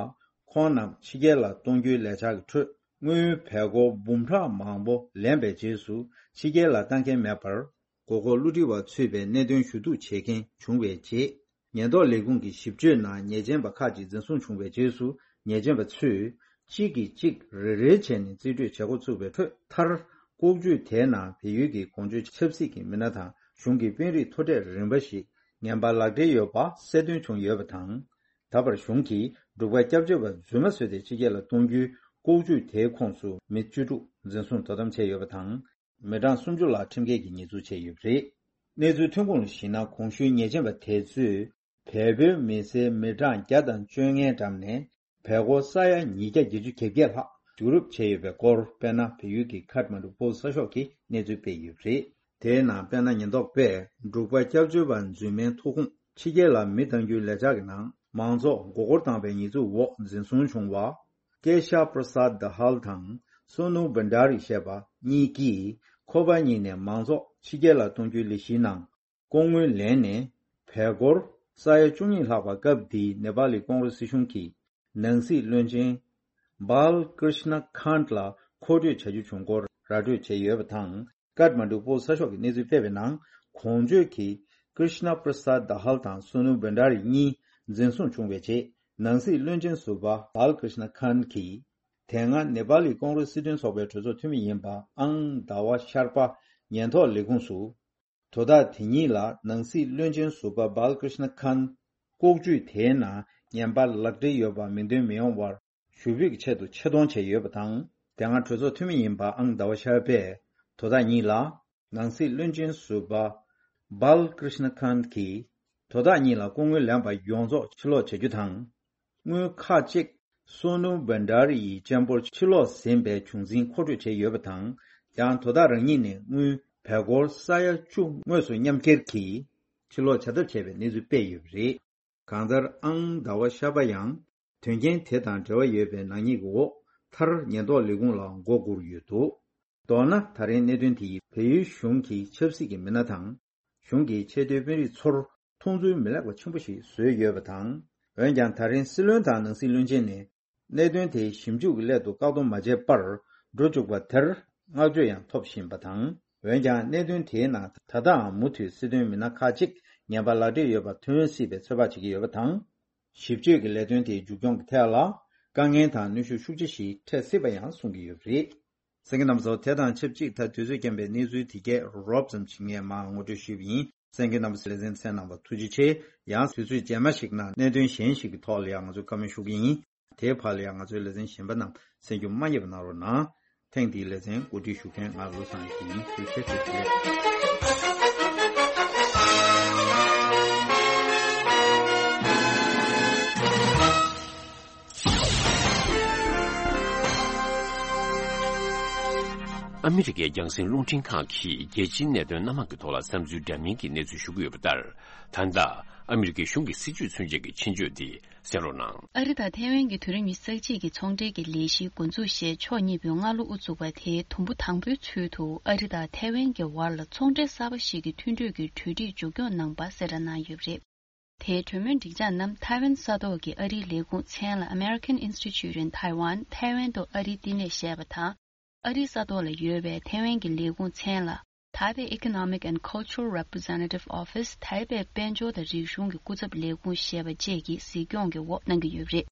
ཁོང་རྣམས་ཕྱི་རྒྱལ་ལ་གཏོང་རྒྱུའི་ལས་འཆར་གྱི་ཁྲོད་དངུལ་བལ་སྒོར་འབུམ་ཕྲག་མང་པོ་ལེན་པའི་རྗེས་སུ་ཕྱི་རྒྱལ་ལ་གཏང་མཁན་མེད་པར། མགོ་སྐོར་བསླུ་བྲིད་པ་ཚུད་པའི་གནད་དོན་ཞུ་གཏུག་བྱེད་མཁན་བྱུང་བའི་རྗེས། ཉེན་རྟོག་ལས་ཁུངས་ཀྱི་ཞིབ་དཔྱོད་ནང་ཉེས་ཅན་པ་ཁག་ཅིག་འཛིན་བཟུང་བྱུང་བའི་རྗེས་སུ། ཉེས་ཅན་པ་ཚོས་གཅིག་གིས་གཅིག་རེ་རེ་བྱས་ནས་རྩིས་སྤྲོད་བྱེད་འགོ་ཚུགས་པའི་ཁྲོད་མཐར། ལྐོག་ཇུས་དེའི་ནང་བལ་ཡུལ་གྱི་གོང་བརྗོད་ཆབ་སྲིད་ཀྱི་མི་སྣ་དང་གཞུང་གི་དཔོན་རིགས་མཐོ་གྲས་རིམ་པ་ཞིག་ངན་པ་ལག་འབྲེལ་ཡོད་པ་གསལ་སྟོན་བྱུང་ཡོད་པ་དང་། ད་བར་གཞུང་གིས་འབྲུག་པ་སྐྱབས་བཅོལ་བ་རྫུན་མ་བཟོས་ཏེ་ཕྱི་རྒྱལ་ལ་གཏོང་རྒྱུའི་ལྐོག་ཇུས་དེའི་ཁོངས་སུ་མི་བཅུ་དྲུག་འཛིན་བཟུང་དོ་དམ་བྱས་ཡོད་པ་དང་། མི་གྲངས་སུམ་ཅུ་ལྷག་ཁྲིམས་འགལ་གྱི་ཉེས་འཛུགས་བྱས་ཡོད་པ་རེད། གནས་ཚུལ་ཐོན་ཁུངས་ལ་གཞིགས་ན། གོང་ཞུས་ཉེས་ཅན་པ་དེ་ཚོས་བལ་པོའི་མི་སེར་མི་གྲངས་བརྒྱ་དང་བཅོ་ལྔའི་འགྲམ་ནས་བལ་སྒོར་ས་ཡ་ཉིས་བརྒྱ་བརྒྱད་ཅུ་གྱ་བརྒྱད་ལྷག་བསྡུ་རུབ་བྱས་ཡོད་པའི་སྐོར། དཔེར་ན། བལ་ཡུལ་གྱི་ཁཱཐ་མན་ཌུ་པོ་སི་གསར་ཤོག་གིས་གནས་ཚུལ་སྤེལ་ཡོད་པ་རེད། དེའི་ནང་། དཔེར་ན། ཉེན་རྟོག་པས་འབྲུག་པ་སྐྱབས་བཅོལ་བ་རྫུན་མའི་ཐོ་ཁུངས་ཕྱི་རྒྱལ་ལ་མི་གཏང་རྒྱུའི་ལས་འཆར་གྱི་ནང་མང་ཚོགས་མགོ་སྐོར་བཏང་བའི་ཉེས་འཛུགས་འོག་འཛིན་བཟུང་བྱུང་བ། ཀེ་ཤ་པྲ་སཱད་དྷ་ཧལ་དང་སོ་ནུ་བྷན་ཌ་རི་ཞེས་པ་གཉིས་ཀྱིས་ཁོ་པ་གཉིས་ནས་མང་ཚོགས་ཕྱི་རྒྱལ་ལ་གཏོང་རྒྱུའི་ལས་གཞིའི་ནང་ལྐོག་དངུལ་ལེན་ནས་བལ་སྒོར་ས་ཡ་བཅུ་གཉིས་ལྷག་པ། སྐབས་དེའི་ནེ་པ་ལི་ཀོང་རེས་སྲིད་གཞུང་གི་ནང་སྲིད་བློན་ཆེན་བྷལ་ཀྲིཤ་ན་ཁཱན་ལ་མཁོ་སྤྲོད་བྱ་རྒྱུ་བྱུང་སྐོར་ར་སྤྲོད་བྱས་ཡོད་པ་དང་། ཀཱཐ་མན་ཌུ་པོ་སི་གསར་ཤོག་གིས་གནས་ཚུལ་སྤེལ་བའི་ནང་། གོང་བརྗོད་ཀྱི་ཀྲིཤ་ན་པྲ་སཱད་དྷ་ཧལ་དང་སོ་ནུ་བྷན་ཌ་རི་གཉིས་འཛིན་བཟུང་བྱུང་བའི་རྗེས། ནང་སྲིད་བློན་ཆེན་ཟུར་པ་བྷལ་ཀྲིཤ་ན་ཁཱན་གྱིས། དེ་སྔ་ནེ་པ་ལི་ཀོང་རེས་སྲིད་དོན་ཚོགས་པའི་གྲོས་ཚོགས་འཐུས་མི་ཡིན་པ་ཨང་ཟླ་བ་ཤར་པ་ཉེན་རྟོག་ལས་ཁུངས་སུ། དོ་བདག་དེ་གཉིས་ལ་ནང་སྲིད་བློན་ཆེན་ཟུར་པ་བྷལ་ཀྲིཤ་ན་ཁཱན་ལྐོག་ཇུས་དེའི་ནང་ངན་པ་ལག་འབྲེལ་ཡོད་པ་མིང་འདོན་མི་ཡོང་བར་ཞུ་འབོད་ཀྱི་ཆེད་དུ་ཆེད་གཏོང་བྱས་ཡོད་པ་དང་། དེ་སྔ་གྲོས་ཚོགས་འཐུས་མི་ཡིན་པ་ཨང་ཟླ་བ་ཤར་པས་དོ་བདག་གཉིས་ལ། ནང་སྲིད་བློན་ཆེན་ཟུར་པ་བྷལ་ཀྲིཤ་ན་ཁཱན་གྱིས་དོ་བདག་གཉིས་ལ་ལྐོག་དངུལ་ལེན་པ་ཡོངས་རྫོགས་ཕྱིར་སློག་བྱ་རྒྱུ་དང་། དངུལ་ཁག་ཅིག་སོ་ནུ་བྷན་ཌ་རི་ཡི་གཅེན་པོར་ཕྱིར་སློག་ཟིན་པའི་བྱུང་འཛིན་མཁོ་སྤྲོད་བྱས་ཡོད་པ་དང་། ཡང་དོ་བདག་རང་ཉིད་ནས་དངུལ་བལ་སྒོར་ས་ཡ་བཅུ་དངོས་སུ་མཉམ་འཁྱེར་གྱིས་ཕྱིར་སློག་བྱ་ཐབས་བྱས་པའི་གནས་ཚུལ་སྤེལ་ཡོད་པ་རེད། གང་ལྟར། ཨང་ཟླ་བ་ཤར་པ་ཡང་དོན་རྐྱེན་དེ་དང་འབྲེལ་བ་ཡོད་པའི་ནག་ཉེས་ཀྱི་འོག་མཐར་ཉེན་རྟོག་ལས་ཁུངས་ལ་མགོ་སྒུར་ཡོད་འདུག་མདོར་ན། ད་རིང་གནད་དོན་དེ་ཡིས་བལ་ཡུལ་གཞུང་གི་ཆབ་སྲིད་ཀྱི་མི་སྣ་དང་། གཞུང་གི་ཆེས་མཐོའི་དཔོན་རིགས་ཚོར་མཐོང་ཚུལ་མི་ལེགས་པ་ཆེན་པོ་ཞིག་བཟོས་ཡོད་པ་དང་། འོན་ཀྱང་། ད་རིང་སྲིད་བློན་དང་ནང་སྲིད་བློན་ཆེན་ནས་གནད་དོན་དེ་ཞིབ་འཇུག་གི་སླད་དུ་བཀག་སྡོམ་མ་བྱས་པར་འགྲོ་བཅུག་པ་དེར་བསྔགས་བརྗོད་ཡང་ཐོབ་བཞིན་པ་དང་། འོན་ཀྱང་། གནད་དོན་དེའི་ནང་ད་ལྟའང་མུ་མཐུད་སྲིད་དོན་མི་སྣ་ཁག་ཅིག་ངན་པ་ལག་འབྲེལ་ཡོད་པ་ཐོན་སྲིད་པའི་ཚོད་དཔག་བྱེད་ཀྱི་ཡོད་པ་དང་། ཞིབ་དཔྱོད་ཀྱི་ལས་དོན་དེའི་མཇུག་སྐྱོང་གི་ཐད་ལ་དཀའ་ངལ་དང་གནོན་ཤུགས་ཤུགས་ཆེ་ཞིག་འཕྲད་སྲིད་པ་ཡང་གསུང་གི་ཡོད་པ་རེད། གསན་མཁན་རྣམ་པ་ཚོ། དེ་དང་ཆབས་ཅིག་ད་དུས་ཚོད་རྐྱེན་པས་གནས་ཚུལ་དེ་གས་རོབ་ཙམ་ཞིག་ངས་མར་ངོ་སྤྲོད་ཞུས་པ་ཡིན། གསན་མཁན་རྣམ་པ་ཚོས་ལེ་ཚན་གསན་གནང་བར་ཐུགས་རྗེ་ཆེ། ཡང་དུས་ཚོད་རྗེས་མ་ཞིག་ནང་གནད་དོན་གཞན་ཞིག་གི་ཐོག་ལ་ཡང་ང་ཚོས་བཀའ་མོལ་ཞུ་གི་ཡིན། དེའི་བར་ལ་ཡང་ང་ཚོའི་ལེ་ཚན་གཞན་པ་རྣམས་གསན་རྒྱུ་མ་བསྙེལ་བ་གནང་རོགས་གནང་། ཐེངས་འདིའི་ལེ་ཚན་གོ་སྒྲིག་ཞུ་མཁན་ང་བློ་བཟང་ཡིན། ཐུགས་རྗེ་ཆེ། ཨ་མི་རི་ཀའི་རྒྱང་སྲིང་རླུང་འཕྲིན་ཁང་གིས་རྒྱལ་སྤྱིའི་གནད་དོན་སྣ་མང་གི་ཐོག་ལ་བསམ་ཚུལ་འདྲ་མིན་གྱི་གནས་ཚུལ་ཞུ་གི་ཡོད་པ་ལྟར། ད་ལྟ་ཨ་མི་རི་ཀའི་གཞུང་གི་སྲིད་བྱུས་མཚོན་བྱེད་ཀྱི་ཆེད་བརྗོད་འདི་གསན་རོགས་གནང་། ཨ་རི་དང་ཐའེ་ཝན་གྱི་དུས་རབས་ཉི་ཤུ་རྩ་གཅིག་གི་ཚོང་འབྲེལ་གྱི་ལས་གཞིའི་འགོ་འཛུགས་ཞེས་ཕྱོགས་གཉིས་པོས་སྔ་ལོ་དབུ་བཙུགས་པ་དེའི་དུམ་བུ་དང་པོའི་ཚུལ་དུ། ཨ་རི་དང་ཐའེ་ཝན་གྱི་བར་ལ་ཚོང་འབྲེལ་གསར་པ་ཞིག་གི་མཐུན་གྲོས་ཀྱི་གྲོས་འགྲིག་མཇུག་སྐྱོང་གནང་པ་གསལ་བསྒྲགས་གནང་ཡོད་པ་རེད། དེའི་གྲོས་མོལ་སྒྲིག་འཇགས་རྣམས་ཐའེ་ཝན་ས་ཐོག་གི་ཨ་རིའི་ལས་ཁུངས་མཚན་ལ་American Institute in Taiwan ཐའེ་ཝན་དུ་ཨ་རིའི་བསྟི་གནས་ཞེས་པ་དང་། ཨ་རིའི་ས་ཐོག་ལ་ཡོད་པའི་ཐའེ་ཝན་གྱི་ལས་ཁུངས་མཚན་ལ་Taipei Economic and Cultural Representative Office ཐའེ་པེ་དཔལ་འབྱོར་དང་རིག་གཞུང་གི་སྐུ་ཚབ་ལས་ཁུངས་ཞེས་པ་བཅས་ཀྱིས་གཟིགས་སྐྱོང་གི་འོག་གནང་གི་ཡོད་པ་རེད།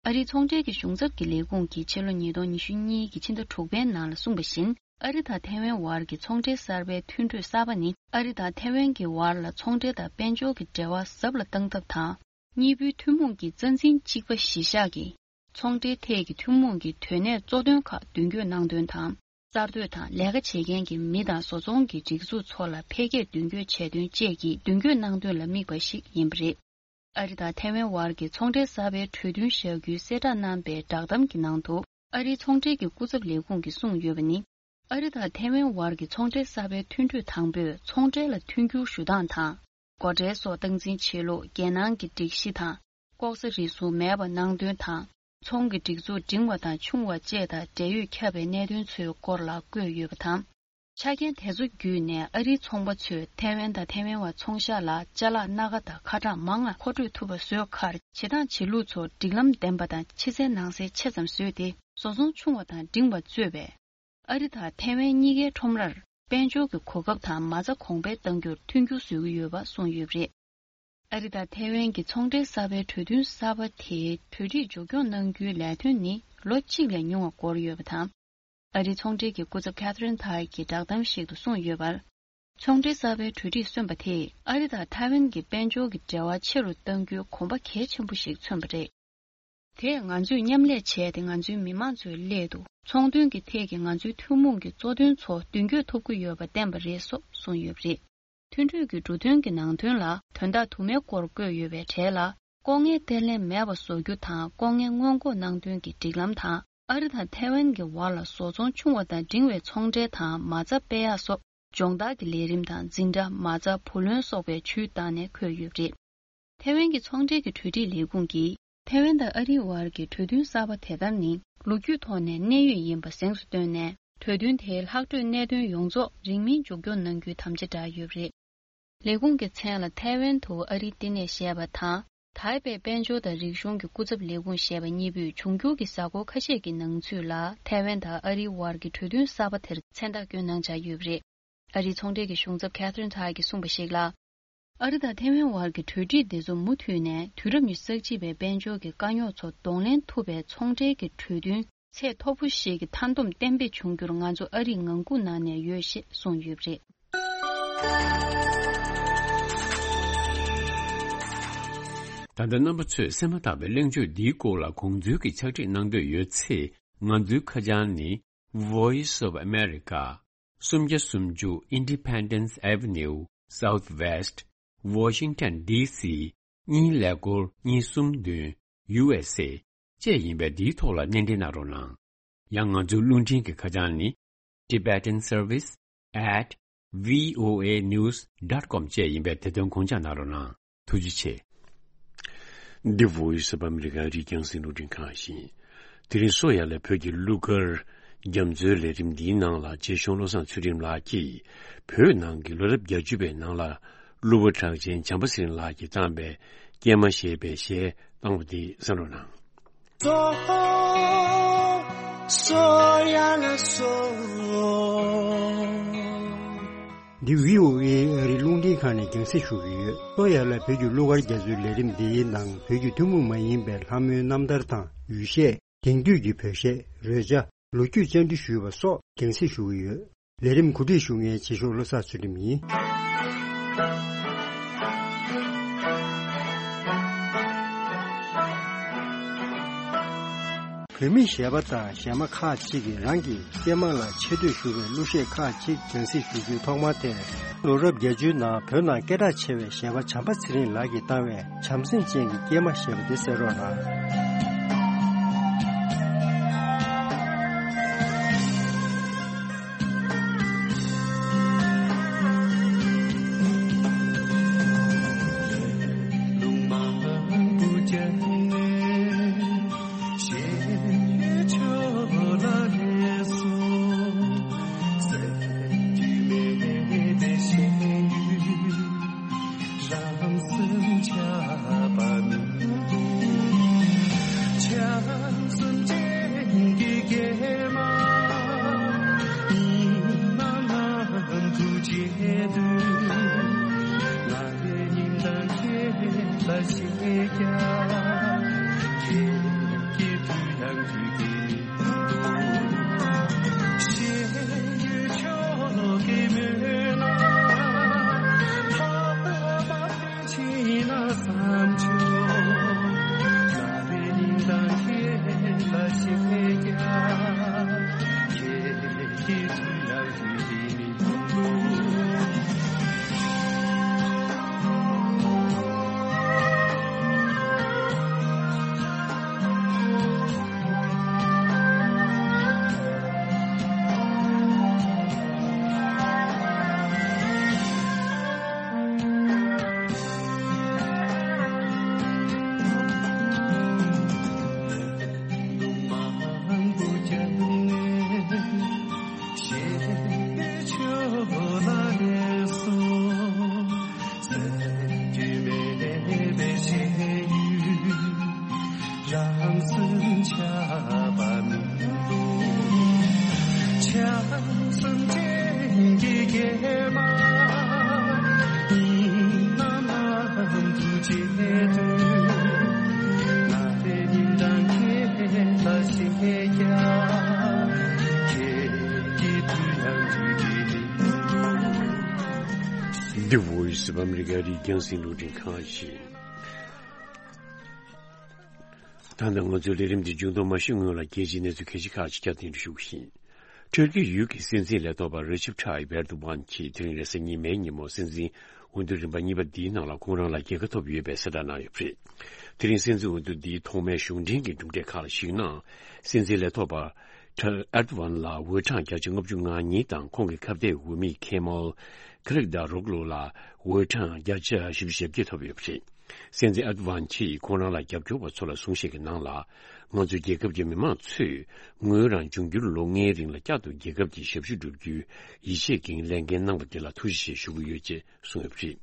ཨ་རིའི་ཚོང་འབྲེལ་གྱི་གཞུང་ཚབ་ཀྱི་ལས་ཁུངས་ཀྱིས་ཕྱི་ལོ་ཉིས་སྟོང་ཉི་ཤུ་གཉིས་ཀྱི་ཕྱི་ཟླ་དྲུག་པའི་ནང་ལ་གསུངས་པ་བཞིན། ཨ་རི་དང་ཐའེ་ཝན་བར་གྱི་ཚོང་འབྲེལ་གསར་པའི་མཐུན་གྲོས་གསར་པ་ནི། ཨ་རི་དང་ཐའེ་ཝན་གྱི་བར་ལ་ཚོང་འབྲེལ་དང་དཔལ་འབྱོར་གྱི་འབྲེལ་བ་ཟབ་ལ་གཏང་ཐབས་དང་། གཉིས་པོའི་ཐུན་མོང་གི་རྩ་འཛིན་གཅིག་པ་གཞི་བཞག་གི་ཚོང་འབྲེལ་ཐད་ཀྱི་ཐུན་མོང་གི་དོན་གནད་གཙོ་དོན་ཁག་མདུན་སྐྱོད་གནང་དོན་དང་། གསར་གཏོད་དང་ལས་ཀ་བྱེད་མཁན་གྱི་མི་དང་བཟོ་ཚོང་གི་སྒྲིག་འཛུགས་ཚོ་ལ་འཕེལ་རྒྱས་མདུན་སྐྱོད་བྱས་དོན་བཅས་ཀྱི་མདུན་སྐྱོད་གནང་དོན་ལ་དམིགས་པ་ཞིག་ཡིན་པ་རེད། ཨ་རི་དང་ཐའེ་ཝན་བར་གྱི་ཚོང་འབྲེལ་གསར་པའི་གྲོས་མཐུན་བཞག་རྒྱུའི་གསལ་བསྒྲགས་གནང་པའི་བསྒྲགས་གཏམ་གྱི་ནང་དུ། ཨ་རིའི་ཚོང་འབྲེལ་གྱི་སྐུ་ཚབ་ལས་ཁུངས་ཀྱིས་གསུངས་ཡོད་པ་ནི། ཨ་རི་དང་ཐའེ་ཝན་བར་གྱི་ཚོང་འབྲེལ་གསར་པའི་མཐུན་གྲོས་དང་པོས་ཚོང་འབྲེལ་ལ་མཐུན་འགྱུར་ཞུ་སྟངས་དང་། སྒོ་ཁྲལ་སོགས་སྟངས་འཛིན་བྱེད་ལུགས། རྒྱལ་ནང་གི་སྒྲིག་གཞི་དང་། ལྐོག་ཟ་རེ་ཟུང་མེད་པ་གནང་དོན་དང་། ཚོང་གི་སྒྲིག་འཛུགས་འབྲིང་བ་དང་ཆུང་བ་བཅས་དང་འབྲེལ་ཡོད་ཁྱབ་པའི་གནད་དོན་ཚོའི་སྐོར་ལ་བཀོད་ཡོད་པ་དང་། ཆ་རྐྱེན་དེ་ཚོ་བརྒྱུད་ནས་ཨ་རིའི་ཚོང་པ་ཚོས་ཐའེ་ཝན་དང་ཐའེ་ཝན་བར་ཚོང་ཤག་ལ་ཅ་ལག་སྣ་ཁ་དང་ཁ་གྲངས་མང་ང་མཁོ་སྤྲོད་ཐུབ་པ་བཟོས་ཁར། བྱེད་སྟངས་བྱེད་ལུགས་ཚོ་སྒྲིག་ལམ་ལྡན་པ་དང་ཕྱི་གསལ་ནང་གསལ་ཆེ་ཙམ་བཟོས་ཏེ། བཟོ་ཚོང་ཆུང་བ་དང་འབྲིང་བ་གཙོས་པའི་ཨ་རི་དང་ཐའེ་ཝན་གཉིས་ཀའི་ཁྲོམ་རར་དཔལ་འབྱོར་གྱི་གོ་སྐབས་དང་མ་རྩ་གོང་འཕེལ་གཏང་རྒྱུར་མཐུན་འགྱུར་བཟོ་གི་ཡོད་པ་གསུངས་ཡོད་པ་རེད། ཨ་རི་དང་ཐའེ་ཝན་གྱི་ཚོང་འབྲེལ་གསར་པའི་གྲོས་མཐུན་གསར་པ་དེའི་གྲོས་འགྲིག་མཇུག་སྐྱོང་གནང་རྒྱུའི་ལས་དོན་ནི་ལོ་གཅིག་ལས་ཉུང་བ་འགོར་ཡོད་པ་དང་། ཨ་རིའི་ཚོང་འབྲེལ་གྱི་སྐུ་ཚབ་Catherine Tai གྱིས་བསྒྲགས་གཏམ་ཞིག་ཏུ་གསུངས་ཡོད་པར། ཚོང་འབྲེལ་གསར་པའི་གྲོས་འགྲིག་སོན་པ་དེས་ཨ་རི་དང་ཐའེ་ཝན་གྱི་དཔལ་འབྱོར་གྱི་འབྲེལ་བ་ཆེ་རུ་གཏང་རྒྱུའི་གོམ་པ་གལ་ཆེན་པོ་ཞིག་མཚོན་པ་རེད། དེས་ང་ཚོས་མཉམ་ལས་བྱས་ཏེ་ང་ཚོའི་མི་མང་ཚོའི་སླད་དུ་ཚོང་དོན་གྱི་ཐད་ཀྱི་ང་ཚོའི་ཐུན་མོང་གི་གཙོ་དོན་ཚོ་མདུན་སྐྱོད་ཐུབ་ཀྱི་ཡོད་པ་བསྟན་པ་རེད་སོགས་གསུངས་ཡོད་པ་རེད། མཐུན་གྲོས་ཀྱི་འབྲུ་དོན་གྱི་ནང་དོན་ལ་དོན་དག་དུ་མའི་སྐོར་བཀོད་ཡོད་པའི་གྲས་ལ། ལྐོག་རྔན་གཏན་ལེན་མེད་པ་བཟོ་རྒྱུ་དང་ལྐོག་རྔན་སྔོན་འགོག་གནང་དོན་གྱི་སྒྲིག་ལམ་དང་། ཨ་རི་དང་ཐའེ་ཝན་གྱི་བར་ལ་བཟོ་ཚོང་ཆུང་བ་དང་འབྲིང་བའི་ཚོང་འབྲེལ་དང་མ་རྩ་སྤེལ་ཡག་སོགས་སྦྱོང་བརྡར་གྱི་ལས་རིམ་དང་འཛིན་གྲྭ། མ་རྩ་བུ་ལོན་སོགས་པའི་ཇུས་བཏང་ནས་འཁོད་ཡོད་པ་རེད། ཐའེ་ཝན་གྱི་ཚོང་འབྲེལ་གྱི་གྲོས་སྒྲིག་ལས་ཁུངས་ཀྱིས་ཐའེ་ཝན་དང་ཨ་རིའི་བར་གྱི་གྲོས་མཐུན་གསར་པ་དེ་ལྟར་ནི་ལོ་རྒྱུས་ཐོག་ནས་གནད་ཡོད་ཡིན་པ་གཟེངས་སུ་བཏོན་ནས། གྲོས་མཐུན་དེའི་ལྷག་འཕྲོས་གནད་དོན་ཡོངས་རྫོགས་རིང་མིན་མཇུག་སྐྱོང་གནང་རྒྱུའི་དམ་བཅའ་བསྒྲགས་ཡོད་པ་རེད། ལས་ཁུངས་ཀྱི་མཚན་ལ་ཐའེ་ཝན་དུ་ཨ་རིའི་བསྟི་གནས་ཞེས་པ་དང་། ཐའེ་པེ་དཔལ་འབྱོར་དང་རིག་གཞུང་གི་སྐུ་ཚབ་ལས་ཁུངས་ཞེས་པ་གཉིས་པོས་འབྱུང་འགྱུར་གྱི་གཟའ་འཁོར་ཁ་ཤས་ཀྱི་ནང་ཚུད་ལ་ཐའེ་ཝན་དང་ཨ་རིའི་བར་གྱི་གྲོས་མཐུན་གསར་པ་དེར་མཚན་རྟགས་བསྐྱོན་གནང་འཆར་ཡོད་པ་རེད། ཨ་རིའི་ཚོང་འབྲེལ་གྱི་གཞུང་ཚབ་Catherine Tai གྱིས་གསུངས་པ་ཞིག་ལ། ཨ་རི་དང་ཐའེ་ཝན་བར་གྱི་གྲོས་སྒྲིག་དེ་ཚོ་མུ་མཐུད་ནས་དུས་རབས་ཉི་ཤུ་རྩ་གཅིག་པའི་དཔལ་འབྱོར་གྱི་དཀའ་རྙོག་ཚོ་གདོང་ལེན་ཐུབ་པའི་ཚོང་འབྲེལ་གྱི་གྲོས་མཐུན་ཚད་མཐོ་པོ་ཞིག་གི་མཐའ་སྡོམ་གཏན་འབེབས་བྱུང་རྒྱུར་ང་ཚོ་ཨ་རིས་ངང་སྒུག་གནང་ནས་ཡོད་ཞེས་གསུངས་ཡོད་པ་རེད། ད་ལྟ་རྣམ་པ་ཚོས་གསན་མ་ཐག་པའི་གླེང་བརྗོད་འདིའི་སྐོར་ལ་དགོངས་ཚུལ་གྱི་ཕྱག་བྲིས་གནང་འདོད་ཡོད་ཚེ། ང་ཚོའི་ཁ་བྱང་ནི། Voice of America། སུམ་བརྒྱ་སུམ་ཅུ་Independence Avenue Southwest Washington D C གཉིས་ཀླད་ཀོར་གཉིས་གསུམ་བདུན། U S A བཅས་ཡིན་པས། འདིའི་ཐོག་ལ་སྣེ་འདྲེན་གནང་རོགས་གནང་། ཡང་ང་ཚོའི་རླུང་འཕྲིན་གྱི་ཁ་བྱང་ནི། Tibetan Service at V O A news dot com བཅས་ཡིན་པས། དེ་དོན་དགོངས་འཇགས་གནང་རོགས་གནང་། ཐུགས་རྗེ་ཆེ། འདི་Voice of America ཨ་རིའི་རྒྱང་སྲིང་རླུང་འཕྲིན་ཁང་ཡིན། དེ་རིང་སོ་ཡ་ལ་བོད་ཀྱི་གླུ་གར་རྒྱ་མཚོའི་ལས་རིམ་འདིའི་ནང་ལ་རྗེ་གཞུང་བློ་བཟང་ཚུལ་ཁྲིམས་ལགས་ཀྱིས་བོད་ནང་གི་ལོ་རབས་བརྒྱད་ཅུ་པའི་ནང་ལ་གླུ་བ་གྲགས་ཅན་བྱམས་པ་ཚེ་རིང་ལགས་ཀྱིས་བཏང་པའི་སྐྱེལ་མ་ཞེས་པའི་གཞས་བཏང་བ་འདི་གསན་རོགས་གནང་། འདི་V O A ཨ་རིའི་རླུང་འཕྲིན་ཁང་ནས་རྒྱང་སྲིང་ཞུ་གི་ཡོད། སོ་ཡ་ལ་བོད་ཀྱི་གླུ་གར་རྒྱ་མཚོའི་ལས་རིམ་འདིའི་ནང་བོད་ཀྱི་ཐུན་མོང་མ་ཡིན་པའི་ལྷ་མོའི་རྣམ་ཐར་དང་ཡུལ་གཞས། དེང་དུས་ཀྱི་བོད་གཞས། རོལ་ཆ། ལོ་རྒྱུས་བཅར་འདྲི་ཞུས་པ་སོགས་རྒྱང་སྲིང་ཞུ་གི་ཡོད། ལས་རིམ་གོ་སྒྲིག་ཞུ་མཁན་རྗེ་གཞུང་བློ་བཟང་ཚུལ་ཁྲིམས་ཡིན། བོད་མི་གཞས་པ་དང་གཞས་མ་ཁག་ཅིག་གིས་རང་གི་སྐྱེས་དམན་ལ་ཆེ་བསྟོད་ཞུ་བའི་གླུ་གཞས་ཁག་ཅིག་སྒྲོན་གསིག་ཞུ་རྒྱུའི་ཐོག་མ་དེར། ལོ་རབས་བརྒྱད་ཅུའི་ནང་བོད་ནང་སྐད་གྲགས་ཆེ་བའི་གཞས་པ་བྱམས་པ་ཚེ་རིང་ལགས་ཀྱིས་བཏང་བའི་བྱམས་སེམས་ཅན་གྱི་སྐྱེས་མ་ཞེས་པ་དེ་གསན་རོགས་གནང་། The Voice of America རིགས་རྒྱང་སྲིང་རླུང་འཕྲིན་ཁང་ཞིག་ད་ལྟ་ང་ཚོའི་ལས་རིམ་འདི་མཇུག་བསྡོམས་མ་ཞུས་སྔོན་ལ་རྒྱལ་སྤྱིའི་གནས་ཚུལ་ཁག་ཅིག་ཁག་ཅིག་བསྐྱར་ཟློས་ཞུ་གི་ཡིན། ཊར་ཀི་ཡུལ་གྱི་སྲིད་འཛིན་ལས་ཐོག་པ་རེ་ཅེབ་ཊ་ཡིབ་ཨེར་དོ་གྷན་གྱིས་དེ་རིང་རེས་གཟའ་ཉི་མའི་ཉིན་མོ་སྲིད་འཛིན་འོས་བསྡུ་རིམ་པ་གཉིས་པ་འདིའི་ནང་ལ་ཁོང་རང་ལ་རྒྱལ་ཁ་ཐོབ་ཡོད་པའི་གསལ་བསྒྲགས་གནང་ཡོད་པ་རེད། དེ་རིང་སྲིད་འཛིན་འོས་བསྡུ་འདིའི་ཐོག་མའི་གཞུང་འབྲེལ་གྱི་གྲུབ་འབྲས་ཁག་ལ་གཞིགས་ན། སྲིད་འཛིན་ལས་ཐོག་པ་ཊ་ཨེར་དོ་གྷན་ལ་འོས་གྲངས་བརྒྱ་ཆ་ལྔ་བཅུ་ང་གཉིས་དང་ཁོང་གི་ཁ་གཏད་འོས་མི་ཁེ་མལ་ཁི་ལིག་དཱ་རོག་ལུ་ལ་འོས་གྲངས་བརྒྱ་ཆ་བཞི་བཅུ་ཞེ་བརྒྱད་ཐོབ་ཡོད་པ་རེད། སྲིད་འཛིན་ཨེར་དོ་གྷན་གྱིས་ཁོང་རང་ལ་རྒྱབ་སྐྱོར་བ་ཚོ་ལ་གསུངས་བཤད་ཀྱི་ནང་ལ། ང་ཚོའི་རྒྱལ་ཁབ་ཀྱི་མི་མང་ཚོས་ངོས་རང་འབྱུང་འགྱུར་ལོ་ལྔའི་རིང་ལ་བསྐྱར་དུ་རྒྱལ་ཁབ་ཀྱི་ཞབས་ཞུ་བསྒྲུབ་རྒྱུའི་ཡིད་ཆེས་ཀྱི་ལས་འགན་གནང་བ་དེ་ལ་ཐུགས་རྗེ་ཆེ་ཞུ་གི་ཡོད་ཅེས་གསུངས་ཡོད་པ་རེད།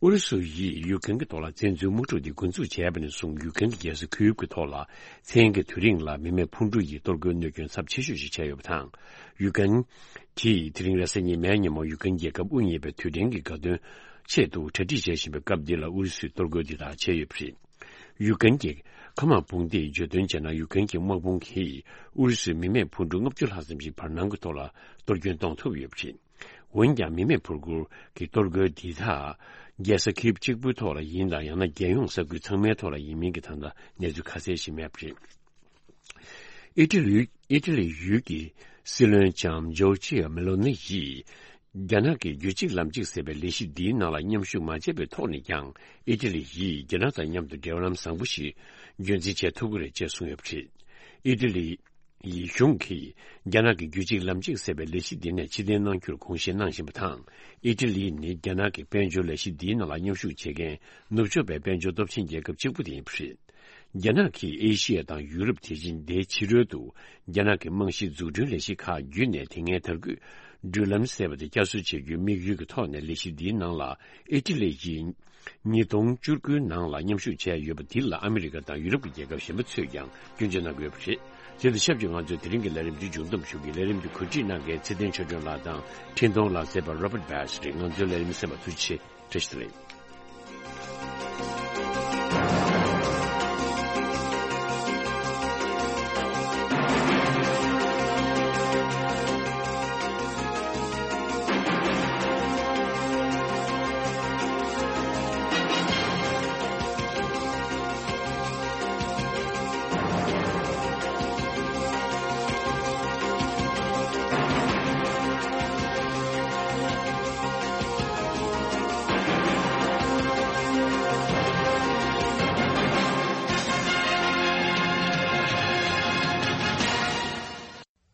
ཨུ་རུ་སུ་ཡིས་ཡུཀ་རེན་གྱི་ཐོག་ལ་བཙན་འཛུལ་དམག་འཁྲུག་འདི་འགོ་འཛུགས་བྱས་པ་ནས་བཟུང་ཡུཀ་རེན་གྱི་རྒྱལ་ས་ཁིའུབ་ཀྱི་ཐོག་ལ་མཚན་གྱི་དུས་རིང་ལ་མི་མེད་འཕུར་གྲུ་ཡིས་གཏོར་རྒོལ་གནོད་སྐྱོན་ཚབས་ཆེ་ཤོས་ཤིག་བྱས་ཡོད་པ་དང་། ཡུཀ་རེན་གྱིས་དེ་རིང་རེས་གཟའ་ཉི་མའི་ཉིན་མོ་ཡུཀ་རེན་རྒྱལ་ཁབ་དབུ་བརྙེས་པའི་དུས་དྲན་གྱི་དགའ་སྟོན་ཆེད་དུ་གྲ་སྒྲིག་བྱེད་བཞིན་པའི་སྐབས་འདི་ལ་ཨུ་རུ་སུས་གཏོར་རྒོལ་འདི་དག་བྱས་ཡོད་པ་རེད། ཡུཀ་རེན་གྱི་མཁའ་དམག་དཔུང་སྡེས་བརྗོད་དོན་བྱས་ན། ཡུཀ་རེན་གྱི་དམག་དཔུང་གིས་ཨུ་རུ་སུའི་མི་མེད་འཕུར་གྲུ་ལྔ་བཅུ་ལྷག་ཙམ་ཞིག་བར་སྣང་གི་ཐོག་ལ་གཏོར་སྐྱོན་གཏོང་ཐུབ་ཡོད་པ་རེད། འོན་ཀྱང་མི་མེད་འཕུར་གྲུ་གི་གཏོར་རྒོལ་འདི་དག་རྒྱལ་ས་ཁིབ་གཅིག་པུའི་ཐོག་ལ་ཡིན་ལ། ཡང་ན་རྒྱལ་ཡོངས་ས་ཁུལ་ཚང་མའི་ཐོག་ལ་ཡིན་མིན་གྱི་ད་ལྟ་གནས་ཚུལ་ཁ་གསལ་ཞིག་མེད་པ་རེད། ཨི་ཊ་ལི། ཨི་ཊ་ལི་ཡུལ་གྱི་སྲིད་བློན་ལྕམ་ཇོར་ཇི་ཡ་མེ་ལོ་ནི་ཡིས། རྒྱ་ནག་གི་རྒྱུད་གཅིག་ལམ་གཅིག་ཟེར་བའི་ལས་གཞི་འདིའི་ནང་ལ་མཉམ་ཞུགས་མ་བྱས་པའི་ཐོག་ནས་ཀྱང་། ཨི་ཊ་ལི་ཡིས་རྒྱ་ནག་དང་མཉམ་དུ་འབྲེལ་ལམ་བཟང་པོ་ཞིག་རྒྱུན་འཛིན་བྱེད་ཐུབ་ཀྱི་རེད་ཅེས་གསུངས་ཡོད་པ་རེད། ཨི་ཊ་ལི་ཡི་གཞུང་གིས་རྒྱ་ནག་གི་རྒྱུད་གཅིག་ལམ་གཅིག་ཟེར་བའི་ལས་གཞི་འདི་ནས་ཕྱིར་འཐེན་གནང་རྒྱུར་དགོངས་བཞེས་གནང་བཞིན་པ་དང་། ཨི་ཊ་ལི་ནི་རྒྱ་ནག་གི་དཔལ་འབྱོར་ལས་གཞི་འདིའི་ནང་ལ་མཉམ་ཞུགས་བྱེད་མཁན་ནུབ་ཕྱོགས་པའི་དཔལ་འབྱོར་སྟོབས་ཆེན་རྒྱལ་ཁབ་གཅིག་པུ་དེ་ཡིན་པ་རེད། རྒྱ་ནག་གིས་ཨེ་ཤི་ཡ་དང་ཡུ་རོབ། དེ་བཞིན་དེའི་ཕྱི་རོལ་དུ་རྒྱ་ནག་གི་རྨང་གཞི་འཛུགས་སྐྲུན་ལས་གཞི་ཁག་བརྒྱུད་ནས། དེ་སྔའི་དར་གོས་འགྲུལ་ལམ་ཟེར་བ་དེ་བསྐྱར་གསོ་བྱེད་རྒྱུའི་དམིགས་ཡུལ་གྱི་ཐོག་ནས་ལས་གཞི་འདིའི་ནང་ལ་ཨི་ཊ་ལི་ཡིས་ཉིས་སྟོང་བཅུ་དགུའི་ནང་ལ་མཉམ་ཞུགས་བྱས་ཡོད་པ་འདི་ལ་ཨ་མི་རི་ཀ་དང་ཡུ་རོབ་ཀྱི་རྒྱལ་ཁབ་གཞན་པ་ཚོས་ཀྱང་སྐྱོན་བརྗོད་གནང་གི་ཡོད་པ་རེད། དེ་དང་ཆབས་ཅིག་ང་ཚོའི་དེ་རིང་གི་ལས་རིམ་འདི་མཇུག་བསྡོམས་ཞུ་གི། ལས་རིམ་འདི་གོ་སྒྲིག་གནང་མཁན་ཚེ་བརྟན་ཆོས་སྒྲོན་ལགས་དང་འཕྲིན་གཏོང་ལག་རྩལ་པ་Robert Bass རེད། ང་ཚོའི་ལས་རིམ་གསན་པར་ཐུགས་རྗེ་ཆེ། བཀྲ་ཤིས་བདེ་ལེགས།